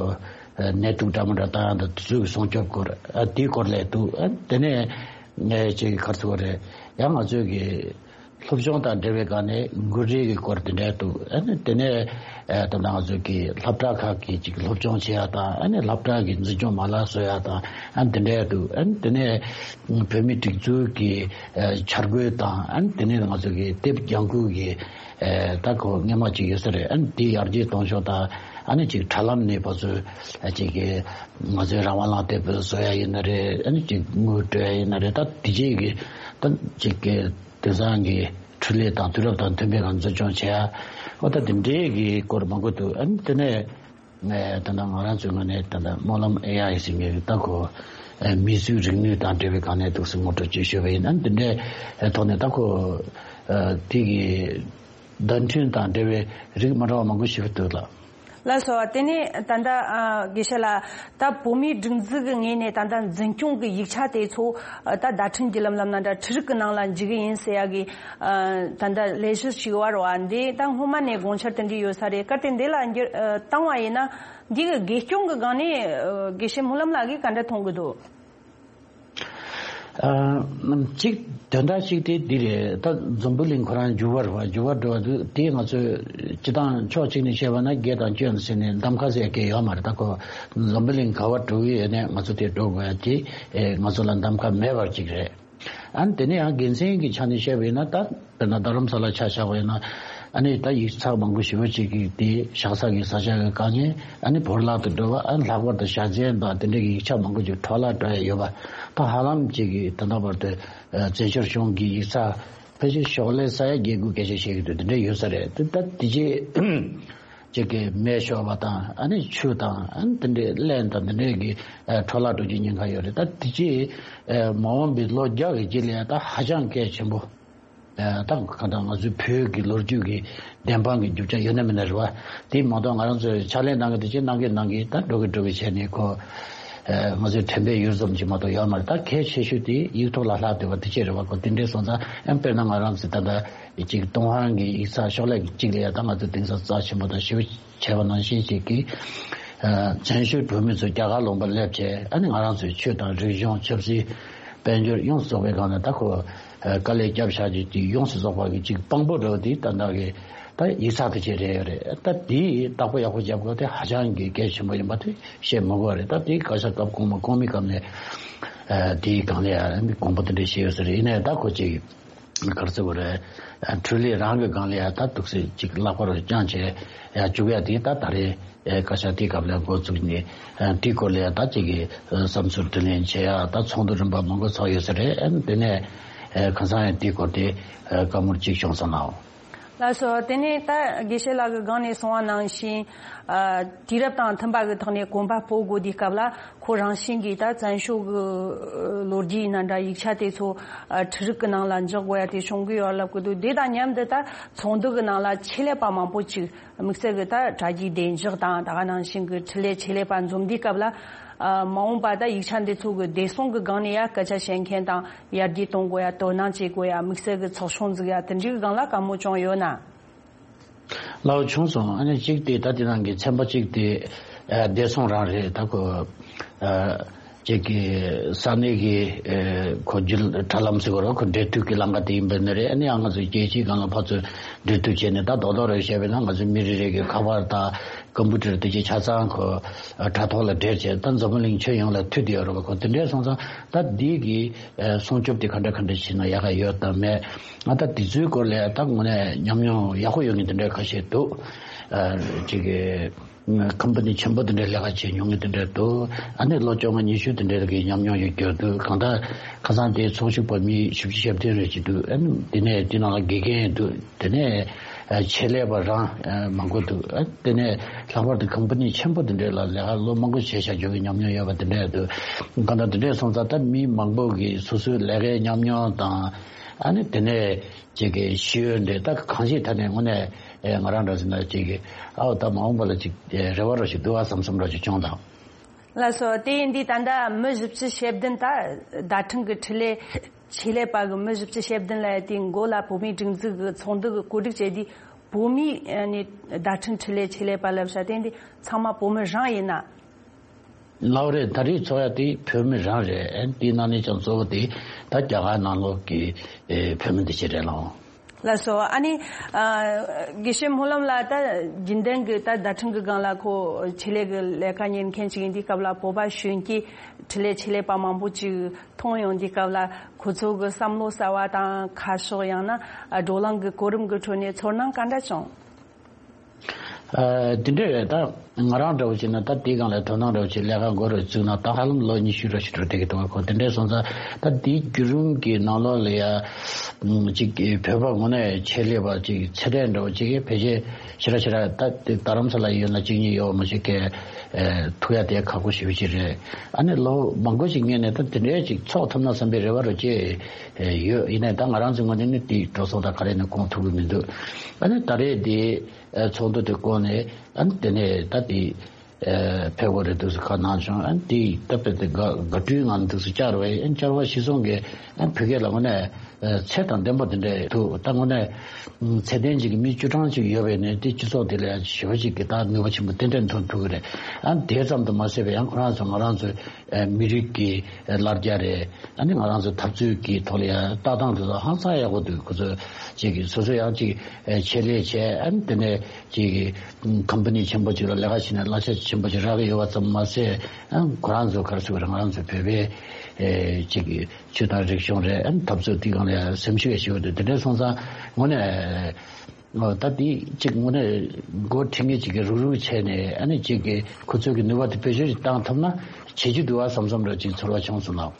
ཨ་ནད་དུག་འདྲ་མི་འདྲ་བཏང་ཡ་ད་དེ་ཚོའི་སྲུང་སྐྱོབ་སྐོར་ཨ་དེའི་སྐོར་ལས་འདུག་ཨ་ནི་དེ་ནས་ཨ་ཅིག་ག་རེ་ཟེར་དགོས་རེད། ཡང་ང་ཚོའི་གི་སློབ་སྦྱོང་དང་འབྲེལ་བའི་སྒང་ནས་འགུལ་རིས་ཀྱི་སྐོར་དེ་འདྲ་འདུག་ཨ་ནི་དེ་ནས་ཨ་ད་ང་ཚོ་གི་སློབ་གྲྭ་ཁག་གི་ཅིག་སློབ་སྦྱོང་བྱེད་ཡ་དང་ཨ་ནི་སློབ་གྲྭ་གི་འཛིན་སྐྱོང་མ་ལག་བཟོ་ཡ་དང་ཨ་ནི་དེ་འདྲ་འདུག་ཨ་ནི་དེ་ནས་བོད་མིའི་སྒྲིག་འཛུགས་ཀྱི་ཨ་འཆར་འགོད་དང་ཨ་ནི་དེ་ནས་ང་ཚོ་གི་དེབ་རྒྱང་ཁུལ་གྱི་ཨ་ད་ཁོ་སྔོན་མ་ཅིག་ཡོད་ས་རེད། ཨ་ནི་དེ་ཡར་རྒྱས་གཏོང་ཕྱོགས་དང་ཨ་ནི་ཅིག་དྲ་ལམ་ནས་ཕར་ཚུར་ཨ་ཅིག་གི་ང་ཚོའི་རང་དབང་བླངས་དེབ་བཟོ་ཡ་ཡིན་ན་རེད། ཨ་ནི་ཅིག་དངུལ་སྤྲོད་ཡ་ཡིན་ན་རེད། ད་དེ་རྗེས་ཀྱི་ད་ཅིག་གི་དེང་སང་གི་འཕྲུལ་ལས་དང་དུས་རབས་དང་མཐུན་པའི་ངང་འཛིན་སྐྱོང་བྱེད་ཡ། འོ་ད་དེ་འདྲའི་གི་སྐོར་མང་པོ་འདུག་ཨ་ནི་དེ་ནས་ད་ལྟ་ང་རང་ཚོའི་ངོས་ནས་ད་ལྟ་སྨོན་ལམ་ཨེ་ཨའི་ཟེར་མཁན་ད་ཁོ་མིས་བཟོས་རིག་ནུས་དང་འབྲེལ་བའི་སྒང་ནས་འདུག་སེ་ངོ་སྤྲོད་ཅིག་ཞུས་པ་ཡིན། ཨ་ནི་དེ་འདྲའི་ཐོག་ནས་ད་ཁོ་དེ་གི་བརྡ་འཕྲིན་དང་འབྲེལ་བའི་རིགས་མ་འདྲ་བ་མང་པོ་ཞིག་འདུག་ལགས། ལགས་སོ། དེ་ནས་ད་ལྟ་ཨ་དགེ་བཤེས་ལགས། ད་བོད་མིའི་སྒྲིག་འཛུགས་ཀྱི་ངོས་ནས་ད་ལྟ་འཛིན་སྐྱོང་གི་ཡིག་ཆ་དེ་ཚོ་ཨ་ད་བརྡ་འཕྲིན་བརྒྱུད་ལམ་ལམ་ན་འདྲ་འཕྲུལ་རིག་གི་ནང་ལ་འཇུག་གི་ཡིན་ཟེར་ཡ་གི་ཨ་ད་ལྟ་ལས་གཞི་ཞིག་ཡོད་རེད་བ། འདི་ད་སྔོན་མ་ནས་དགོངས་འཆར་དེ་འདྲ་ཡོད་ས་རེད། གལ་ཏེ་འདི་ལ་འགྱུར་ཨ་བཏང་བ་ཡིན་ན་འདི་གི་དགེ་སྐྱོང་གི་སྒང་ནས་ཨ་དགེ་བཤེས་སྨོན་ལམ་ལགས་ཀྱིས་ག་འདྲ་མཐོང་གི་འདུག་ཨ། གཅིག་དོན་དག་གཅིག་དེ་འདི་རེད། ད་འཛམ་བུ་གླིང་ཁོ་རང་འགྱུར་བ་རེད་བ། འགྱུར་བ་འགྲོ་བ་འདུག་དེ་ང་ཚོས་སྤྱི་བཏང་ཕྱོགས་གཅིག་ནས་བཤད་པ་ན་བརྒྱད་དང་བཅུ་ཟེར་ནས་གདམ་ཁ་ཟེར་མཁན་ཡོད་མ་རེད། ད་ཁོ་འཛམ་བུ་གླིང་ག་བར་འགྲོ་གི་ཡོད་ནས་ང་ཚོ་དེ་འགྲོ་དགོས་ཡ་དེ་ཨེ་ང་ཚོ་ལ་གདམ་ཁ་མེད་པ་གཅིག་རེད། ཨ་ནི་དེ་ནས་ཡང་དགེ་མཚན་གྱི་ཆ་ནས་བཤད་པ་ཡིན་ན། ད་དཔེར་ན་རྡ་རམ་ས་ལ་ཆ་བཞག་པ་ཡིན་ན། ཨ་ནི་ད་ཡིག་ཚགས་མང་པོ་ཞེ་པོ་ཅིག་གིས་དེ་བཞག་ས་གི་ས་ཆ་གི་དཀའ་ངལ། ཨ་ནི་བོར་བརླག་ཏུ་འགྲོ་བ། ཨ་ནི་ལྷག་པར་དུ་བཞའ་ཚན་དང་དེ་འདྲའི་གི་ཡིག་ཆ་མང་པོ་ཅིག་འཕྲོ་བརླག་འགྲོ་ཡ་ཡོད་པ། ད་ཧ་ལམ་ཅིག་གིས་ད་ལྟ་བར་དུ་ཨ་བཙན་བྱོལ་གཞུང་གི་ཡིག་ཚགས་ཕལ་ཆེར་ཤོག་ལྷེ་ས་ཡ་བརྒྱད་དགུ་སྐད་ཆ་བཤད་ཀྱི་འདུག་དེ་འདྲ་ཡོད་ས་རེད། དེ་ད་དེ་རྗེས་ཅིག་གི་མེ་ཤོར་བ་དང་། ཨ་ནི་ཆུ་དང་། ཨ་ནི་དེ་འདྲའི་རླན་དང་དེ་འདྲའི་གི་ཨ་འཕྲོ་བརླག་འགྲོ་རྒྱུའི་ཉེན་ཁ་ཡོད་རེད། ད་དེ་རྗེས་ཨ་མ་འོངས་པའི་ལོ་བརྒྱ་གི་རྗེས་ལ་ཡ་ད་ཧ་ཅང་གལ་ཆེན་པོ། ཨ་ད་གང་ལྟར་ང་ཚོའི་བོད་ཀྱི་ལོ་རྒྱུས་ཀྱི་བདེན་དཔང་གི་རྒྱུ་ཆ་ཡོད་ན་མེད་ན་རེད་བ། དེ་མ་གཏོགས་ང་རང་ཚོས་ཕྱག་ལས་གནང་གི་དེ་ཅི་གནང་གི་གནང་གི་ད་འགྲོ་གི་འགྲོ་གི་བྱས་ནས་ཁོ་ཨ་ང་ཚོའི་དྲན་པའི་ཡུལ་ཙམ་ཅིག་མ་གཏོགས་ཡོད་མ་རེད། ད་གལ་ཆེ་ཤོས་དེ་ཡིག་ཐོག་ལ་ལྷག་བསྡད་པ་དེ་ཅི་རེད་བ། ཁོ་དེ་འདྲའི་སོང་ཙང་། ཨ་དཔེར་ན་ང་རང་ཚོས་ད་ལྟ་ཅིག་ཏུན་ཧོང་གི་ཡིག་ཚགས་ཤོག་ལྷེ་གཅིག་ལ་ཡ་ད་ང་ཚོས་གདེང་ཚོད་རྩ་ཆེན་པོ་དང་ཞེ་པོ་བྱས་པ་ནང་བཞིན་ཅིག་གིས། ཨ་བཙན་བྱོལ་བོད་མི་ཚོ་རྒྱ་གར་ལུང་པར་སླེབས་བྱས། ཨ་ནི་ང་རང་ཚོའི་ཆོས་དང་རིག་གཞུང་། ཆབ་སྲིད། དཔལ་འབྱོར་ཡོངས་སུ་རྫོགས་པའི་སྒང་ལ་ད་ཁོ་ཨ་དཀའ་ལས་བརྒྱབ་བཞག་རྒྱུ་དེ་ཡོངས་སུ་རྫོགས་པ་གི་ཅིག་དཔང་པོ་འདྲ་བོ་དེ་ད་ལྟ་གི་ད་ཡིག་ཚགས་དེ་ཅིག་རེད་ཡོད་རེད། ད་དེ་བདག་པོ་ཡག་པོ་རྒྱབ་དགོས་དེ་ཧ་ཅང་གི་གལ་ཆེན་པོ་ཡིན་པ་དེ་བཤད་མི་དགོས་རེད། ད་དེ་བཀའ་ཤག་སྐབས་གོང་མ་གོང་མའི་སྐབས་ནས་ཨ་དེའི་སྒང་ལ་ཡ་དགོངས་པ་དེ་འདྲ་བཞེས་ཡོད་ས་རེད། ཡིན་ནའི་ད་ཁོ་ཅིག་ག་རེ་ཟེར་དགོས་རེད། ཨ་འཕྲུལ་ལས་རང་གི་སྒང་ལ་ཡ་ད་འདུག་སེ་ཅིག་ལག་པ་རུ་བརྐྱངས་བྱས་ཡ་བཅུག་ཡ་དེ་ད་ད་རེས་ཨེ་བཀའ་ཤག་དེའི་སྐབས་ལ་འགོ་བཙུགས་ནས། ཨ་དེའི་སྐོར་ལ་ཡ་ད་ཅིག་གི་ཨ་བསམ་ཚུལ་དྲིས་ལན་བྱེད་ཡ་ད་ཚོགས་འདུ་རིམ་པ་མང་པོ་ཚོགས་ཡོད་ས་རེད། ཨ་དེ་ནས་ཨེ་ཁ་སང་ཡང་དེའི་སྐོར་དེ་ཨ་བཀའ་མོལ་ཅིག་བྱུང་སོང་ནའོ། ལགས་སོ། དེ་ནས་ད་དགེ་བཤེས་ལགས་ཀྱིས་སྒང་ནས་གསུངས་པ་ནང་བཞིན། ཨ་དུས་རབས་དང་མཐུན་པ་གི་ཐོག་ནས་གོམ་པ་སྤོ་དགོས་དུས་སྐབས་ལ། ཁོ་རང་བཞིན་གྱིས་ད་བཙན་བྱོལ་གྱི་ལོ་རྒྱུས་ཡིན་ན་འདྲ། ཡིག་ཆ་དེ་ཚོ་ཨ་འཕྲུལ་རིག་གི་ནང་ལ་འཇོག་དགོས་ཡ་དེ་བྱུང་གི་ཡོད་ལབ་ཀྱི་འདུག་དེ་དང་མཉམ་དུ་ད་ཚོགས་འདུ་གི་ནང་ལ་ཆེད་ལས་པ་མང་པོ་ཅིག་དམིགས་བསལ་གྱི་ད་དྲ་རྒྱའི་བདེ་འཇགས་དང་། ད་ག་ནང་བཞིན་གྱི་འཕྲུལ་ལས་ཆེད་ལས་པ་འཛོམས་དུས་སྐབས་ལ། ཨ་མ་འོངས་པ་ད་ཡིག་ཆ་འདི་ཚོ་གི་བདེ་སྲུང་གི་སྒང་ནས་ཡ་སྐད་ཆ་བཤད་མཁན་དང་། ཡར་རྒྱས་གཏོང་དགོས་ཡ། དོ་སྣང་བྱེད་དགོས་ཡ། དམིགས་བསལ་གྱི་ཚོགས་ཆུང་འཛུགས་ཡ་དེ་འདྲའི་སྒང་ལ་བཀའ་མོལ་བྱུང་ཡོད་ན། ལགས་བྱུང་སོང་། ཨ་ནི་གཅིག་དེ་ད་དེ་ནང་གི་ཚན་པ་གཅིག་དེ་ཨ་བདེ་སྲུང་རང་རེད། ད་ཁོ་ཨ་གཅིག་གི་ས་གནས་ཀྱི་ཨ་ཁོ་རྒྱུད་དྲ་ལམ་ཟེར་དགོས་རེད། ཁོ་འབྲེལ་མཐུད་ཀྱི་ལམ་ཁ་དེ་ཡིན་པ་ནི་རེད། ཨ་ནི་ཡང་ང་ཚོ་རྒྱལ་སྤྱིའི་སྒང་ལ་ཕར་ཚུར་འབྲེལ་མཐུད་བྱས་ནས། ད་རྡོག་རྡོག་རེ་བཤད་པ་ཡིན་ན་ང་ཚོ་མི་རེ་རེ་གི་ཁ་པར་དང་ཀམ་པུ་ཊར་དེ་ཅིག་ཆ་ཚང་ཁོ་ཨ་དྲ་ཐོག་ལ་སྦྲེལ་བྱས། ད་འཛམ་བུ་གླིང་ཁྱོན་ཡོངས་ལ་མཐུད་བསྡད་ཡོད་རེད་པ། ཁོ་དེ་འདྲས་སོང་ཙང་ད་འདི་གི་ཨ་སྲུང་སྐྱོབ་དེ་ག་འདྲ་ག་འདྲ་བྱས་ན་ཡག་ག་ཡོད་དམ་མེད། ཨ་ད་དེ་ཚོའི་སྐོར་ལ་ད་དངོས་གནས་ཉམས་མྱོང་ཡག་པོ་ཡོད་མཁན་དེ་འདྲ་ཁ་ཤས་འདུག་ཨ་ཅིག་གི་ཁམ་པ་ནི་ཆེན་པོ་དེ་འདྲ་ལས་ཀ་བྱེད་མྱོང་མཁན་དེ་འདྲ་འདུག་ཨ་ནི་ལོ་བཅོ་ལྔ་ཉི་ཤུ་དེ་འདྲ་གི་ཉམས་མྱོང་ཡོད་རྒྱུ་འདུག་གང་ལྟར་ཁ་སང་དེ་ཚོགས་ཞུགས་པ་མི་བཞི་བཅུ་ཞེ་བདུན་རེ་ཅིག་འདུག་ཨ་ནི་དེ་ནས་དེ་ནང་ལ་དགེ་རྒན་འདུག་དེ་ནས་ཨ་ཆེད་ལས་པ་རང་ཨ་མང་པོ་འདུག་ཨ་དེ་ནས་ལྷག་པར་དུ་ཁམ་པ་ནི་ཆེན་པོ་དེ་འདྲ་ལ་ལས་ཀ་ལོ་མང་པོ་བྱས་བཞག་རྒྱུ་གི་ཉམས་མྱོང་ཡོད་པ་དེ་འདྲ་འདུག་གང་ལྟར་དེ་འདྲ་སོང་ཙང་ད་མི་མང་པོ་གི་སོ་སོའི་ལས་ཀའི་ཉམས་མྱོང་དང་། ཨ་ནི་དེ་ནས་ཅིག་གི་ཤེས་ཡོན་འདྲ་ད་གང་ཞིག་ཐད་ནས་དངོས་གནས་ཨེ་ང་རང་འདྲ་ཟེར་ན་ཅིག་གི་ཨའོ་ད་མ་འོངས་པ་ལ་ཅིག་ཨེ་རེ་བ་རོ་ཞིག་འདུག་ཨ་བསམ་བསམ་རོ་ཞིག་བྱུང་དང་། ལགས་སོ། དེ་ཡིན་དུས་ད་ལྟ་མི་བཞི་བཅུ་ཞེ་བདུན་ད་བརྡ་འཕྲིན་གྱི་འཕྲུལ་ལས་ཆེད་ལས་པ་གི་མི་བཞི་བཅུ་ཞེ་བདུན་ལ་དེའི་མགོ་ལ་བོད་མིའི་སྒྲིག་འཛུགས་ཀྱི་ཚོགས་འདུ་གི་གོ་སྒྲིག་བྱས་དུས། བོད་མིའི་ཨ་ནི་བརྡ་འཕྲིན་འཕྲུལ་ལས་ཆེད་ལས་པ་ལབ་ཤག་དེ་ཡིན་དུས་ཚང་མ་བོད་མི་རང་ཡིན་ན། ལགས་རེད། ད་རེས་ཚོགས་ཡ་དེ་བོད་མི་རང་རེད། ཨ་ནི་དེའི་ནང་ནས་ཀྱང་གཙོ་བོ་དེ་ད་རྒྱ་གར་ནང་ལོགས་ཀྱི་ཨེ་བོད་མི་འདི་ཕྱི་རེད་ལགས། ལགས་སོ། ཨ་ནི་ཨ་དགེ་བཤེས་སྨོན་ལམ་ལགས་ད་རྒྱུན་ལྡན་གྱི་ད་བརྡ་འཕྲིན་གྱི་སྒང་ལ་ཁོ་ཆེད་ལས་ཀྱི་ལས་ཀ་གཉེར་མཁན་ཞིག་ཡིན་དུས་སྐབས་ལ། བོད་པ་གཞོན་སྐྱེས་འཕྲུལ་ལས་ཆེད་ལས་པ་མང་པོ་ཅིག་མཐོང་ཡོང་དུས་སྐབས་ལ། ཁོ་ཚོ་གི་བསམ་བློ་གསར་བ་དང་། ཁ་ཕྱོགས་ཡང་ན་ཨ་བགྲོ་གླེང་གི་གོ་རིམ་གྱི་ཁྲོད་ནས་ཚོར་སྣང་ག་འདྲ་བྱུང་། ཨ་དེ་འདྲ་རེད། ད་ང་རང་འདྲ་བོ་བྱས་ན་ད་དེའི་སྒང་ལ་དོ་སྣང་འདྲ་བོ་བྱས་ལས་ཀ་འགོ་རུ་བཙུགས་ན་ད་ཧ་ལམ་ལོ་ཉི་ཤུ་འདྲ་ཞིག་འགྲོ་བསྡད་ཀྱི་འདུག་ག་ཁོ་དེ་འདྲ་སོང་ཙང་ད་དེའི་བརྒྱུད་རིམ་གྱི་ནང་ལོགས་ལ་ཡ་ཅིག་བོད་པ་དངོས་གནས་ཆེད་ལས་པ་ཅིག་ཚད་ལྡན་འདྲ་བོ་ཅིག་གིས་ཕལ་ཆེར་ཞེ་དྲག་ཞེ་དྲག་ད་དེ་རྡ་རམ་ས་ལ་ཡོད་ན་གཅིག་གཉིས་ཡོད་མ་ཞིག་གིས་ཨེ་ཐུག་ཡ་དེ་ཁག་པོ་ཞེ་པོ་ཅིག་རེད། ཨ་ནི་ལོ་མང་པོ་ཞིག་སྔོན་ནས་ད་དེ་འདྲའི་ཅིག་ཚོགས་ཐུབ་ན་བསམ་པའི་རེ་བ་རུ་ཅིག་ཡོད། ཡིན་ནའི་ད་ང་རང་ཚོའི་ངོས་ནས་ནི་དེའི་འགྲོ་སོང་ད་ག་རེ་ནས་བསྐོང་ཐུབ་ཀྱི་མི་འདུག་ཨ་ནི་ད་རེས་དེ་ཚོགས་འདུ་དེ་བསྐོང་ ནས་ཨ་ནི་དེ་ནས་ད་དེ་ཨ་ཕེབས་དགོས་རེད་འདུག་སེ་ཁ་གནང་བྱུང་། ཨ་ནི་དེ་ད་དཔེ་དེ་དགའ་དགའ་སྤྲོའི་ངང་འདུག་སེ་བཅར་བས། ཨ་ནི་བཅར་བ་གཞི་བཟུང་གིས་ཨ་ནི་བོད་སྐད་ལ་དངོས་གནས་ཚད་དང་ལྡན་པ་དེ་འདྲ་འདུག་ད་དངོས་གནས་ཚད་ལྡན་ཅིག་གི་མི་བཅུ་གྲངས་ཅིག་ཡོད་པས་ནས་དེ་སྤྱི་ཚོགས་དེ་ལ་ཞེ་པོ་ཅིག་གི་ད་ནུས་པ་ཆེན་པོ་ཏན་ཏན་ཐོན་ཐུབ་ཀྱི་རེད། ཨ་ནི་དེ་ཙམ་དུ་མ་ཟད་པའི་ཡང་ཁོ་རང་ཚོ་ང་རང་ཚོའི་མི་རིགས་ཀྱི་ལར་རྒྱ་རེད། ཨ་ནི་ང་རང་ཚོ་འཐབ་རྩོད་ཀྱི་ཐོག་ལ་ཡང་ལྟ་སྟངས་དེ་ཚོ་ཧང་སང་ཡག་པོ་འདུག་ཁོ་ཚོ་ཅིག་གི་སོ་སོ་ཡང་ཅིག་ཆེད་ལས་བྱས། ཨ་ནི་དེ་ནས་ཅིག་གི་ཀམ་པ་ནི་ཆེན་པོ་ཅིག་ལ་ལས་ཀ་བྱས་ནས་གླ་ཆ་ཆེན་པོ་ཅིག་རག་གི་ཡོད་པ་ཙམ་མ་ཟད། ཨ་ཁོ་རང་ཚོ་ག་རེ་ཟེར་དགོས་རེད། ང་རང་ཚོ་བོད་པའི་ཨེ་ཅིག་གི་ཆོས་དང་རིག་གཞུང་རེད། ཨ་འཐབ་རྩོད་དེ་སྒང་ལ་ཡང་སེམས་ཤུགས་ཡོད་འདུག་དེ་འདྲ་སོང་ཙང་དངོས་གནས་ཨོ་ད་དེ་ཅིག་དངོས་གནས་འགོ་ཁྲིད་མཁན་ཅིག་གིས་རུག་རུག་བྱས་ནས། ཨ་ནི་ཅིག་གི་ཁོ་ཚོས་ཀྱི་ནུས་པ་དེ་བེད་སྤྱོད་ཅིག་བཏང་ཐུབ་ན་བྱེད་རྒྱུ་འདུག་བ་བསམ་བསམ་འདྲ་ཅིག་ཚོར་བ་བྱུང་སོང་ལགས།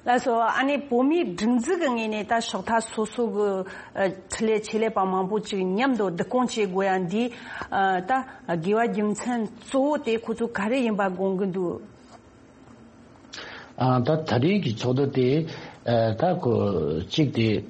ལགས་སོ། ཨ་ནི་བོད་མིའི་སྒྲིག་འཛུགས་ཀྱི་ངོས་ནས་ད་ཕྱོགས་མཐའ་སོ་སོ་གི་ཨ་འཕྲིན་ལས་ཆེད་ལས་པ་མང་པོ་ཅིག་མཉམ་དུ་བསྡུ་སྐོང་བྱེད་དགོས་ཡ་འདི་ཨ་ད་དགོས་པ་རྒྱུ་མཚན་གཙོ་བོ་དེ་ཁོ་ཚོ་ག་རེ་ཡིན་པ་དགོངས་ཀྱི་འདུག་ཨ་ད་ད་རེས་ཀྱི་ཚོགས་འདུ་དེ་ཨ་ད་ཁོ་གཅིག་དེ་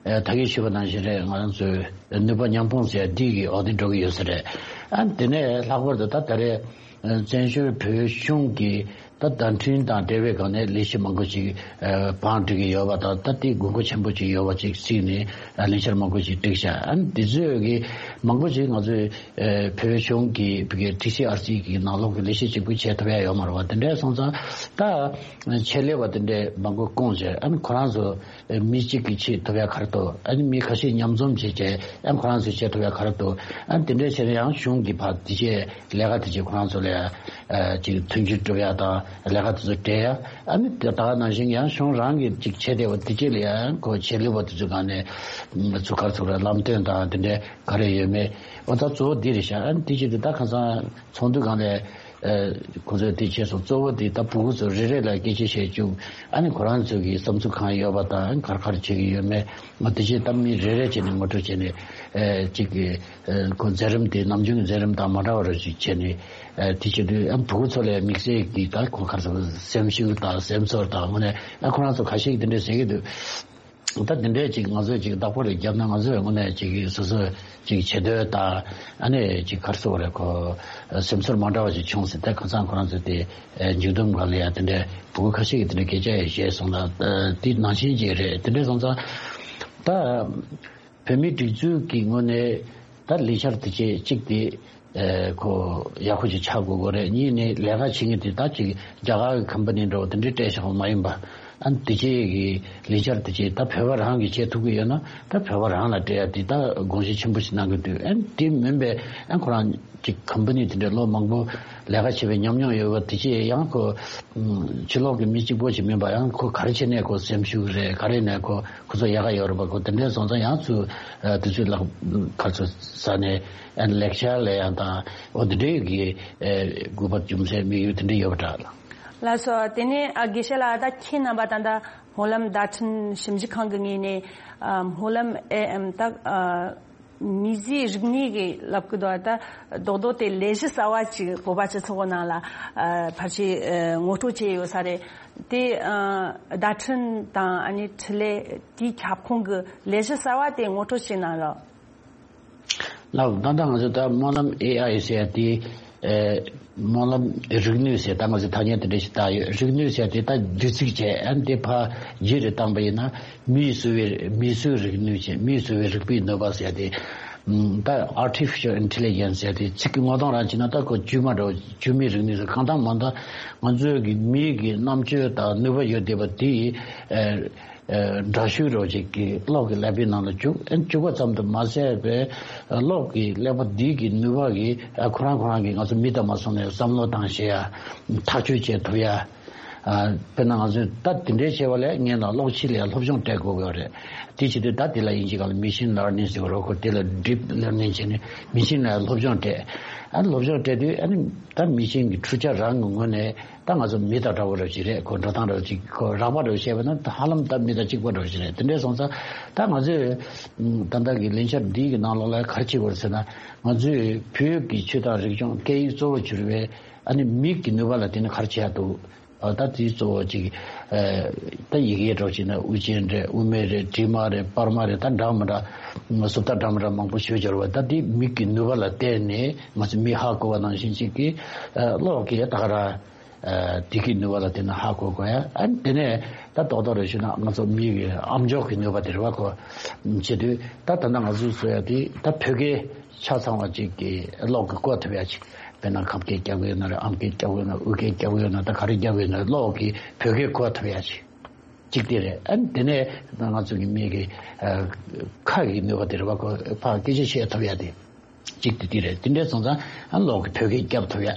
ཨ་ད་གིན་ཞུས་པ་ནང་བཞིན་རེད། ང་རང་ཚོའི་ནུས་པ་མཉམ་སྤུངས་ཟེར་འདི་གི་འོག་ཏུ་འགྲོ་གི་ཡོད་ས་རེད། ཨ་དེ་ནས་ལྷག་པར་དུ་ད་ད་རེས་བཙན་བྱོལ་བོད་གཞུང་གི་ད་བརྡ་འཕྲིན་དང་འབྲེལ་བའི་སྒང་ནས་ལས་གཞི་མང་པོ་ཞིག་ཨ་བང་བསྒྲིགས་ཀྱི་ཡོད་པ་དང་། ད་དེ་དགོས་མཁོ་ཆེན་པོ་ཞིག་ཡོད་པ་ཅིག་གཟིགས་ནས་ཨ་ལས་འཆར་མང་པོ་ཞིག་བསྒྲིགས་བཞག་ཨ་འདི་ཚོས་ཀྱི་མང་པོ་ཞིག་ང་ཚོའི་ཨ་བོད་གཞུང་གི་བོད་ཀྱི་ཊི་སི་ཨར་སི་གི་ནང་ལོགས་ཀྱི་ལས་གཞི་གཅིག་པུ་བྱེད་ཐུབ་ཡ་ཡོད་མ་རེད་བ། དེ་འདྲ་སོང་ཙང་ད་ཆེད་ལས་པ་དེ་འདྲའི་མང་པོ་བསྐོངས་བྱས། ཨ་ནི་ཁོ་རང་ཚོ་མི་གཅིག་གིས་བྱེད་ཐུབ་ཡ་ག་རེ་འདུག་ཨ་ནི་མི་ཁ་ཤས་མཉམ་འཛོམས་བྱས་བྱས་ཨ་ནི་ཁོ་རང་ཚོས་བྱེད་ཐུབ་ཡ་ག་རེ་འདུག་ཨ་ནི་དེ་འདྲའི་བྱས་ན་ཡང་གཞུང་གི་ཕར་དེ་བྱས་ལས་ཀ་དེ་བྱས་ཁོ་རང་ཚོ་ལ་ཡ་ཅིག་མཐུན་འགྱུར་སྒྲུབ་ཡ་དང་ལས་ཀ་དེ་ཚོ་སྤྲད་ཡ། ཨ་ནི་དེ་ད་ག་ནང་བཞིན་ཡང་གཞུང་རང་གིས་ཅིག་བྱས་བསྡད་པ་དེ་བྱས་ལ་ཡ་ཁོ་ཆེད་ལས་པ་དེ་ཚོའི་སྒང་ནས་ཚུགས་ཁར་ཚུགས་ར་ལམ་སྟོན་དང་དེ་འདྲའི་ག་རེ་ཡོད་མེད། འོ་ད་གཙོ་བོ་འདི་རེད་ཤག་ཨ་ནི་དེ་བྱས་དུས་ད་ཁ་སང་ཚོགས་འདུ་སྒང་ལ་ཨ་ཁོ་ཚོས་དེ་བྱས་སོང་། གཙོ་བོ་དེ་ད་ཕྲུ་གུ་ཚོ་རེ་རེ་ལ་སྐད་ཆ་བཤད་བཅུག་ཨ་ནི་ཁོ་རང་ཚོ་གི་བསམ་ཚུལ་གང་ཡོད་པ་དང་ག་རེ་ག་རེ་བྱེད་ཀྱི་ཡོད་མེད། ང་དེ་བྱས་ད་མི་རེ་རེ་བྱས་ནས་ངོ་སྤྲོད་བྱས་ནས་ཨ་གཅིག་གི་ཨ་ཁོ་མཛད་རིམ་དེ་ནམ་རྒྱུན་གྱི་མཛད་རིམ་དང་མ་འདྲ་བ་རེ་ཞིག་བྱས་ནས་ཨ་དེ་བྱེད་དུས་ཨ་ཕྲུ་གུ་ཚོ་ལ་དམིགས་བསལ་གྱི་ད་ཁོ་ག་རེ་ཟེར་སེམས་ཤུགས་དང་སེམས་ཚོར་དང་དངོས་གནས་ཨ་ཁོ་རང་ཚོ་ཁ་ཤས་ཀྱིས་དེ་འདྲ་ཟེར་གྱི་འདུག་ད་དེ་འདྲའི་ཅིག་ང་ཚོས་ཅིག་བདག་པོ་རེ་བརྒྱབ་ན་ང་ཚོས་དངོས་གནས་ཅིག་སོ་སོ་ཅིག་བྱེད་འདོད་དང་ཨ་ནི་ཅིག་ག་རེ་ཟེར་དགོས་རེད། ཁོ་སེམས་ཚོར་མ་འདྲ་བ་ཅིག་བྱུང་ཟེར། ད་ཁ་སང་ཁོ་རང་ཚོས་དེ་མཇུག་བསྡོམས་སྒང་ལ་ཡང་དེ་འདྲའི་ཕྲུ་གུ་ཁ་ཤས་ཀྱིས་དེ་འདྲའི་སྐད་ཆ་ཡང་བཤད་སོང་ལ། དེ་ནང་བཞིན་ཅིག་རེད། དེ་འདྲ་སོང་ཙང་ད་བོད་མིའི་སྒྲིག་འཛུགས་ཀྱི་ངོས་ནས་ད་ལས་འཆར་དེ་བྱས་གཅིག་དེ། ཨེ་ཁོ་ཡག་པོ་ཅིག་ཆགས་དགོས་ཀྱི་རེད། གཉིས་ནི་ལས་ཀ་བྱེད་མཁན་དེ་ད་ཅིག་རྒྱ་གར་གྱི་ཁམ་པ་ནི་འདྲ་བོ་དེ་འདྲའི་སྤྲད་བཞག་པ་མ་ཡིན་པ། ཨ་ནི་དེ་བྱས་ཀྱི་ལས་འཆར་དེ་བྱས་ད་བོད་པ་རང་གིས་བྱེད་ཐུབ་ཀྱི་ཡོད་ན་ད་བོད་པ་རང་ལ་སྤྲད་ཡ་དེ་ད་དགོངས་གཞི་ཆེན་པོ་ཞིག་གནང་གི་འདུག་ཨ་ནི་དེ་མིན་པའི་ཨ་ཁོ་རང་ཅིག་ཁམ་པ་ནི་དེ་འདྲའི་ལོ་མང་པོ་ལས་ཀ་བྱས་པའི་ཉམས་མྱོང་ཡོད་པ་དེ་བྱས་ཡང་ཁོ་ཕྱི་ལོགས་ཀྱི་མི་གཅིག་པོ་ཞིག་མིན་པ། ཡང་ཁོ་ག་རེ་བྱས་ནས་ཁོ་སེམས་ཤུགས་རེད། ག་རེ་ནས་ཁོ་ཁོ་ཚོ་ཡག་ག་ཡོད་རེད་པ། ཁོ་དེ་འདྲའི་སོང་ཙང་ཡང་ཚུར་དུས་ཚོད་ལ་ཁ་ཚོ་ས་ནས་ལེགས་ཆ་ལས་ཡང་དང་འོ་དེ་འདྲའི་གི་དགོས་པ་རྒྱུ་མཚན་དམིགས་ཡུལ་དེ་འདྲ་ཡོད་པ་འདྲ། ལགས་སོ། དེ་ནས་ཨ་དགེ་བཤེས་ལགས། ད་ཁྱེད་རྣམ་པ་ད་ལྟ་སྨོན་ལམ་བརྡ་འཕྲིན་ཞིབ་འཇུག་ཁང་གི་ངོས་ནས་ཨ་སྨོན་ལམ་ཨེ་ཨེམ་ད་ཨ་མིས་བཟོས་རིག་གནས་ཀྱི་ལབ་ཀྱི་འདུག་ད་རྡོག་རྡོག་དེ་ལས་གཞི་གསར་བ་ཅིག་བོད་པ་སྤྱི་ཚོགས་ནང་ལ་ཨ་ཕལ་ཆེར་ཨ་ངོ་སྤྲོད་བྱས་ཡོད་ས་རེད། དེ་ཨ་བརྡ་འཕྲིན་དང་ཨ་ནི་འཕྲིན་ལས་དེའི་ཁྱབ་ཁོངས་ཀྱི་ལས་གཞི་གསར་བ་དེ་ངོ་སྤྲོད་བྱེད་གནང་རོགས། ལགས། ད་ལྟ་ང་ཚོ་ད་སྨོན་ལམ་ཨེ་ཨའི་ཟེར་ཡ་དེ་ཨེ་སྨོན་ལམ་རིག་ནུས་ཟེར་ད་ང་ཚོ་ཐ་སྙད་དེ་འདྲ་ཞིག་བཏགས་ཡོད། རིག་ནུས་ཟེར་ཡ་དེ་ད་བསྡུས་ཚིག་བྱས་ཨ་ནི་དེ་ཕར་རྒྱུད་རེ་བཏང་པ་ཡིན་ན་མིས་བཟོས་པའི་མིས་བཟོས་རིག་ནུས་བྱས། མིས་བཟོས་པའི་རིག་པའི་ནུས་པ་ཟེར་ཡ་དེ་ད་Artificial Intelligence ཟེར་ཡ་དེ་ཚིག་གི་ངོ་གདོང་རང་བྱས་ན་ད་ཁོ་བཅོས་མ་འདྲ་བོ། བཅོས་མའི་རིག་ནུས་ཟེར། གང་ལྟར་མང་ལྟར་ང་ཚོའི་གི་མིའི་གི་རྣམ་དཔྱོད་དང་ནུས་པ་ཡོད་བསྡད་པ་དེ་ཨེ། ཨ་འདྲ་བཤུས་རོགས་ཅིག་གི་གློག་གི་ཀླད་པའི་ནང་ལ་བཅུག་ཨ་བཅུག་པ་ཙམ་དུ་མ་ཟད་པའི་ཨ་གློག་གི་ཀླད་པ་འདི་གི་ནུས་པ་གིས་ཨ་ཁོ་རང་ཁོ་རང་གིས་ང་ཚོ་མི་ལྟ་མ་སོང་ནས་བསམ་བློ་བཏང་ཤེས་ཡ། ཐག་གཅོད་བྱེད་ཐུབ་ཡ། ཨ་དཔེར་ན་ང་ཚོས་ད་དེ་འདྲའི་བྱས་པ་ལས་ངས་ན་གློག་ཆས་ལ་ཡ་སློབ་སྦྱོང་སྤྲད་དགོས་ཀྱི་ཡོད་རེད། དེ་བྱེད་དུས་ད་དེ་ལ་དབྱིན་ཇི་སྒང་ལ་Machine Learning ཟེར་བ་རོ། ཁོ་དེ་ལ་Deep Learning བྱས་ནས་Machine ལ་ཡ་སློབ་སྦྱོང་སྤྲད། ཨ་སློབ་སྦྱོང་སྤྲད་དུས་ཨ་ནི་ད་Machine གི་འཕྲུལ་ཆ་རང་གི་ངོས་ནས། ད་ང་ཚོ་མི་དང་འདྲ་བོ་འདྲ་བོ་ཞིག་རེད། ཁོ་འགྲོ་སྟངས་འདྲ་བོ་ཅིག་ཁོ་རགས་པ་འདྲ་བོ་བཤད་པ་ན་ད་ཧ་ལམ་ད་མི་དང་གཅིག་པ་འདྲ་བོ་ཞིག་རེད། དེ་འདྲས་སོང་ཙང་ད་ང་ཚོས་ད་ལྟ་གི་ལས་འཆར་འདི་གི་ནང་ལོགས་ལ་ག་རེ་བྱེད་དགོས་རེད་ཟེར་ན། ང་ཚོས་བོད་ཀྱི་ཆོས་དང་རིག་གཞུང་སྐད་ཡིག་གཙོ་བོར་གྱུར་པའི་ཨ་ནི་མིག་གི་ནུས་པ་ལ་བརྟེན་ནས་ག་རེ་བྱེད་ཡག་འདུག་ཨ་ད་དེ་གཙོ་བོ་ཅིག་ཨ་ད་ཡི་གེ་འདྲ་བོ་བྱས་ན་དབུ་ཅན་རེད། དབུ་མེད་རེད། དྲི་མ་རེད། པར་མ་རེད། ད་འདྲ་མི་འདྲ་སུབ་རྟགས་འདྲ་མི་འདྲ་མང་པོ་ཞེ་པོ་ཅིག་ཡོད་རེད་བ། ད་དེ་མིག་གི་ནུས་པ་ལ་བརྟེན་ནས་ང་ཚོ་མིག་ཧ་གོ་བ་ནང་བཞིན་ཅིག་གི་ཨ་གློག་གི་ད་ག་རང་ཨ་དེ་གི་ནུས་པ་ལ་བརྟེན་ནས་ཧ་གོ་དགོས་ཡ། ཨ་དེ་ནས་ད་རྡོག་རྡོག་རེ་ཞུས་ན་ང་ཚོ་མིག་གི་ཨམ་ཅོག་གི་ནུས་པ་དེ་རེད་བ། གོ་བྱེད་དུས་ད་ད་ལྟ་ང་ཚོས་བཟོ་ཡ་དེ་ད་བོད་སྐད་ཆ་ཚང་བ་ཅིག་གི་གློག་གི་གོ་ཐུབ་ཡ་ཅིག་དཔེར་ན་ཁམས་སྐད་རྒྱབ་ཡོད་ན་རེད། ཨམ་སྐད་རྒྱབ་ཡོད་ན། དབུས་སྐད་རྒྱབ་ཡོད་ན། ད་ག་རེ་རྒྱབ་ཡོད་ན་རེད། གློག་གི་བོད་སྐད་གོ་ཐུབ་ཡ་ཅིག་ཅིག་དེ་རེད། ཨ་དེ་ནས་ང་ཚོ་གི་མིག་གི་ཨ་ཁ་གི་ནུས་པ་དེ་རེད་བ། ཁོ་ཕར་སྐད་ཆ་བཤད་ཐུབ་ཡ་དེ་ཅིག་དེ་དེ་རེད། དེ་འདྲས་སོང་ཙང་ཨ་གློག་གི་བོད་སྐད་རྒྱབ་ཐུབ་ཡ།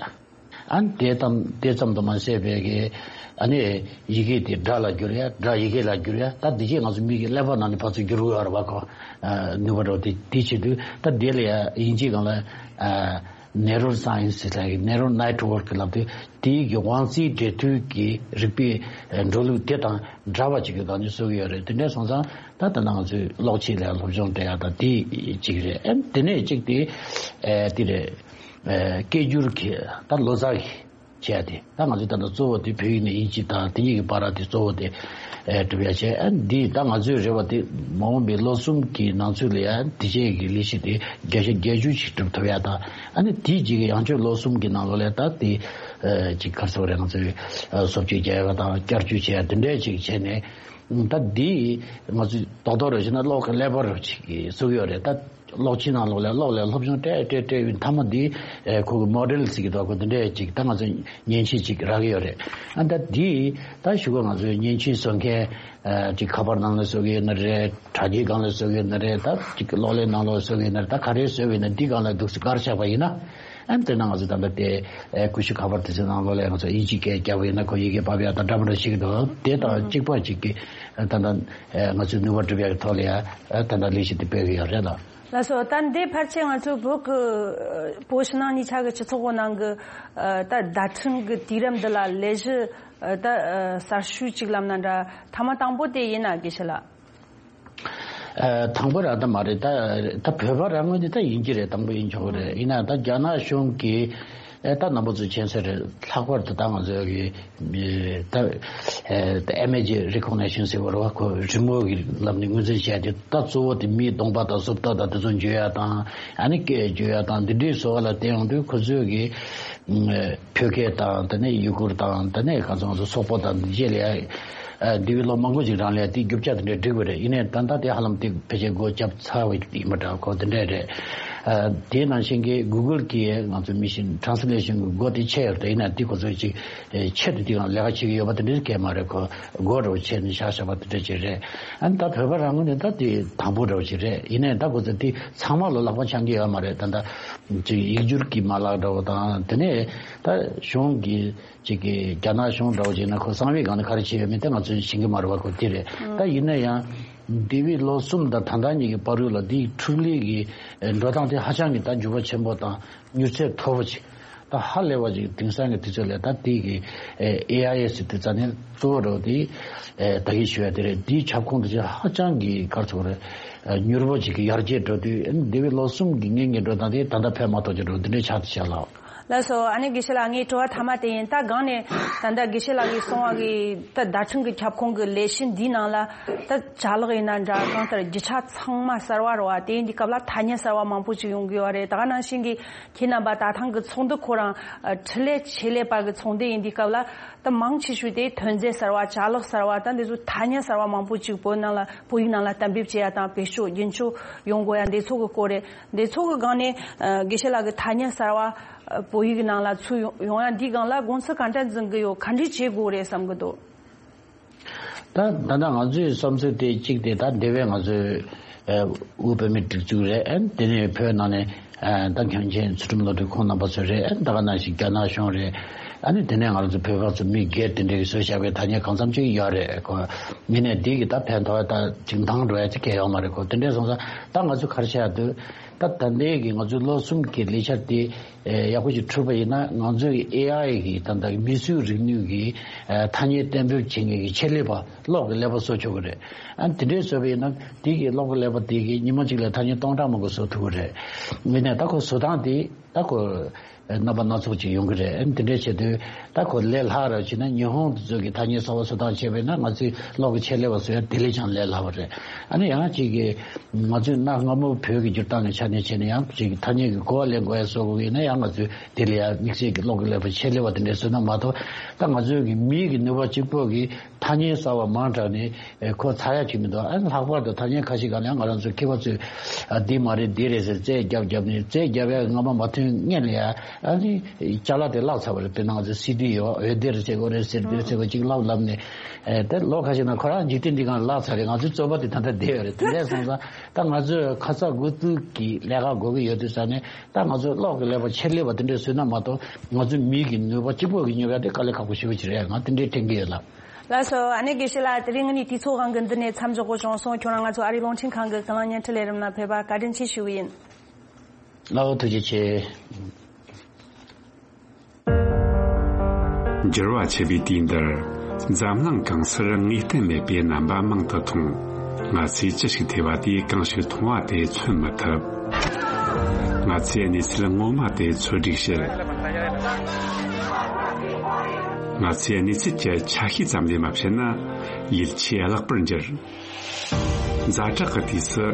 ཨ་དེ་ཙམ་དེ་ཙམ་དུ་མ་ཟད་པའི་གི་ཨ་ནི་ཡི་གེ་དེ་སྒྲ་ལ་བསྒྱུར་ཡ། སྒྲ་ཡི་གེ་ལ་བསྒྱུར་ཡ། ད་འདི་རྗེས་ང་ཚོ་མིག་གི་ཀླད་པ་ནང་ནས་ཕར་ཚུར་བསྒྱུར་དགོས་ཡོད་རེད་བ། ཁོ་ཨ་ནུས་པ་འདྲ་བོ་དེ་དེ་བྱེད་དུས་ད་དེ་ལ་ཡ་དབྱིན་ཇིའི་སྒང་ལ་ཨ་neural science ལབ་ཀྱི། neural network ལབ་དུས་དེའི་གི་དབང་རྩའི་འབྲེལ་མཐུད་ཀྱི་རིག་པའི་འགྲོ་ལུགས་དེ་དང་འདྲ་བ་ཅིག་གི་སྒང་ནས་བཟོ་གི་ཡོད་རེད། དེ་འདྲས་སོང་ཙང་ད་ད་ནང་ང་ཚོས་གློག་ཆས་ལ་སློབ་སྦྱོང་སྤྲད་ཡ་ད་དེ་གཅིག་རེད། ཨ་དེ་ནས་གཅིག་དེ་ཨ་དེ་རེད། ཨ་སྐད་སྒྱུར་གྱི་ད་ལོ་ཙཱ་གི་བྱས་ཏེ། ད་ང་ཚོས་ད་ལྟ་གཙོ་བོ་དེ་བོད་ཡིག་ནས་དབྱིན་ཇི་དང་དེ་གཉིས་ཀྱི་བར་དེ་གཙོ་བོ་དེ་ཨེ་སྒྲུབ་ཡ་བྱས། ཨ་འདི་ད་ང་ཚོའི་རེ་བ་དེ་མ་འོངས་པའི་ལོ་གསུམ་གྱི་ནང་ཚུད་ལ་ཡ་དེ་བྱས་ཀྱི་ལས་གཞི་དེ་བརྒྱ་ཆ་བརྒྱད་ཅུ་ཞིག་སྒྲུབ་ཐུབ་ཡ་དང་། ཨ་ནི་དེའི་རྗེས་ཀྱི་ཡང་བསྐྱར་ལོ་གསུམ་གྱི་ནང་ལོགས་ལ་ད་དེ་ཨེ་ཅིག་ག་རེ་ཟེར་དགོས་རེད། ང་ཚོའི་ཨེ་བཟོ་བཅོས་རྒྱག་ཡ་དང་བསྐྱར་བཅོས་བྱེད་ཡ་དེ་འདྲས་ཅིག་བྱས་ནས། ད་འདི་ང་ཚོས་རྡོག་རྡོག་རེ་བྱས་ན་གློག་གི་ཀླད་པ་རུ་ཅིག་བཟོ་གི་ཡོད་རེད། ད་གློག་ཆས་ནང་ལོགས་ལ་གློག་ལ་སློབ་སྦྱོང་སྤྲད་སྤྲད་སྤྲད་ཡོད། མཐའ་མ་འདི་ཨེ་ཁོ་གི་མོ་ཌེལ་ཟེར་གི་འདུག་ཁོ་འདི་འདྲས་ཅིག་ད་ང་ཚོ་མཉེན་ཆས་ཅིག་རག་གི་ཡོད་རེད། ཨ་ད་འདི་ད་གཞུག་གུ་ང་ཚོའི་མཉེན་ཆས་བཟོ་མཁན་ཨེ་ཅིག་ཁ་པར་ནང་ལ་བཟོ་གི་ཡོད་ན་རེད། དྲ་རྒྱའི་སྒང་ལ་བཟོ་གི་ཡོད་ན་རེད། ད་ཅིག་གློག་ཀླད་ནང་ལོགས་བཟོ་གི་ཡོད་ན་རེད། ད་ག་རེ་བཟོ་གི་ཡོད་ན་འདི་སྒང་ལ་འདུག་སེ་ག་རེ་བྱས་པ་ཡིན་ན། ཨ་ནི་དེ་ན་ང་ཚོ་ད་ལྟ་དེ་ཨེ་ཀུ་ཤུ་ཁ་པར་དེ་ཚོའི་ནང་ལོགས་ལ་ང་ཚོ་དབྱིན་ཇིའི་སྐད་རྒྱབ་ཡིན་ན་ཁོ་ཡི་གེ་ཕབ་ཡ་དང་འདྲ་མི་འདྲ་ཞིག་འདུག་དེ་དང་གཅིག་པ་གཅིག་གི་ཨ་ད་ལྟ་ཨེ་ང་ཚོའི་ནུས་པ་སྒྲུབ་ཡ་གི་ཐོག་ལ་ཡ་ཨ་ད་ལྟ་ལས་གཞི་དེ་སྤེལ་གི་ཡོད་རེད་ལ། ལགས་སོ། ད་འདི་ཕལ་ཆེར་ང་ཚོའི་བོད་ཀྱི་ཨ་བོད་ཕྱི་ནང་གཉིས་ཆ་གི་སྤྱི་ཚོགས་ཀྱི་ནང་གི་ཨ་ད་བརྡ་འཕྲིན་གྱི་དུས་རབས་འདི་ལ་ལས་གཞི་ཨ་ད་ཨ་གསར་ཤོས་གཅིག་ལབ་ན་འདྲ། ཐ་མ་དང་པོ་དེ་ཡིན་ན་དགེ་བཤེས་ལགས། ཨ་དང་པོ་རང་ད་མ་རེད། ད་ད་བོད་པ་རང་ངོས་ནས་ད་ཡིན་གྱི་རེད། དང་པོ་ཡིན་ཆོག་གི་རེད། ཡིན་ན་ད་རྒྱ་ནག་གཞུང་གིས་ཨ་ད་རྣམ་པ་ཚོ་མཁྱེན་གསལ་རེད། ལྷག་པར་དུ་ད་ང་ཚོ་གི་ཨ་ད་ཨ་ད་image recognition ཟེར་བ་རེད་བ། ཁོ་རི་མོ་གི་ལམ་ནས་ངོས་འཛིན་བྱས་ཏེ་ད་གཙོ་བོ་དེ་མིའི་གདོང་པ་དང་གཟུགས་རྟགས་དང་དེ་ཚོ་འཇུ་ཡ་དང་། ཨ་ནི་སྐད་འཇུ་ཡ་དང་འདི་འདྲའི་བཟོ་བ་ལ་བལྟས་ཡོང་དུས་ཁོ་ཚོས་གི་བོད་སྐད་དང་དེ་ནས་ཡུ་གུར་དང་དེ་ནས་ག་ཚོད་ང་ཚོ་སོག་པོ་དང་འདི་རྗེས་ལ་ཡ་འདས་པའི་ལོ་མང་པོ་ཅིག་རིང་ལ་ཡ་དེའི་རྒྱུ་ཆ་དེ་འདྲ་བསྒྲིགས་པ་རེད། ཡིན་ནའི་ད་ལྟ་དེ་ཧ་ལམ་དེ་ཕལ་ཆེར་སྒོ་བརྒྱབ་ཚར་བ་ཡིན་པ་འདྲ། ཁོ་དེ་འདྲ་རེད། དེའི་ནང་བཞིན་གྱི་Google གིས་ང་ཚོ་machine translation གི་སྒོ་དེ་ཕྱེ་ཡོད་རེད། ཡིན་ནའི་དེ་ཁོ་ཚོས་ཅིག་ཆེད་དུ་དེ་གང་ལས་ཀ་བྱེད་ཀྱི་ཡོད་པ་དེ་འདྲ་གང་མ་རེད། ཁོ་སྒོ་འདྲ་བོ་ཕྱེ་ནས་བཞག་བཞག་པ་དེ་འདྲ་ཅིག་རེད། ཨ་ནི་ད་བོད་པ་རང་ངོས་ནས་ད་དེ་དང་པོ་འདྲ་བོ་ཅིག་རེད། ཡིན་ནའི་ད་ཁོ་ཚོས་དེ་ཚང་མ་ལ་ལག་པ་འཆང་གི་ཡོད་མ་རེད། ད་ལྟ་ཅིག་ཡིག་སྒྱུར་གྱི་མ་ལག་འདྲ་བོ་དང་། དེ་ནས་ད་གཞུང་གི་ཅིག་གི་རྒྱ་ནག་གཞུང་འདྲ་བོ་ཅིག་ན་ཁོ་གསང་བའི་སྒང་ནས་ག་རེ་བྱས་ཡོད་མེད་དེ་ང་ཚོས་ཤེས་ཀྱི་མ་རེད་བ། ཁོ་དེ་རེད། ད་ཡིན་ན་ཡང་འདས་པའི་ལོ་གསུམ་དང་ད་ལྟ་གཉིས་ཀྱི་བར་དུ་ལ་འདིའི་འཕྲུལ་ལས་ཀྱི་འགྲོ་སྟངས་དེ་ཧ་ཅང་གི་ད་འགྱུར་བ་ཆེན་པོ་དང་མྱུར་ཚད་མཐོ་པོ་ཅིག་ད་ཧ་ལས་པ་ཅིག་དེང་སང་གི་དུས་ཚོད་ལ་ད་དེ་གི་ཨེ་ཨའི་ཟེར་དེ་རྩ་ནས་གཙོ་བོ་འདྲ་བོ་དེ་ད་གི་ཞུ་ཡ་དེ་རེད། འདིའི་ཁྱབ་ཁོངས་དེ་ཧ་ཅང་གི་ག་རེ་ཟེར་དགོས་རེད། མྱུར་པོ་ཅིག་གི་ཡར་རྒྱས་འགྲོ་དུས་འདས་པའི་ལོ་གསུམ་གྱི་སྔོན་གྱི་འགྲོ་སྟངས་དེ་ད་ལྟ་ཕན་མ་ཐོགས་ཀྱི་འགྲོ་འདི་འདྲའི་ཆགས་ཏེ་བཞག་ལགས། ལགས་སོ། ཨ་ནི་དགེ་བཤེས་ལགས། ངའི་དྲི་བ་ཐ་མ་དེ་ཡིན། ད་སྒང་ནས་ད་ལྟ་དགེ་བཤེས་ལགས་ཀྱིས་གསུངས་པ་གི་ད་བརྡ་འཕྲིན་གྱི་ཁྱབ་ཁོངས་ཀྱི་ལས་གཞི་འདིའི་ནང་ལ་ད་ཅ་ལག་ཡིན་ན་འདྲ། གང་ལྟར་རྒྱུ་ཆ་ཚང་མ་གསར་བ་རེད་བ། དེ་ཡིན་དུས་སྐབས་ལ་ཐ་སྙད་གསར་བ་མང་པོ་ཅིག་ཡོང་གི་ཡོད་རེད། ད་ག་ནང་བཞིན་གྱི་ཁྱེད་རྣམ་པ་ད་ཐེངས་ཀྱི་ཚོགས་འདུ་ཁོ་རང་ཨ་འཕྲུལ་ལས་ཆེད་ལས་པ་གི་ཚོགས་འདུ་ཡིན་དུས་སྐབས་ལ། ད་མང་ཆེ་ཤོས་དེ་ཐོན་རྫས་གསར་བ། ཅ་ལག་གསར་བ། ད་འདི་ཚོ་ཐ་སྙད་གསར་བ་མང་པོ་ཅིག་བོད་ནང་ལ་བོད་ཡིག་ནང་ལ་གཏན་འབེབས་བྱེད་ཡ་དང་བེད་སྤྱོད་རྒྱུན་འཁྱོངས་ཡོང་དགོས་ཡ་འདི་ཚོ་གི་སྐོར་རེད། འདི་ཚོ་གི་སྒང་ནས་ཨ་དགེ་བཤེས་ལགས་ཀྱི་ཐ་སྙད་གསར་བ་ཨ་བོད་ཡིག་ནང་ལ་ཚུད་ཡོང་ཡོང་ཡ་འདི་སྒང་ལ་དགོངས་ཚུལ་ག་འདྲ་འཛིན་གི་ཡོད། ག་འདྲ་བྱེད་དགོས་རེད་བསམ་གི་འདུག་ད་ད་ལྟ་ང་ཚོའི་བསམ་ཚུལ་དེ་གཅིག་དེ་ད་འདི་བས་ང་ཚོའི་ཨ་དབུས་བོད་མིའི་སྒྲིག་འཛུགས་རེད། ཨ་དེ་ནས་བོད་ནང་ནས་ཨ་ད་མཁན་ཆེན་ཚུལ་ཁྲིམས་བློ་གྲོས་ཁོང་རྣམ་པ་ཚོ་རེད། ཨ་ད་ག་ནང་བཞིན་རྒྱ་ནག་གཞུང་རེད། ཨ་ནི་དེ་ནས་ང་ཚོ་བོད་པ་ཚོ་མི་སྒེར་དེ་འདྲའི་བཟོས་བཞག་པའི་ཐ་སྙད་གང་འཚམ་ཅིག་ཡོད་རེད་ཁོ། ཡིན་ནའི་འདི་གི་ད་ཕན་ཐོགས་ད་ཅིག་འདང་འགྲོ་ཡ་ཅིག་གང་ཡོད་མ་རེད་ཁོ། དེ་འདྲས་སོང་ཙང་ད་ང་ཚོ་ག་རེ་བྱ་ཡ་འདུག་ད་ད་ལྟའི་གི་ང་ཚོའི་ལོ་གསུམ་གྱི་ལས་འཆར་དེ་ཡག་པོ་ཞིག་གྲུབ་པ་ཡིན་ན། ང་ཚོའི་ཨེ་ཨའི་གི་ད་ལྟ་མིས་བཟོས་རིག་ནུས་ཀྱི་ཐ་སྙད་གཏན་འབེབས་བྱེད་མཁན་གྱི་ཆེད་ལས་པ་གློག་གི་ཀླད་པ་བཟོ་ཆོག་གི་རེད། ཨ་དེ་འདྲས་བཟོས་པ་ཡིན་ན་དེ་གི་གློག་གི་ཀླད་པ་དེ་གི་ཉི་མ་གཅིག་ལ་ཐ་སྙད་སྟོང་ཕྲག་མང་པོ་བཟོ་ཐུབ་ཀྱི་རེད། ཡིན་ནའི་ད་ཁོ་བཟོ་སྟངས་དེ། ད་ཁོ་རྣམ་པ་སྣ་ཚོགས་ཅིག་ཡོང་གི་རེད། ཨ་ནི་དེ་འདྲའི་ཆེད་དུ་ད་ཁོ་ལས་སླ་རུ་བྱས་ན་ཉི་ཧོང་དེ་ཚོ་གི་ཐ་སྙད་གསར་པ་བཟོ་སྟངས་བྱས་པས་ན་ང་ཚོའི་གློག་གི་ཆེད་ལས་པ་བཟོ་ཡ་དེ་ལས་ཀྱང་ལས་སླ་བ་རེད། ཨ་ནི་ཡང་ཅིག་གི་ང་ཚོས་གནའ་སྔ་མོ་བོད་ཀྱི་འགྱུར་སྟངས་ཀྱི་ཆ་ནས་བྱས་ན་ཡང་ཅིག་ཐ་སྙད་ཀྱི་གོ་བ་ལེན་དགོས་ཡ་བཟོ་དགོས་ཀྱི་ཡིན་ན་ཡང་ང་ཚོས་དེ་ལ་ཡང་དམིགས་བསལ་གྱི་གློག་གི་ཀླད་པ་ཆེད་ལས་པ་དེ་འདྲས་བཟོས་ན་མ་གཏོགས། ད་ང་ཚོའི་གི་མིའི་གི་ནུས་པ་གཅིག་པོ་གིས་ཐ་སྙད་གསར་བ་མང་དྲགས་ནས་ཁོ་ཚར་ཡ་ཅིག་མི་འདུག་ཨ་ནི་ལྷག་པར་དུ་ཐ་སྙད་ཁ་ཤས་སྒང་ལ་ཡང་ང་རང་ཚོའི་མཁས་པ་ཚོས་ཨ་འདི་མ་རེད་འདི་རེད་ཟེར་རྩད་རྒྱབ་རྒྱབ་ནས་རྩད་རྒྱབ་ཡ་རྔ་མ་མ་ཐོན་སྔོན་ལ་ཡ་ཨ་ནི་ཅ་ལག་དེ་བརླག་ཚར་བ་རེད། དཔེར་ན་ང་ཚོའི་སི་ཌི་ཡོད། འོད་སྡེར་བྱེད་དགོས་རེད། ཟེར་སྡེར་བྱེད་དགོས་ཅིག་བརླག་ལབ་ནས་ཨེ་དེ་ལོ་ཁ་ཤས་ནང་ཁོ་རང་འཇིག་རྟེན་འདི་སྒང་བརླག་ཚར་རེད། ང་ཚོའི་རྩོད་པ་དེ་ད་ལྟ་བསྡད་ཡོད་རེད། དེ་འདྲས་སོང་ཙང་ད་ང་ཚོས་ཁ་ཚ་དགོས་གཏུགས་ཀྱི་ལས་ཀ་དགོས་ཀྱི་ཡོད་དུས་ཙང་ནས། ད་ང་ཚོས་གློག་གི་ཀླད་པ་ཆེད་ལས་པ་དེ་འདྲས་བཟོས་ན་མ་གཏོགས་ང་ཚོའི་མིའི་གི་ནུས་པ་གཅིག་པོ་གིས་སྙོབ་ཡ་དེ་དཀའ་ལས་ཁག་པོ་ཞེ་པོ་ཅིག་རེད། ང་དེ་འདྲས་དྲན་གྱི་ཡོད་ལགས། ལགས་སོ། ཨ་ནེ་དགེ་བཤེས་ལགས། དེ་རིང་ངེད་གཉིས་དུས་ཚོད་དབང་གིས་འདི་ནས་མཚམས་འཇོག་དགོས་བྱུང་སོང་། ཁྱོད་རང་ང་ཚོ་ཨ་རིའི་རླུང་འཕྲིན་ཁང་གི་ཀུན་གླེང་བརྙན་འཕྲིན་ལས་རིམ་ལ་ཕེབས་པ་བཀའ་དྲིན་ཆེ་ཞུ་གི་ཡིན། ཨོ་ཐུགས་རྗེ་ཆེ། འགྱུར་བ་ཆེ་བའི་དུས་འདིར་འཛམ་གླིང་གང་སར་ངེས་གཏན་མེད་པའི་རྣམ་པ་མང་དུ་མཐོང་། ང་ཚོས་ཅི་ཞིག་ཐོས་པ་དེས་གང་ཞིག་མཐོང་བ་དེ་མཚོན་མི་ཐུབ། ང་ཚོས་གནས་ཚུལ་ངོ་མ་དེ་འཚོལ་སྒྲིག་བྱེད། ང་ཚོས་གནས་ཚུལ་གྱི་ཆ་ཤས་ཙམ་ལས་མ་བཤད་ན་ཡིད་ཆེས་བརླག་པར་འགྱུར། ཛ་དྲག་གི་དུས་སུ་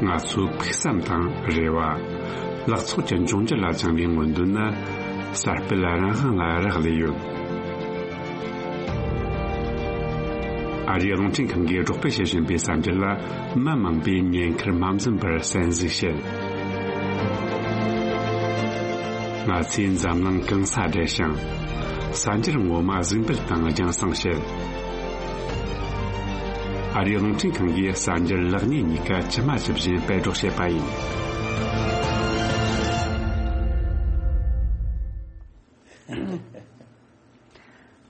ང་ཚོའི་ཕུགས་བསམ་དང་རེ་བ། ལག་ཚོགས་ཀྱི་འབྱུང་འགྱུར་ལ་བཅངས་པའི་མངོན་འདོད་ནི་གསར་སྤེལ་རང་དབང་ལ་རག་ལས་ཡོད། ཨ་རིའི་རླུང་འཕྲིན་ཁང་གིས་སྒྲོག་སྤེལ་བྱེད་བཞིན་པའི་གསར་འགྱུར་ལ་མི་མང་པོས་ཉེན་ཁར་མ་འཛེམས་པར་གསན་གཟིགས་བྱེད། ང་ཚོས་འཛམ་གླིང་གང་སར་བསྡད་ཤིང་། གསར་འགྱུར་ངོ་མ་གཟིགས་འབུལ་དང་རྒྱང་སྲིང་བྱེད། ཨ་རིའི་རླུང་འཕྲིན་ཁང་གིས་གསར་འགྱུར་ལེགས་ཉེས་གཉིས་ཀ་ཇི་མ་ཇི་བཞིན་སྤེལ་སྒྲོག་བྱེད་པ་ཡིན།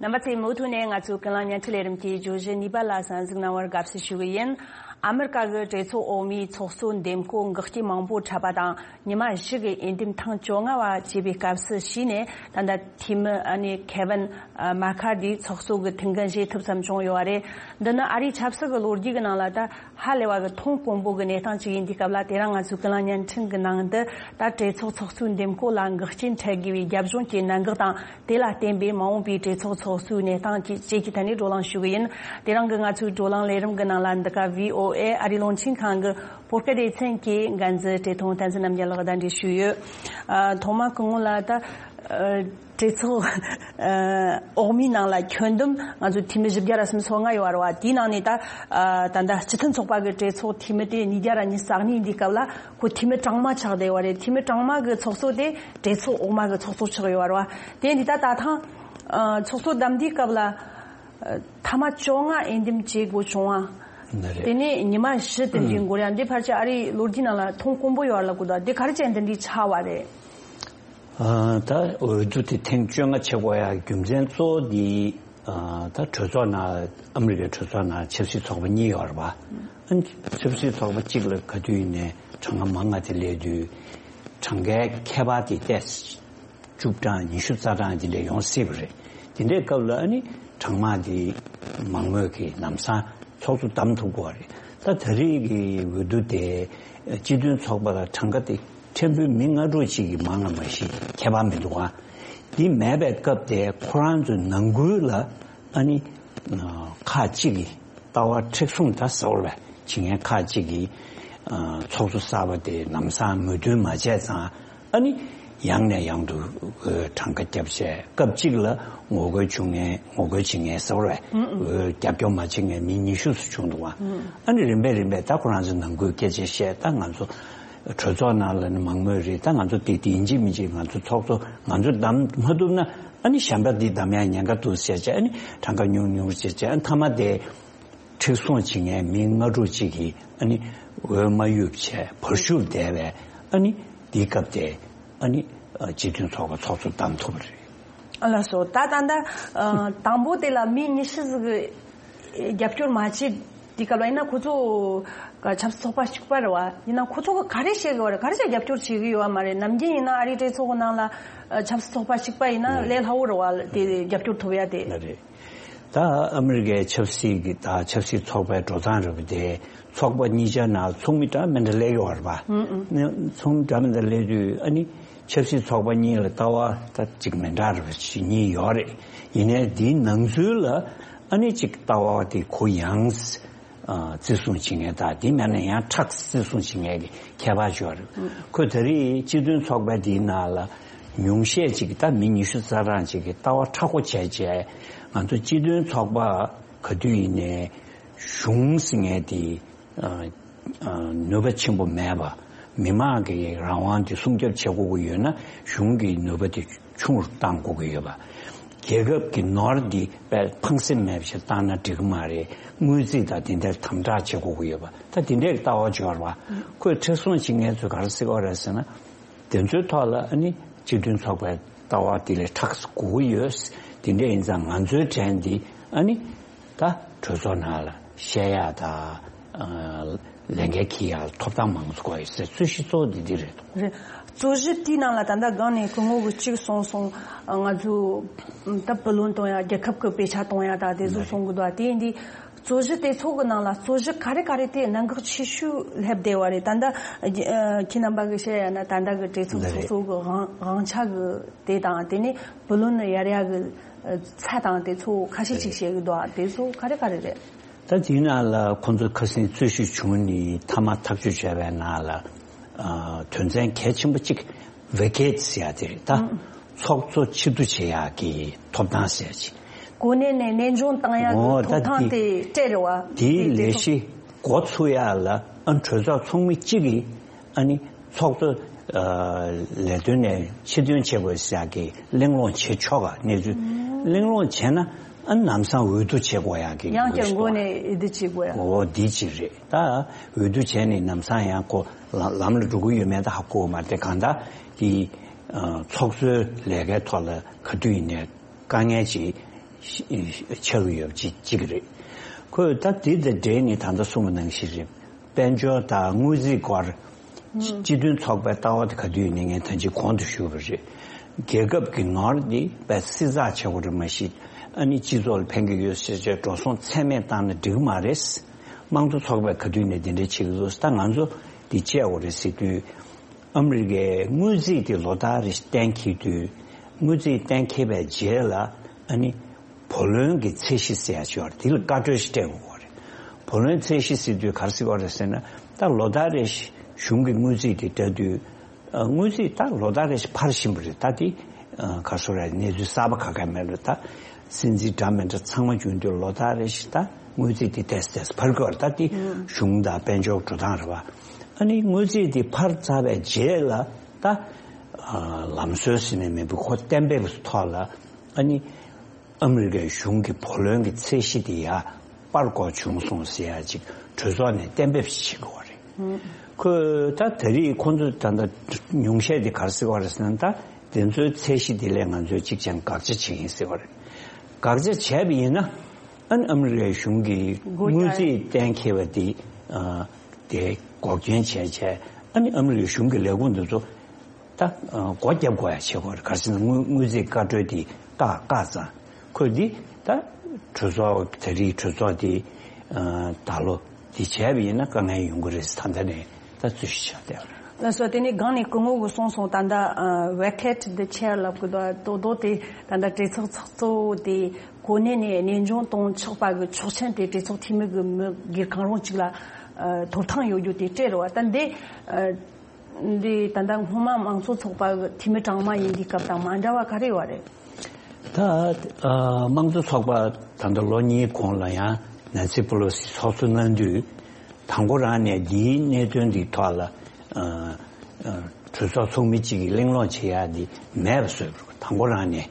རྣམ་པ་ཚོས་མུ་མཐུད་ནས་ང་ཚོའི་ཀུན་གླེང་བརྙན་འཕྲིན་ལས་རིམ་གྱི་བརྗོད་གཞི་གཉིས་པ་ལ་གསན་གཟིགས་གནང་བར་དགའ་བསུ་ཞུ་གི་ཡིན། ཨ་མེ་རི་ཀ་གི་གྲོས་ཚོགས་འོག་མའི་ཚོགས་གཙོ་འདེམས་བསྐོ་འགོག་རྐྱེན་མང་པོ་འཕྲད་པ་དང་། ཉི་མ་བཞི་གི་འོས་འདེམས་ཐེངས་བཅོ་ལྔ་བ་བྱས་པའི་སྐབས་སུ་ཕྱིན་ནས། ད་ལྟ་འཐུས་མི་ཨ་ནི་ཁེ་ཝིན་མ་ཁར་དི་ཚོགས་གཙོ་གི་ཐུགས་འགན་བཞེས་ཐུབ་ཙམ་བྱུང་ཡོད་པ་རེད། འདི་ནི་ཨ་རིའི་ཆབ་སྲིད་ཀྱི་ལོ་རྒྱུས་ཀྱི་ནང་ལ་ད་ཧ་ལས་པ་གི་མཐོང་དཀོན་པོ་གི་གནས་སྟངས་ཅིག་ཡིན་དུས་སྐབས་ལ། དེ་རིང་ང་ཚོའི་ཀུན་གླེང་བརྙན་འཕྲིན་གྱི་ནང་དུ་ད་གྲོས་ཚོགས་ཚོགས་གཙོའི་འདེམས་བསྐོ་ལ་འགོག་རྐྱེན་འཕྲད་དགོས་པའི་རྒྱབ་ལྗོངས་ཀྱི་གནད་འགག་དང་། དེ་ལ་བརྟེན་པའི་མ་འོངས་པའི་གྲོས་ཚོགས་ཚོགས་གཙོའི་གནས་སྟངས་བཅས་ཀྱི་ཐད་ནས་བགྲོ་གླེང་ཞུ་གི་ཡིན། དེ་རིང་གི་ང་ཚོའི་བགྲོ་གླེང་ལས་རིམ་གྱི་ནང་ལ་འདི་ག་བྷི་ཨོ་ཨེ་ཨ་རིའི་རླུང་འཕྲིན་ཁང་གི་བོད་སྐད་སྡེ་ཚན་གྱི་འགན་འཛིན་བཀྲས་མཐོང་བསྟན་འཛིན་རྣམ་རྒྱལ་ལགས་གདན་འདྲེན་ཞུས་ཡོད། ཨ། ཐོག་མ་སྐུ་ངོ་ལ་ད་ཨ་གྲོས་ཚོགས་ཨ་འོག་མའི་ནང་ལ་ཁྱོན་བསྡོམས་ང་ཚོ་འཐུས་མི་བཞི་བརྒྱ་ར་སུམ་ཅུ་སོ་ལྔ་ཡོད་རེད་བ། དེའི་ནང་ནས་ད་ཨ་ད་ལྟ་སྤྱི་མཐུན་ཚོགས་པ་གི་གྲོས་ཚོགས་འཐུས་མི་དེ་ཉིས་བརྒྱ་ར་ཉི་ཤུ་རྩ་གཉིས་འདིའི་སྐབས་ལ་ཁོ་འཐུས་མི་གྲངས་མང་ཆགས་བསྡད་ཡོད་རེད། འཐུས་མི་གྲངས་མང་གི་ཚོགས་གཙོ་དེ་གྲོས་ཚོགས་འོག་མ་གི་ཚོགས་གཙོ་ཆགས་ཡོད་རེད་བ། དེ་འདི་ད་ད་ཐེངས་ཨ་ཚོགས་གཙོ་བདམས་དུས་སྐབས་ལ་ཨ་ཐེངས་མ་བཅོ་ལྔ་འོས་འདེམས་བྱེད་དགོས་བྱུང་བ། ནི་རེད། དེ་ནས་ཉི་མ་བཞི་དེ་འདྲའི་འགོར་ཡ་འདི་ཕལ་ཆེར་ཨ་རིའི་ལོ་རྒྱུས་ནང་ལ་མཐོང་དཀོན་པོ་ཡོད་རེད་ལབ་དགོས་འདུག་དེ་ག་རེ་བྱས་འདི་འདྲའི་ཆགས་པ་རེད། ཨ་ད་འོས་བསྡུ་དེ་ཐེངས་བཅོ་ལྔ་བྱེད་དགོས་ཡ་རྒྱུ་མཚན་གཙོ་བོ་དེ་ཨ་ད་གྲོས་ཚོགས་ནང་ཨ་མི་རི་ཀའི་གྲོས་ཚོགས་ནང་ཆབ་སྲིད་ཚོགས་པ་གཉིས་ཡོད་རེད་པ། ཨ་ནི་ཆབ་སྲིད་ཚོགས་པ་གཅིག་ལ་ག་དུས་ཡིན་ནའི་གྲངས་ཀ་མང་ང་དེ་སླེབས་དུས་གྲངས་ཀའི་ཁྱད་པར་དེ་ཏོག་ཙམ་བཅུ་གྲངས་ཉི་ཤུ་རྩ་གྲངས་དེ་འདྲ་ཡོང་སྲིད་པ་རེད། དེ་འདྲའི་སྐབས་ལ་ཨ་ནི་གྲངས་མང་དེ་མང་མོས་ཀྱིས་ལམ་སང་ཚོགས་གཙོ་བདམས་ཐུབ་དགོས་པ་རེད། ད་ད་རེས་ཀྱི་འོས་བསྡུ་དེ་སྤྱི་མཐུན་ཚོགས་པ་ལ་གྲངས་ཀ་དེ་ཕྲན་བུ་མི་ལྔ་དྲུག་ཅིག་གིས་མང་ལ་མ་གཞི་ཁྱད་པར་མི་འདུག་ཨ། འདི་མེད་པའི་སྐབས་དེ་ཁོ་རང་ཚོའི་ནང་ཁུལ་ལ་ཨ་ནི་ཁག་ཅིག་གིས་ལྟ་བ་མཁྲེགས་བཟུང་ད་ཟེར་བ་བྱེད་མཁན་ཁག་ཅིག་གིས་ཚོགས་གཙོ་གསར་པ་དེ་ལམ་སང་མོས་མཐུན་མ་བྱས་ཙང་ཨ་ནི་ཡང་ནས་ཡང་དུ་གྲངས་ཀ་བརྒྱབ་བྱས་སྐབས་གཅིག་ལ་ངོ་རྒོལ་བྱུང་མཁན་ངོ་རྒོལ་བྱེད་མཁན་ཟེར་བ་རྒྱབ་སྐྱོར་མ་བྱེད་མཁན་མི་ཉི་ཤུ་ཙམ་བྱུང་འདུག་བ། ཨ་ནི་རིམ་པས་རིམ་པས་ད་ཁོ་རང་ཚོ་ནང་ཁུལ་སྐད་ཆ་བཤད་ད་ང་ཚོ་གྲོས་ཚོགས་ནང་ལ་ནི་མང་མོས་རེད། ད་ང་ཚོ་དེ་དེ་ཡིན་གཅིག་མིན་གཅིག་ང་ཚོ་ཚོགས་གཙོ་ང་ཚོ་བདམས་མ་ཐུབ་ན་ཨ་ནི་གཞན་པ་འདི་བདམས་ཡ་ཉེན་ཁ་འདུག་ཟེར་བྱས་ཨ་ནི་གྲངས་ཀ་ཉུང་ཉུང་བྱས་བྱས་ཨ་ནི་མཐའ་མ་དེ་མཁྲེགས་བཟུང་བྱེད་མཁན་མི་ལྔ་དྲུག་ཅིག་གིས་ཨ་ནི་འོས་མ་གཡུགས་བྱས་བར་ཞུར་བསྡད་པས་ཨ་ནི་འདིའི་སྐབས་དེ་ཨ་ནི་སྤྱི་མཐུན་ཚོགས་པ་ཚོགས་གཙོ་བདམས་ཐུབ་པ་རེད། ཨ་ལགས་སོ། ད་ད་ལྟ་ཨ་དང་པོ་དེ་ལ་མི་ཉི་ཤུ་ཟིག་གིས་རྒྱབ་སྐྱོར་མ་བྱས་དུས་སྐབས་ལ་ཡིན་ན་ཁོ་ཚོ་ག་ཆབ་སྲིད་ཚོགས་པ་གཅིག་པ་རེད་བ། ཡིན་ན་ཁོ་ཚོ་གིས་ག་རེ་བཤད་གི་བ་རེད། ག་རེ་བྱས་རྒྱབ་སྐྱོར་བྱེད་གི་ཡོད་བ་མ་རེད། ནམ་རྒྱུན་ཡིན་ན་ཨ་རིའི་གྲོས་ཚོགས་གི་ནང་ལ་ཨ་ཆབ་སྲིད་ཚོགས་པ་གཅིག་པ་ཡིན་ན་ལས་སླ་བོ་རེད་བ། དེ་རྒྱབ་སྐྱོར་ཐོབ་ཡ་དེ། ལ་རེད། ད་ཨ་མི་རི་ཀའི་ཆབ་སྲིད་ཀྱི་ད་ཆབ་སྲིད་ཚོགས་པའི་འགྲོ་སྟངས་རེད་པ། དེ་ཚོགས་པ་གཉིས་ཆ་ནང་ཚོགས་མི་འདྲ་མི་འདྲ་སླེབས་ཡོད་རེད་པ། ཨུ་ཨུ། ཚོགས་མི་འདྲ་མི་འདྲ་སླེབས་དུས་ཨ་ནི་ ཆབ་སྲིད་ཚོགས་པ་གཉིས་ལ་ལྟ་བ་ད་ཅིག་མི་འདྲ་བ་ཞིག་གཉིས་ཡོད་རེད། ཡིན་ནའི་འདིའི་ནང་ཚུལ་ལ་ཨ་ནི་ཅིག་ལྟ་བ་དེ་གུ་ཡངས་ཨ་བརྩི་སྲུང་བྱེད་མཁན་དང་དེ་མེད་ན་ཡང་ཁྲག་བརྩི་སྲུང་བྱེད་མཁན་གྱི་ཁྱད་པར་ཡོད་རེད། ཁོས་ད་རེས་སྤྱི་མཐུན་ཚོགས་པ་འདིའི་ནང་ལ་ཉུང་ཤས་ཅིག་ད་མི་ཉི་ཤུ་རྩ་གྲངས་ཅིག་གིས་ལྟ་བ་མཁྲེགས་པོ་བྱས་བྱས་ང་ཚོ་སྤྱི་མཐུན་ཚོགས་པ་ག་དུས་ཡིན་ནའི་གཞུང་ཟེར་མཁན་དེ། ཨ། ཨ། ནུས་པ་ཆེན་པོ་མེད་པ། མི་མང་གི་རང་དབང་དེ་སྲུང་སྐྱོབ་བྱེད་དགོས་ཀྱི་ཡོད་ན་གཞུང་གི་ནུས་པ་དེ་ཆུང་རུ་གཏང་དགོས་ཀྱི་ཡོད་པ། རྒྱལ་ཁབ་ཀྱི་ནོར་འདི་དཔེ་ཕངས་སེམས་མེད་པ་ཞིག་བཏང་ན་འགྲིག་གི་མ་རེད། དངུལ་རྩིས་དང་དེ་འདྲར་དམ་དྲག་བྱེད་དགོས་ཀྱི་ཡོད་པ། ད་དེ་འདྲའི་ལྟ་བ་འབྱོར་བ། ཁོས་མཁྲེགས་བཟུང་བྱེད་མཁན་ཚོས་ག་རེ་ཟེར་གྱི་ཡོད་རེད་ཟེར་ན། དེ་ཚོའི་ཐོག་ལ་ཨ་ནི་སྤྱི་མཐུན་ཚོགས་པའི་ལྟ་བ་དེ་ལས་མཁྲེགས་སུ་དགོས་ཀྱི་ཡོད། དེ་འདྲ་ཡིན་ཙང་ང་ཚོའི་གྲས་འདི་ཨ་ནི་ད་གྲོས་ཚོགས་ནང་ལ་བཤད་ཡག་དང་ཨ་ལས་འགན་འཁྱེར་ཡག་ལ་ཐོབ་ཐང་མང་ཙམ་དགོས་ཡོད་ཟེར། རྩོད་གཞི་གཙོ་བོ་འདི་འདི་རེད། རེད། རྩོད་གཞི་དེའི་ནང་ལ་ད་ལྟ་སྒང་ནས་སྐུ་ངོ་གིས་གཅིག་གསུངས་སོང་། ང་ཚོ་ད་བུ་ལོན་གཏོང་ཡག་རྒྱལ་ཁབ་ཀྱི་དཔེ་ཆ་གཏོང་ཡག་དང་དེ་ཚོ་གསུང་གི་འདུག་དེ་ཡིན་དུས། རྩོད་གཞི་དེ་ཚོ་གི་ནང་ལ་རྩོད་གཞི་ག་རེ་ག་རེ་དེ་གནད་འགག་ཆེ་ཤོས་སླེབས་བསྡད་པ་རེད། ད་ལྟ་ཨ་ཁྱེད་རྣམ་པ་གིས་བཤད་ཡ་ན་ད་ལྟ་གི་གྲོས་ཚོགས་ཚོགས་གཙོ་གི་དབང་དབང་ཆ་གི་དེ་དང་དེ་ནས་བུ་ལོན་གཡར་ཡ་གི་ཚད་དང་དེ་ཚོ་ཁ་ཤས་ཅིག་བཤད་གི་འདུག་དེ་ཚོ་ག་རེ་ག་རེ་རེད། ད་དེའི་ནང་ལ་ཁོང་ཚོ་ཁ་སང་རྩོད་གཞི་བྱུང་ནས་མཐའ་མ་ཐག་གཅོད་བྱས་པའི་ནང་ལ་ཨ་དོན་ཚན་གལ་ཆེན་པོ་གཅིག་ཝེ་ཀེཊ་ཟེར་ཡ་དེ་རེད་ད། ཚོགས་གཙོ་ཕྱིར་བསྡུ་བྱེད་ཡག་གི་ཐོབ་ཐང་ཟེར་ཅིག་གོ་གནས་ནས་གནས་དབྱུང་བཏང་ཡག་གི་ཐོབ་ཐང་དེ་སྤྲད་རེད་བ། དེའི་ལས་གཞི་འགོ་ཚུགས་ཡག་ལ་ཨ་གྲོས་ཚོགས་ཚོགས་མི་གཅིག་གིས་ཨ་ནི་ཚོགས་གཙོ་ལས་དོན་ནས་ཕྱིར་འདོན་བྱེད་དགོས་ཟེར་ཡག་གི་གླེང་སློང་བྱེད་ཆོག་ག་གནས་ཚུལ་གླེང་སློང་བྱས་ན་ཨ་ལམ་སང་འོས་བསྡུ་བྱེད་དགོས་ཡག་གི་ཡང་བསྐྱར་འགོ་ནས་འོས་བསྡུ་བྱེད་དགོས་ཡག་འོ་འདི་གཅིག་རེད་ད། འོས་བསྡུ་བྱས་ནས་ལམ་སང་ཡང་ཁོ་ལམ་ལ་འགྲོ་གི་ཡོད་མེད་ད་ཧ་གོ་གི་མ་རེད། དེ་གང་ལྟར་དེ་ཚོགས་གཙོའི་ལས་ཀའི་ཐོག་ལ་ག་དུས་ཡིན་ནའི་དཀའ་ངལ་ཅིག་ཆགས་ཀྱི་ཡོད་པ་ཅིག་ཅིག་རེད། ཁོས་ད་དེ་དང་འབྲེལ་ནས་ད་ལྟ་གསུངས་པ་ནང་བཞིན་རེད། དཔལ་འབྱོར་དང་དངུལ་རྩིས་སྐོར་སྤྱི་མཐུན་ཚོགས་པའི་ལྟ་བ་དེ་ག་དུས་ཡིན་ནའི་ངས་ད་ཅི་གོང་དུ་ཞུས་པ་རེད། རྒྱལ་ཁབ་ཀྱི་ནོར་འདི་དཔེ་བསྲི་ཚགས་བྱེད་དགོས་རེད་མ་གཞི་ཨ་ནི་སྤྱི་ཚོགས་ལ་ཕན་གྱི་ཡོད་ཟེར་བྱས་འགྲོ་སོང་ཚད་མེད་བཏང་ན་འགྲིག་གི་མ་རེད། དམངས་གཙོ་ཚོགས་པས་ག་དུས་ནས་དེ་འདྲ་བྱེད་ཀྱི་འདུག་ད་ང་ཚོ་འདི་བྱེད་དགོས་རེད་ཟེར་དུས། ཨ་མི་རི་ཀའི་དངུལ་རྩིས་དེ་ལོ་ལྟར་རེ་བཞིན་གཏན་འཁེལ་དུས། དངུལ་རྩིས་གཏན་འཁེལ་བའི་རྗེས་ལ་ཨ་ནི་བུ་ལོན་གྱི་ཚད་གཞི་ཟེར་ཡ་ཅིག་ཡོད་རེད། དེ་ལ་བཀའ་འཁྲོལ་ཞིག་སྤྲད་དགོས་རེད། བུ་ལོན་ཚད་གཞི་ཟེར་དུས་ག་རེ་ཟེར་བ་རེད་ཟེར་ན། ད་ལོ་ལྟར་རེ་བཞིན་གཞུང་གི་དངུལ་རྩིས་དེ་བལྟ་དུས། ཨ་དངུལ་རྩིས་ད་ལོ་ལྟར་རེ་བཞིན་འཕར་བཞིན་པ་རེད། ད་དེ་ཨ་ག་རེ་ཟེར་རེད། གནས་ཚུལ་གསར་པ་ག་ག་མེད་རེད། ད་སྲིད་འཛིན་འདྲ་མི་འདྲ་ཚང་མ་བྱུང་དུས་ལོ་ལྟར་རེ་བཞིན་ད་དངུལ་རྩིས་དེ་ཏོག་ཙམ་ཏོག་ཙམ་འཕར་གྱི་ཡོད་རེད། ད་དེ་གཞུང་དང་དཔལ་འབྱོར་འགྲོ་སྟངས་རེད་བ། ཨ་ནི་དངུལ་རྩིས་དེ་འཕར་ཚར་བའི་རྗེས་ལ་ད་ཨ་ལམ་སྲོལ་ཟེར་ནས་མི་འདུག་ཁོ་གཏན་འབེབས་ཐོག་ལ་ཨ་ནི་ཨ་མི་རི་ཀའི་གཞུང་གི་བུ་ལོན་གྱི་ཚད་གཞི་དེ་ཡར་སྤར་དགོས་བྱུང་སོང་ཟེར་ཡ་ཅིག་གྲོས་ཚོགས་ནས་གཏན་འབེབས་ཤིག་བྱེད་དགོས་པ་རེད། ཁོས་ད་ད་རེས་ཁོང་ཚོས་ད་ལྟ་ཉུང་ཤས་དེ་ག་རེ་ཟེར་བ་རེད་ཟེར་ན། ད་དེ་ཚོའི་ཚད་གཞི་དེ་ལས་ང་ཚོས་གཅིག་ཀྱང་དགག་བྱ་བྱེད་ཀྱིན་ཟེར་བ་རེད། དགག་བྱ་བྱས་པ་ཡིན་ན་ཨ་ནི་ཨ་མི་རི་ཀའི་གཞུང་གིས་དངུལ་རྩིས་གཏན་འཁེལ་བ་དེ་ཨ་དེ་འགོག་རྐྱེན་བྱས་བྱས་ཨ་ནི་ཨ་མི་རི་ཀའི་གཞུང་གི་ལས་ཁུངས་དེ་ཚོ་ད་ཨ་སྒོ་བརྒྱབ་དགོས་ཡ་བྱེད་དགོས་རེད། ག་རེ་ཟེར་ན་དངུལ་དངུལ་རྩིས་བཀའ་འཁྲོལ་དེ་བཀག་བཀག་ཙང་ཁོས་འདི་ད་གྲོས་ཚོགས་ད་རེས་གྲོས་ཚོགས་དེ་ཨ་ད་ལོ་འདི་བྱས་པ་ཡིན་ན་དཀའ་ངལ་ཡོང་གི་རེད། ད་ལྟ་ནས་ད་རྩོད་གཞི་ཆགས་བསྡད་པ་རེད། ལགས་སོ། དེ་ནས་སྒང་ནས་སྐུ་ངོ་གིས་གསུངས་སོང་། ད་ལྟ་ཨ་ཝེ་ཀེཊ་འདི་ཆེར་ལབ་གི་འདུག་རྡོག་རྡོག་དེ་ད་ལྟ་གྲོས་ཚོགས་ཚོགས་གཙོ་དེ་གོ་གནས་ནས་གནས་དབྱུང་གཏོང་ཆོག་པ་གི་ཆོག་མཆན་དེ་གྲོས་ཚོགས་འཐུས་མི་གི་མི་སྒེར་གང་རུང་གཅིག་ལ་ཨ་ཐོབ་ཐང་ཡོད་རྒྱུ་དེ་སྤྲད་རེད་བ། ད་འདི་ཨ་འདི་ད་ལྟ་སྔོན་མ་དམངས་གཙོ་ཚོགས་པ་གི་འཐུས་མི་གྲངས་མང་ཡིན་དུས་སྐབས་དང་མ་འདྲ་བ་ག་རེ་ཡོད་རེད། ད་ཨ་དམངས་གཙོ་ཚོགས་པ་ད་ལྟ་ལོ་གཉིས་གོང་ལ་ཡང་ནན་སི་པེ་ལོ་སི་ཚོགས་གཙོ་གནང་དུས་དང་པོ་རང་ནས་འདིའི་གནད་དོན་འདིའི་ཐོག་ལ་ཨ་ཨ་གྲོས་ཚོགས་ཚོགས་མི་གཅིག་གིས་གླེང་སློང་བྱེད་ཡག་འདི་མེད་པ་བཟོས་པ་རེད། དང་པོ་རང་ནས་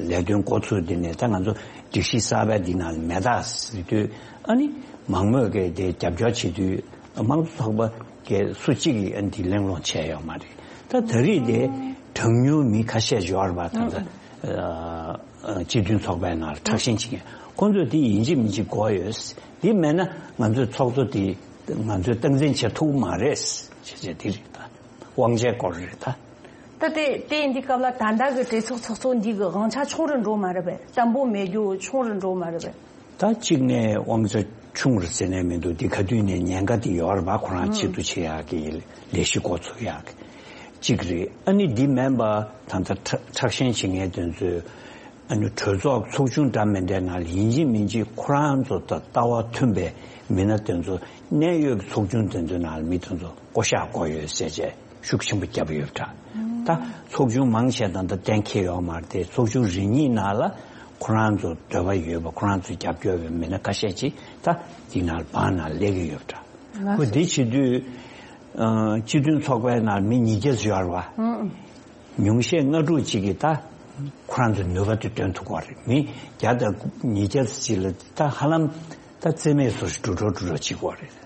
ལས་དོན་འགོ་ཚུགས་དུས་ནས་ད་ང་ཚོ་སྒྲིག་གཞི་གསར་པ་འདི་ནང་ལ་མེད་ད་ཟེར་དུས་ཨ་ནི་མང་མོས་ཀྱིས་དེ་རྒྱབ་སྐྱོར་བྱེད་དུས་དམངས་གཙོ་ཚོགས་པ་གས་སུ་གཅིག་གིས་ཨ་ནི་འདི་གླེང་སློང་བྱས་ཡོད་མ་རེད། ད་ད་རེས་དེ་གྲངས་ཉུང་མི་ཁ་ཤས་ཡོད་རེད་པ། ད་ལྟ་ཨ་སྤྱི་མཐུན་ཚོགས་པའི་ནང་ལ་ཁྲག་ཤེད་ཅིག་ཁོང་ཚོས་དེ་ཡིན་གཅིག་མིན་གཅིག་དགོས་ཡོད། དེ་མེད་ན་ང་ཚོའི་ཚོགས་གཙོ་དེ་ང་ཚོས་སྟངས་འཛིན་བྱེད་ཐུབ་མ་རེད། བྱས་བྱས་དེ་རེད། ད་དབང་ཆའི་སྐོར་རེད་ད། ད་དེ་དེ་ཡིན་དུས་སྐབས་ལ་ད་ལྟ་གི་གྲོས་ཚོགས་ཚོགས་གཙོ་འདི་གི་དབང་ཆ་ཆུང་རུ་འགྲོ་མ་རེད་པས། བརྟན་པོ་མེད་རྒྱུ་ཆུང་རུ་འགྲོ་མ་རེད་པས། ད་གཅིག་ནས་དབང་ཆ་ཆུང་རུ་ཟེར་ནས་མི་འདུག་འདི་ག་དུས་ནས་ཉེན་ཁ་དེ་ཡོད་རེད་པ། ཁོ་རང་ཆེད་དུ་བྱེད་ཡག་གི་ལས་གཞི་འགོ་ཚུགས་ཡག་གི་ གཅིག་རེད། ཨ་ནི་འདི་མིན་པ་ད་ལྟ་ཁྲ་ཁྲག་ཤེད་བྱེད་མཁན་དེ་ཚོས་ཨ་ནི་གྲོས་ཚོགས་ཚོགས་ཆུང་འདྲ་མི་འདྲའི་ནང་ལ་ཡིན་གཅིག་མིན་གཅིག་ཁོ་རང་ཚོ་དང་ལྟ་བ་མཐུན་པའི་མི་སྣ་དེ་ཚོ་གནད་ཡོད་ཀྱི་ཚོགས་ཆུང་དེ་ཚོའི་ནང་ལ་མི་དེ་ཚོ་བསྐོ་གཞག་བསྐོ་ཡོད་ཟེར་བྱས་ཤུགས་ཆེན་པོ་བརྒྱབ་ཡོད་པ་འདྲ། ད་ཚོགས་ཆུང་མང་ཆེ་ད་ལྟ་གཏན་འཁེལ་ཡོད་མ་རེད་དེ། ཚོགས་ཆུང་རེ་གཉིས་ནང་ལ་ཁོ་རང་ཚོ་འདོད་པ་ཡོད་པ། ཁོ་རང་ཚོ་རྒྱབ་སྐྱོར་བའི་མི་སྣ་ཁ་ཤས་ཅིག་ད་འདི་ནང་ལ་བང་ནང་སླེབས་ཀྱི་ཡོད་པ་འདྲ། ཁོ་འདི་བྱེད་དུས་ཨ་སྤྱི་མཐུན་ཚོགས་པའི་ནང་མི་ཉིས་བརྒྱ་ཙམ་ཡོད་རེད་བ། ཉུང་ཤས་ལྔ་དྲུག་ཅིག་གིས་ད་ཁོ་རང་ཚོའི་ནུས་པ་དེ་འདོན་ཐུབ་ཀྱི་ཡོད་རེད། མི་བརྒྱ་དང་ཉིས་བརྒྱ་ཙམ་ཅིག་ལ་ད་ཧ་ལམ་ད་རྩིས་མེད་བཟོ་ཞིག་འགྲོ་འགྲོ་འགྲོ་འགྲོ་བྱེད་ཀྱི་ཡོད་རེད།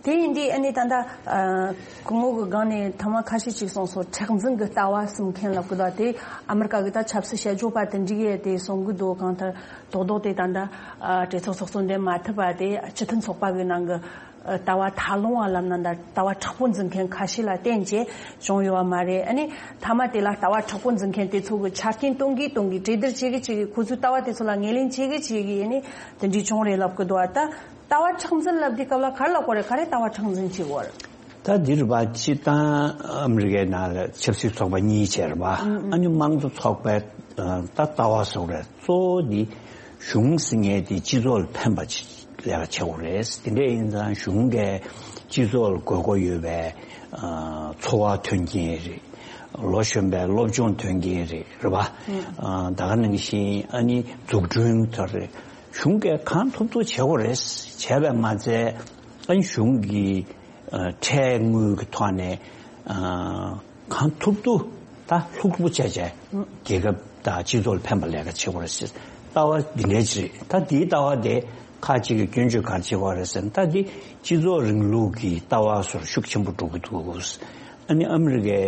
དེ་ཡིན་དུས་ཨ་ནི་ད་ལྟ་ཨ་སྐུ་ངོ་གི་སྒང་ནས་ཐེངས་མ་ཁ་ཤས་ཅིག་གསུངས་སོང་། མཁྲེགས་འཛིན་གྱི་ལྟ་བ་གསུམ་མཁན་ལབ་ཀྱི་འདུག་དེ་ཨ་མི་རི་ཀ་གི་ད་ཆབ་སྲིད་དཔྱད་བརྗོད་པ་དེ་འདྲ་གིས་དེ་གསུང་གི་འདུག་གང་ལྟར་རྡོག་རྡོག་དེ་ད་ལྟ་ཨ་གྲོས་ཚོགས་ཚོགས་གཙོ་འདེམས་མ་ཐུབ་པ་དེ་སྤྱི་མཐུན་ཚོགས་པ་གི་ནང་གི་ཨ་ལྟ་བ་ཐལ་རླུང་བ་ལབ་ན་འདྲ། ལྟ་བ་མཁྲེགས་པོ་འཛིན་མཁན་ཁ་ཤས་ལ་བརྟེན་བྱས་བྱུང་ཡོད་པ་མ་རེད། ཨ་ནི་མཐའ་མ་དེ་ལ་ལྟ་བ་མཁྲེགས་པོ་འཛིན་མཁན་དེ་ཚོ་གི་ཆ་རྐྱེན་གཏོང་གིན་གཏོང་གིན་གྲོས་བསྡུར་བྱེད་གིན་བྱེད་གིན་ཁོ་ཚོའི་ལྟ་བ་དེ་ཚོ་ལ་ངོས་ལེན་བྱེད་གིན་བྱེད་གིན་ཨ་ནི་དེ་འདྲའི་བྱུང་རེད་ལབ་ཀྱི་འདུག་ད་ལྟ་བ་མཁྲེགས་འཛིན་ལབ་དུས་སྐབས་ལ་ག་རེ་ལབ་དགོས་རེད། ག་རེ་ལྟ་བ་མཁྲེགས་འཛིན་བྱེད་དགོས་རེད། ད་འདི་རུ་བ་སྤྱིར་བཏང་ཨ་མི་རི་ཀའི་ནང་ལ་ཆབ་སྲིད་ཚོགས་པ་གཉིས་བྱས་རེད་བ། ཨ་ནི་དམངས་གཙོ་ཚོགས་པའི་ད་ལྟ་བ་ཟེར་བ་རེད། གཙོ་བོ་འདི་གཞུང་ཟེར་མཁན་དེ་སྤྱི་ཚོགས་ལ་ཕན་པ་ཅིག་ལས་ཀ་བྱེད་དགོས་རེད། དེ་འདྲ་ཡིན་ཙང་གཞུང་གིས་སྤྱི་ཚོགས་ལ་དགོས་མཁོ་ཡོད་པའི་འཚོ་བ་མཐུན་རྐྱེན་རེད། ལོ་གཞོན་པའི་སློབ་སྦྱོང་མཐུན་རྐྱེན་རེད། རེད་བ། ད་ག་ནང་བཞིན་ཨ་ནི་འཛུགས་སྐྲུན་དེ་རེད། གཞུང་གིས་གང་ཐུབ་ཐུབ་བྱེད་དགོས་རེད། བྱས་པས་མ་ཚད་ཨ་ནི་གཞུང་གི་ཨ་ཁྲལ་དངུལ་གྱི་ཐོག་ནས་ཨ་གང་ཐུབ་ཐུབ་ད་ལྷུག་ལྷུག་བྱས་བྱས་རྒྱལ་ཁབ་དང་སྤྱི་ཚོགས་ལ་ཕན་པ་ལས་ཀ་བྱེད་དགོས་རེད་ཟེར་ལྟ་བ་འདི་འདྲ་ཅིག་རེད། ད་འདིའི་ལྟ་བ་དེ་ཁག་ཅིག་གིས་སྐྱོན་བརྗོད་ག་རེ་བྱེད་དགོས་རེད་ཟེར་ན། ད་འདི་སྤྱི་ཚོགས་རིང་ལུགས་ཀྱི་ལྟ་བ་ཚོར་ཤུགས་ཆེན་པོ་འགྲོ་གི་འདུག་ཨ་ནི་ཨ་མི་རི་ཀའི་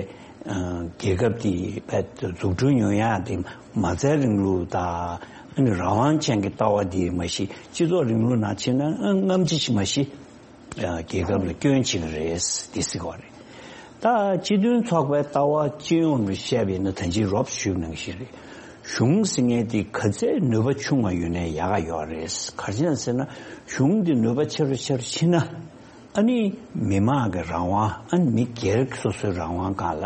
ཨ་རྒྱལ་ཁབ་དེ་བས་འཛུགས་སྐྲུན་ཡོང་ཡག་དེ་མ་རྩའི་རིང་ལུགས་དང་ཨ་ནི་རང་དབང་ཅན་གྱི་ལྟ་བ་དེ་མ་གཞི་སྤྱི་ཚོགས་རིང་ལུགས་ནང་ཕྱིན་ན་ཨ་སྔ་ཕྱི་ཞིག་མ་གཞི། རྒྱལ་ཁབ་ལ་སྐྱོན་བྱེད་ཀྱི་རེད་འདི་ཟེར་བ་རེད། ད་སྤྱི་མཐུན་ཚོགས་པའི་ལྟ་བ་སྤྱི་ཡོངས་ལ་བཤད་པ་ཡིན་ན་ད་ཅི་རོབ་ཞུས་ནང་བཞིན་རེད། གཞུང་ཟེར་མཁན་དེ་ག་ཚད་ནུས་པ་ཆུང་བ་ཡོད་ནའི་ཡག་ག་ཡོད་རེད། ག་རེ་བྱས་ན་ཟེར་ན་གཞུང་དེ་ནུས་པ་ཆེ་རུ་ཆེ་རུ་ཕྱིན་ན་ཨ་ནི་མི་མང་གི་རང་དབང་ཨ་ནི་མི་སྒེར་སོ་སོའི་རང་དབང་སྒང་ལ་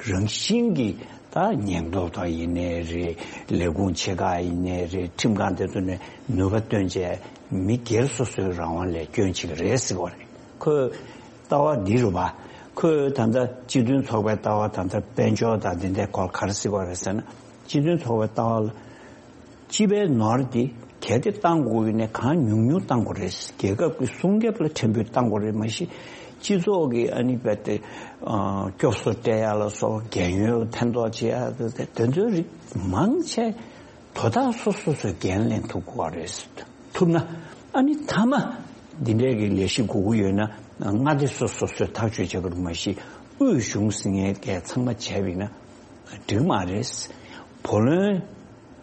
རང་བཞིན་གྱི་ད་ཉེན་རྟོག་པ་ཡིན་ནའི་རེད། ལས་ཁུངས་ཆེ་ཁག་ཡིན་ནའི་རེད། ཁྲིམས་ཁང་དེ་ཚོ་ནས་ནུས་པ་བཏོན་བྱས་མི་སྒེར་སོ་སོའི་རང་དབང་ལས་སྐྱོན་བྱེད་ཀྱི་རེད་ཟེར་བ་རེད། ཁོས་ལྟ་བ་འདི་རུ་བ། ཁོས་ད་ལྟ་སྤྱི་མཐུན་ཚོགས་པའི་ལྟ་བ་ད་ལྟ་དཔལ་འབྱོར་དང་འདི་འདྲའི་སྐོར་ག་རེ་ཟེར་བ་རེད་ཟེར་ན། སྤྱི་མཐུན་ཚོགས་པའི་ལྟ་བ་ལ་སྤྱི་པའི་ནོར་དེ་གལ་ཏེ་བཏང་དགོས་ཡིན་ན་གང་ཉུང་ཉུང་བཏང་དགོས་རེད། རྒྱལ་ཁབ་ཀྱི་སྲུང་སྐྱོབ་ལ་ཕྲན་བུ་བཏང་དགོས་རེད། མ་གཞི་སྤྱི་ཚོགས་ཀྱི་ཨ་ནི་རྦད་དེ་སྐྱོབ་གསོ་སྤྲད་ཡ་ལ་སོགས་རྒན་ཡོལ་ལ་ཕན་ཐོགས་བྱེད་ཡ་དེ་དེ་ཚོའི་རིགས་མང་ཆེ་དོ་བདག་སོ་སོ་སོས་འགན་ལེན་ཐུབ་དགོས་རེད། ཐུབ་ན་ཨ་ནི་མཐའ་མ་འདི་འདྲའི་གི་ལས་གཞི་དགོས་ཀྱི་ཡོད་ན་མངའ་སྡེ་སོ་སོ་སོས་ཐག་གཅོད་བྱེད་དགོས་རེད། མ་གཞི་དབུས་གཞུང་ཟེར་མཁན་གྱིས་ཚང་མ་བྱས་པ་ཡིན་ན་འགྲིག་མ་རེད། བུ་ལོན་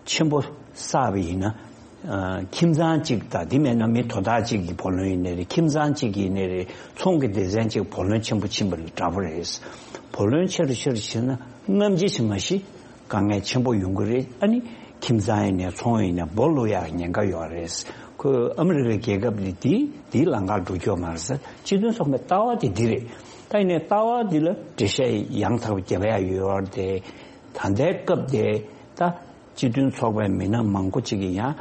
ཆེན་པོ་བསགས་པ་ཡིན་ན། ཨ་ཁྱིམ་ཚང་གཅིག་དང་དེ་མེད་ན་མི་དོ་བདག་གཅིག་གི་བུ་ལོན་ཡིན་ནའི་རེད། ཁྱིམ་ཚང་གཅིག་ཡིན་ནའི་རེད། ཚོང་གི་སྡེ་ཚན་གཅིག་བུ་ལོན་ཆེན་པོ་ཕྱིན་པ་ལ་འདྲ་པོ་རེད། བུ་ལོན་ཆེ་རུ་ཆེ་རུ་ཕྱིན་ན་སྔ་ཕྱི་ཕྱིན་མ་གཞི་དཀའ་ངལ་ཆེན་པོ་ཡོང་གི་རེད། ཨ་ནི་ཁྱིམ་ཚང་ཡིན་ནའི་ཚོང་ཡིན་ནའི་སྦོ་ལུག་ཡག་ཉེན་ཁ་ཡོད་རེད། ཁོས་ཨ་མི་རི་ཀའི་རྒྱལ་ཁབ་ལ་དེའི་དེའི་ལམ་ཁར་འགྲོ་རྒྱུ་མ་རེད་ཟེར། སྤྱི་མཐུན་ཚོགས་པའི་ལྟ་བ་དེ་འདི་རེད། ད་ཡིན་ནའི་ལྟ་བ་འདི་ལ་འགྲེལ་བཤད་ཡང་དག་པ་རྒྱབ་ཡ་ཡོད་རེད་དེ། ད་ལྟའི་སྐབས་དེ་ད། སྤྱི་མཐུན་ཚོགས་པའི་མི་སྣ་མང་པོ་ཅིག་གིས་ཡང་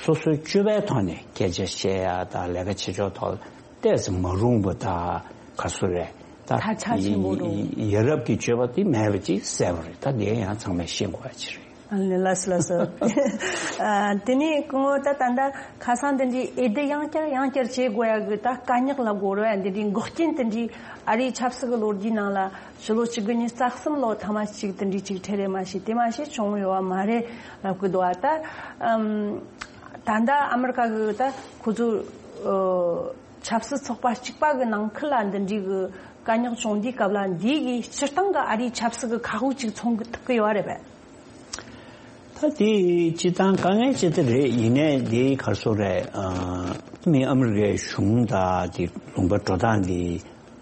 སོ་སོའི་སྤྱོད་པའི་ཐོག་ནས་སྐད་ཆ་བཤད་ཡ་དང་ལས་ཀ་བྱེད་ཕྱོགས་ཐོག་ཏོག་ཙམ་མ་རུང་བ་དང་ག་ཚོད་རེད་ད། ད་ཆ་ཆེན་པོ་འགྲོ། ཡ་རབས་ཀྱི་སྤྱོད་པ་དེ་མེད་པ་ཅིག་གསལ་པོ་རེད། ད་དེ་ཡང་ཚང་མས་ཤེས་དགོས་ཡ་ཅིག་རེད། ཨ་ལེ་ལགས་སོ་ལགས་སོ། ཨ་དེ་ནས་སྐུ་ངོ་ད་ད་ལྟ་ཁ་སང་དེ་འདྲའི་འོས་བསྡུ་ཡང་བསྐྱར་ཡང་བསྐྱར་བྱེད་དགོས་ཡ་གི་ད་དཀའ་རྙོག་ལ་གོ་ར་འདི་འདྲའི་འགོག་རྐྱེན་དེ་འདྲའི་ཨ་རིའི་ཆབ་སྲིད་ཀྱི་ལོ་རྒྱུས་ནང་ལ། ཕྱི་ལོ་ཆིག་སྟོང་དགུ་བརྒྱ་བརྒྱད་ཅུ་གྱ་གསུམ་ལོ་ཐ་མ་གཅིག་དེ་འདྲའི་གཅིག་འཕྲད་རེད། མ་གཞི་དེ་མ་གཞི་བྱུང་ཡོད་པ་མ་རེད་ལབ་གི་འདུག་ཨ། ད་ཨམ་ད་ལྟ་ཨ་མི་རི་ཀ་གི་ད་ཁོ་ཚོ་ཨ་ཆབ་སྲིད་ཚོགས་པ་གཅིག་པ་གི་ནང་ཁུལ་ལ་འདི་འདྲའི་གི་དཀའ་རྙོག་བྱུང་དུས་སྐབས་ལ་འདི་གི་སྤྱིར་བཏང་གི་ཨ་རིའི་ཆབ་སྲིད་ཀྱི་ཁག་དབུགས་གཅིག་མཚོན་གི་ཐུབ་གི་ཡོད་རེད་པས། ད་དེ་སྤྱིར་བཏང་དཀའ་ངལ་ཅིག་ད་རེད། ཡིན་ནའི་དེ་ག་རེ་ཟེར་རེད། ཨ་མི་ཨ་མི་རི་ཀའི་གཞུང་དང་དེ་ལུང་པ་འགྲོ་སྟངས་དེ།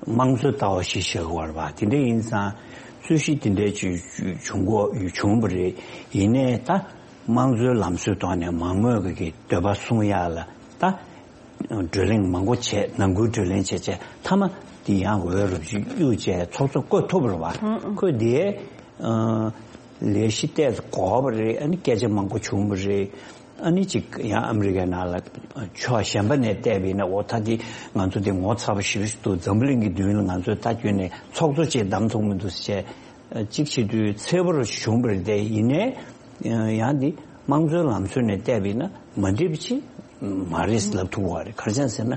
དམངས་གཙོའི་ལྟ་བ་ཞིག་བཞག་པ་རེད་པ། དེ་འདྲ་ཡིན་ཙང་རྩོད་གཞི་དེ་འདྲ་ཅིག་བྱུང་གོ་བྱུང་བ་རེད། ཡིན་ནའི་ད་དམངས་གཙོའི་ལམ་སྲོལ་ཐོག་ནས་མང་མོས་ཀྱི་འདོད་པ་སྲུང་ཡག་ལ་ད་བགྲོ་གླེང་མང་པོ་བྱས། ནང་ཁུལ་བགྲོ་གླེང་བྱས་བྱས་མཐའ་མ་ དེ་ཡང་འོས་རབ་ཅིག་གཡུག་བྱས་ཚོགས་གཙོ་བསྐོས་ཐུབ་པ་རེད་བ། ཁོས་དེའི་ལས་གཞི་ཏོག་ཙམ་གོ་བ་རེད། ཨ་ནི་སྐད་ཆ་མང་པོ་བྱུང་བ་རེད། ཨ་ནི་ཅིག་ཡང་ཨ་མི་རི་ཀའི་ནང་ལ་ཕྱོགས་གཞན་པ་ནས་བལྟས་པ་ཡིན་ན། འོ་ད་དེ་ང་ཚོ་དེ་ངོ་ཚ་པོ་ཞེ་པོ་ཞིག་འདུག་འཛམ་བུ་གླིང་གི་མདུན་ལ་ང་ཚོས་ད་ཁྱོན་ནས་ཚོགས་གཙོ་ཅིག་བདམས་ཐུབ་མི་འདུག་ཟེར་བྱས། ཅིག་བྱེད་དུས་འཚེར་པོ་བྱུང་བ་རེད་དེ། ཡིན་ནའི་ཡང་འདི་དམངས་གཙོའི་ལམ་སྲོལ་ནས་བལྟས་པ་ཡིན་ན་མ་འགྲིག་པ་ཅིག་མ་རེད་ལབ་ཐུབ་པ་རེད། ག་རེ་བྱས་ཟེར་ན།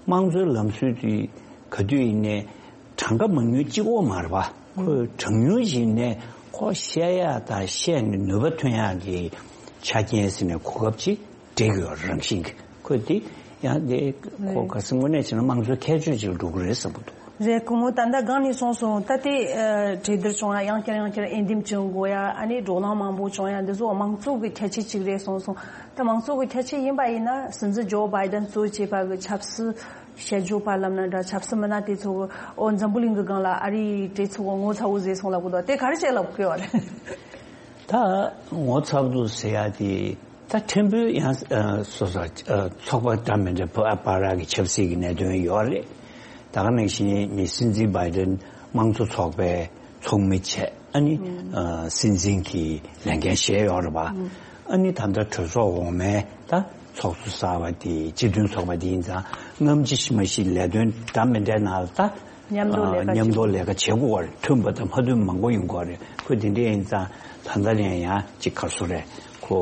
དམངས་གཙོའི་ལམ་སྲོལ་དེ་ག་དུས་ཡིན་ནའི་གྲངས་ཀ་མང་ཉུང་གཅིག་པོ་མ་རེད་པ། ཁོས་གྲངས་ཉུང་ཞིག་ནས་ཁོ་བཤད་ཡག་དང་བཤད་ནས་ནུས་པ་ཐོན་ཡག་གི་ཆ་རྐྱེན་ཟེར་ནས་གོ་སྐབས་ཅིག་སྤྲད་ཀྱི་ཡོད་རང་བཞིན་གྱི། ཁོས་དེ་ཡང་དེ་ཁོ་རེད། ག་ཚོད་དངོས་གནས་བྱས་ན་དམངས་གཙོའི་ཁྱད་ཆོས་ཅིག་ལ་འགྲོ་གི་རེད་བསམ་གྱི་འདུག་རེད། སྐུ་ངོ་ད་ལྟ་སྒང་ནས་གསུངས་སོང་། ད་དེ་ཨ་གྲོས་བསྡུར་བྱུང་ཡ་ཡང་བསྐྱར་ཡང་བསྐྱར་འོས་འདེམས་བྱུང་དགོས་ཡ། ཨ་ནི་བགྲོ་གླེང་མང་པོ་བྱུང་ཡ། འདི་ཚོ་དམངས་གཙོ་གི་ཁྱད་ཆོས་གཅིག་རེད་གསུངས་སོང་། ད་དམངས་གཙོ་གི་ཁྱད་ཆོས་ཡིན་པ་ཡིན་ན། སྲིད་འཛིན་ཇོ་བྷའི་ཌེན་གཙོ་བྱས་པ་གི་ཆབ་སྲིད་དཔྱད་བརྗོད་པ་ལབ་ན་འདྲ། ཆབ་སྲིད་མི་སྣ་དེ་ཚོ་གི་འོ་འཛམ་བུ་གླིང་གི་སྒང་ལ་ཨ་རིའི་གྲོས་ཚོགས་གི་ངོ་ཚ་བོ་བཟོས་སོང་ལབ་གི་འདུག་དེ་ག་རེ་བྱས་ལབ་གི་ཡོད་རེད། ད་ངོ་ཚ་བོ་ཟེར་ཡ་དེ། ད་ཕྲན་བུ་ཡང་ཨ་སོ་སོ་ཨ་ཚོགས་པ་འདྲ་མི་འདྲ་བར་གྱི་ཆབ་སྲིད་ཀྱི་གནད་དོན་ཡོད་རེད། ད་ག་ནང་བཞིན་མི་སྲིད་འཛིན་བྷའི་ཌེན་དམངས་གཙོ་ཚོགས་པའི་ཚོགས་མི་བྱས། ཨ་ནི་ཨ་སྲིད་འཛིན་གྱི་ལས་འགན་བཞེས་ཡོད་རེད་པ། ཨ་ནི་ད་ལྟ་གྲོས་ཚོགས་འོག་མའི་ད་ཚོགས་གཙོ་གསར་པ་དེ་སྤྱི་མཐུན་ཚོགས་པ་དེ་ཡིན་ཙང་། སྔ་ཕྱི་ཕྱི་མ་ཕྱི་ལས་དོན་འདྲ་མི་འདྲའི་ནང་ལ་ད་མཉམ་དུ་ལས་ཀ་མཉམ་དུ་ལས་ཀ་བྱེད་དགོས་པ་རེད། མཐུན་པ་དང་མ་མཐུན་པ་མང་པོ་ཡོང་གི་རེད། ཁོས་དེ་འདྲ་ཡིན་ཙང་ད་ལྟ་ནས་ཡང་ཅིག་ག་རེ་ཟེར་དགོས་རེད། ཁོ་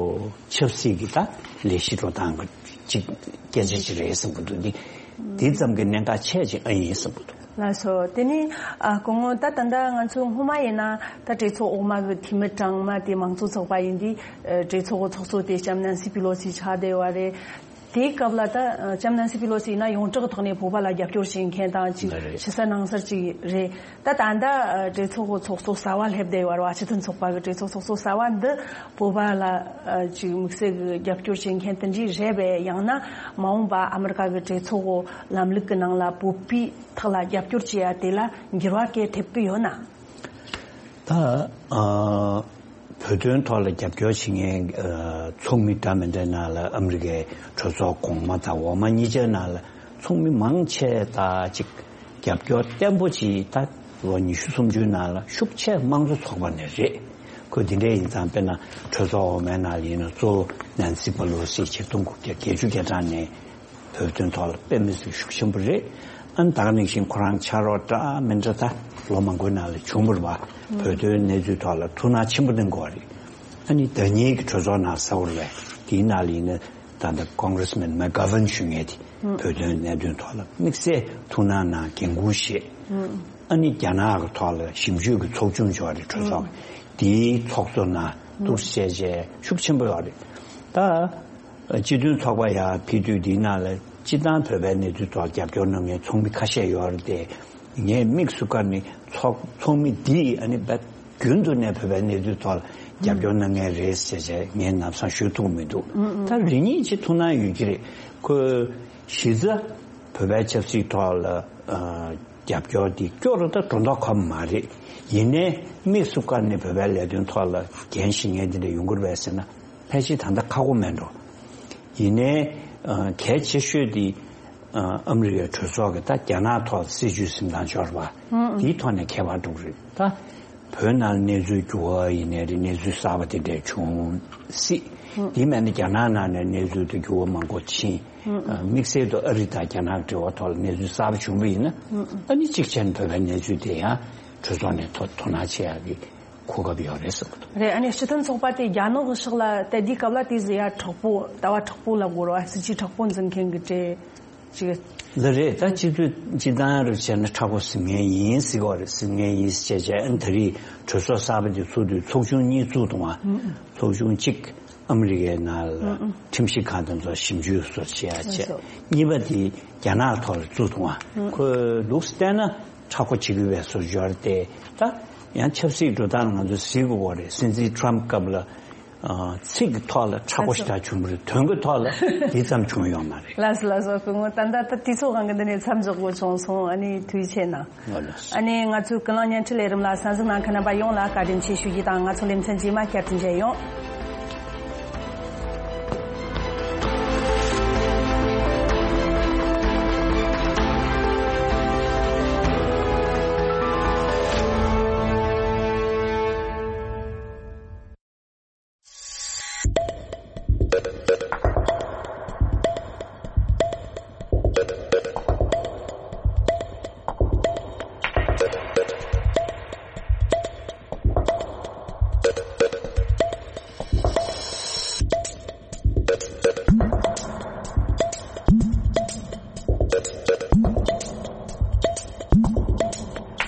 ཆབ་སྲིད་ཀྱི་ད་ལས་གཞི་འགྲོ་སྟངས་ཀྱི་ཅིག་སྐད་ཆ་ཅིག་རེད་བསམ་གྱི་འདུག་འདི་འདི་ཙམ་གྱི་གནད་འགག་ཆེ་ཅིག་ཨ་ཡིན་བསམ་གྱི་འདུག་ལགས་སོ། དེ་ནི་ཨ་སྐུ་ངོ་ད་ད་ལྟ་ང་ཚོ་སྔོན་མ་ཡིན་ན་ད་གྲོས་ཚོགས་འོག་མ་གི་འཐུས་མི་གྲངས་མང་དེ་དམངས་གཙོ་ཚོགས་པ་ཡིན་དུས། ཨ་གྲོས་ཚོགས་ཀྱི་ཚོགས་གཙོ་དེ་ལྕམ་ནན་སི་པི་ལོ་སི་ཆགས་བསྡད་ཡོད་རེད། དེའི་སྐབས་ལ་ད་ལྕམ་ནན་སི་པི་ལོ་སི་ཡིན་ན་ཡོངས་གྲགས་ཐོག་ནས་བོད་པ་ལ་རྒྱབ་སྐྱོར་བྱེད་མཁན་དང་ཅིག་འདི་རེད། ཕྱི་གསལ་ནང་གསལ་ཅིག་རེད། ད་ད་ལྟ་ཨ་གྲོས་ཚོགས་ཀྱི་ཚོགས་གཙོ་གསར་པ་སླེབས་བསྡད་ཡོད་རེད་བ། སྤྱི་མཐུན་ཚོགས་པ་གི་གྲོས་ཚོགས་ཚོགས་གཙོ་གསར་པ་འདི་བོད་པ་ལ་ཨ་ཅིག་དམིགས་བསལ་གྱི་རྒྱབ་སྐྱོར་བྱེད་མཁན་དེ་འདྲ་རེད་པས། ཡང་ན་མ་འོངས་པ་ཨ་མི་རི་ཀ་གི་གྲོས་ཚོགས་ཀྱི་ལམ་ལུགས་ཀྱི་ནང་ལ་བོད་པའི་ཐོག་ལ་རྒྱབ་སྐྱོར་བྱེད་ཡ་དེ་ལ་འགྱུར་བ་གལ་ཐེབས་ཀྱི་ཡོད་ན། ད་ཨ་བོད་དོན་ཐོག་ལ་རྒྱབ་སྐྱོར་བྱེད་མཁན་ཨ་ཚོགས་མི་འདྲ་མི་འདྲའི་ནང་ལ་ཨ་མི་རི་ཀའི་གྲོས་ཚོགས་གོང་མ་དང་འོག་མ་གཉིས་ཆའི་ནང་ལ་ཚོགས་མི་མང་ཆེ་ད་ཅིག་རྒྱབ་སྐྱོར་བརྟན་པོ་ཅིག་ད་ལོ་ཉི་ཤུ་སུམ་ཅུའི་ནང་ལ་ཤུགས་ཆེ་དམངས་གཙོ་ཚོགས་པ་ནས་རེད། ཁོས་འདི་འདྲ་ཡིན་ཙང་། དཔེར་ན་གྲོས་ཚོགས་འོག་མའི་ནང་ལ་ཡིན་ན་གཙོ་བོ་ནན་སི་པ་ལོ་སི་ཆིག་སྟོང་དགུ་བརྒྱ་བརྒྱད་ཅུ་གྱ་གྲངས་ནས་བོད་དོན་ཐོག་ལ་དཔེ་མི་སྲིད་ཤུགས་ཆེན་པོ་རེད། ཨ་ནི་ད་ག་ནང་བཞིན་ཁོ་རང་ཕྱག་རོགས་འདྲ་མི་འདྲ་ད་ལོ་མང་པོའི་ནང་ལ་བྱུང་བ་རེད་བ། བོད་དོན་གནས་ཚུལ་ཐོག་ལ་ཐུགས་སྣང་ཆེན་པོ་གནང་གི་ཡོད་རེད། ཨ་ནི་ཟླ་ཉིན་གྱི་གྲོས་ཚོགས་ནང་གསལ་བོ་རེད་པས། དེའི་ནང་ལ་ཡིན་ན་ད་ལྟ་ཀོང་གྷི་རེ་སི་མེན་མེག་གྷ་ཝན་ཞུ་མཁན་དེ་བོད་དོན་གནད་དོན་ཐོག་ལ་དམིགས་བསལ་ཐུགས་སྣང་གནང་འགན་འཁུར་བཞེས། ཨ་ནི་རྒྱ་ནག་གི་ཐོག་ལ་ཞིབ་འཇུག་གི་ཚོགས་ཆུང་ཅིག་ཡོད་རེད། གྲོས་ཚོགས་ཀྱི་དེའི་ཚོགས་གཙོ་ནང་ཐུགས་སྲས་བྱས་ཤུགས་ཆེན་པོ་ཡོད་རེད། ད་སྤྱི་མཐུན་ཚོགས་པ་ཡར་ཕེབས་དུས་འདིའི་ནང་ལ་སྤྱིར་བཏང་བོད་པའི་གནས་ཚུལ་ཐོག་རྒྱབ་སྐྱོར་གནང་མཁན་ཚོགས་མི་ཁ་ཤས་ཡོད་རེད་དེ། ངས་དམིགས་སུ་བཀར་ནས་ཚོགས་ཚོགས་མི་འདིས་ཨ་ནི་རྦད་རྒྱུན་དུ་ནས་བོད་པའི་གནས་ཚུལ་ཐོག་ལ་རྒྱབ་སྐྱོར་གནང་མཁན་རེད་ཟེར་བྱས་ངས་ལམ་སང་ཞུ་ཐུབ་མི་འདུག་ད་རེ་གཉིས་ཅིག་ཐུགས་སྣང་ཡོད་ཀྱི་རེད། ཁོས་གཞི་རྩ་བོད་པའི་ཆབ་སྲིད་ཐོག་ལ་ཨ་རྒྱབ་སྐྱོར་འདི་སྐྱོ་རུ་ད་འགྲོ་མདོག་ཁ་པོ་མ་རེད། ཡིན་ནའི་དམིགས་སུ་བཀར་ནས་བོད་པའི་ལས་དོན་ཐོག་ལ་འགན་བཞེས་མཁན་འདི་འདྲ་ཡོང་གི་རེད་པས་ཟེར་ན། ཕལ་ཆེར་ད་ལྟ་ཁག་པོ་མེད་འགྲོ། ཡིན་ནའི་ཨ་གལ་ཆེ་ཤོས་དེ་ཨ་ཨ་མི་རི་ཀའི་གྲོས་ཚོགས་ཀྱི་ད་རྒྱ་ནག་ཐོག་སྲིད་བྱུས་འཛིན་སྟངས་འབྱོར་བ་དེའི་ཐོག་ནས་ཁྱད་པར་འགྲོ་གི་རེད། ད་བོད་ནང་གནས་ཚུལ་འགྱུར་བ་ཡིན་ནའི་རེད། གནས་ཚུལ་གསར་པ་དེ་འདྲ་བྱུང་སྲིད། དེ་མིན་ན་རྒྱ་ནག་ནང་ནས་གནས་ཚུལ་དེ་འགྱུར་བ་མང་པོ་ཕྱིན། ཨ་དམིགས་བསལ་དུ་ཨ་རི་དང་རྒྱ་ནག་འབྲེལ་བ་ཐོག་ལ་གནས་ཚུལ་གསར་པ་བྱུང་བ་ཡིན་ན། ཨ་ནི་གཅིག་བྱས་ན་བོད་པའི་གནས་ཚུལ་དེ་ཡང་གྲོས་ཚོགས་ནས་དོ་དོ་སྣང་བྱེད་ཡག་གི་གོ་སྐབས་ཡོད་རེད་བསམ་གྱི་འདུག་རེད། ཨ་ནི་སྤྱི་མཐུན་ཚོགས་པ་དེ་རྒྱ་ནག་གི་ཕྱོགས་ལ་ད་དེའི་སྐབས་ལ་དེ་ཟེར་ཡ་དྲག་པོ། ལྟ་བ་དྲག་པོ་ལབ་དགོས་རེད་བ། སྲིད་ཇུས་དྲག་པོ་འཛིན་མཁན་གྱི་གྲས་ཅིག་འདི་རེད། ད་སྤྱི་འཐུས་སྤྱི་བཏང་རུ་བྱས་ན་མཁྲེགས་པོ་ཟིན་མཁན་ཡིན་ཟེར་གྱི་ཡོད་རེད། ཟིན་མཁན་ཡིན་ཟེར་བྱས་བྱས། ཨ་ནི་ད་རེས་གྲོས་ཚོགས་གསར་པ་དེ་ཚུགས་དུས་ཚོགས་ཆུང་གཉིས་བཙུགས་འདུག་བ། ཚོགས་ཆུང་གཅིག་ཨ་མི་རི་ཀའི་ནང་ལ་ཁྲིམས་ཞིབ་ཁང་དེ་ཚོ་ཞིབ་འཇུག་སོགས་བྱེད་ཡ་བྱས། གཉིས་པ་དེ་རྒྱ་ནག་ཐོག་ལ་བཙུགས་འདུག་བ། ཁོས་ལུགས་བལྟས་ན་མཁྲེགས་པོ་བྱེད་ཀྱི་ཡོད་པའི་བཟོ་འབྱོར་ཏེ། ད་ཡང་ཆབ་སྲིད་འགྲོ་སྟངས་ང་ཚོ་གཟིགས་དགོས་པ་རེད། སྲིད་འཛིན་ཊམ་སྐབས་ལ་ཨ་ཚིག་གི་ཐོག་ལ་མཁྲེགས་པོ་ཞེ་དྲག་བྱུང་བ་རེད། དོན་གྱི་ཐོག་ལ་དེ་ཙམ་བྱུང་ཡོད་མ་རེད། ལགས་སོ་ལགས་སོ། སྐུ་ངོ་ད་ལྟ་ད་དུས་ཚོད་དབང་གིས་འདི་ནས་མཚམས་འཇོག་དགོས་བྱུང་སོང་། ཨ་ནི་ཐུགས་རྗེ་ཆེ་གནང་། ཨ་ནི་ང་ཚོའི་ཀུན་གླེང་བརྙན་འཕྲིན་ལས་རིམ་ལ་གསན་གཟིགས་གནང་མཁན་རྣམ་པ་ཡོངས་ལ་བཀའ་དྲིན་ཆེ་ཞུ་རྒྱུ་དང་། ང་ཚོ་ལེ་ཚན་རྗེས་མ་བསྐྱར་དུ་མཇལ་ཡོང་།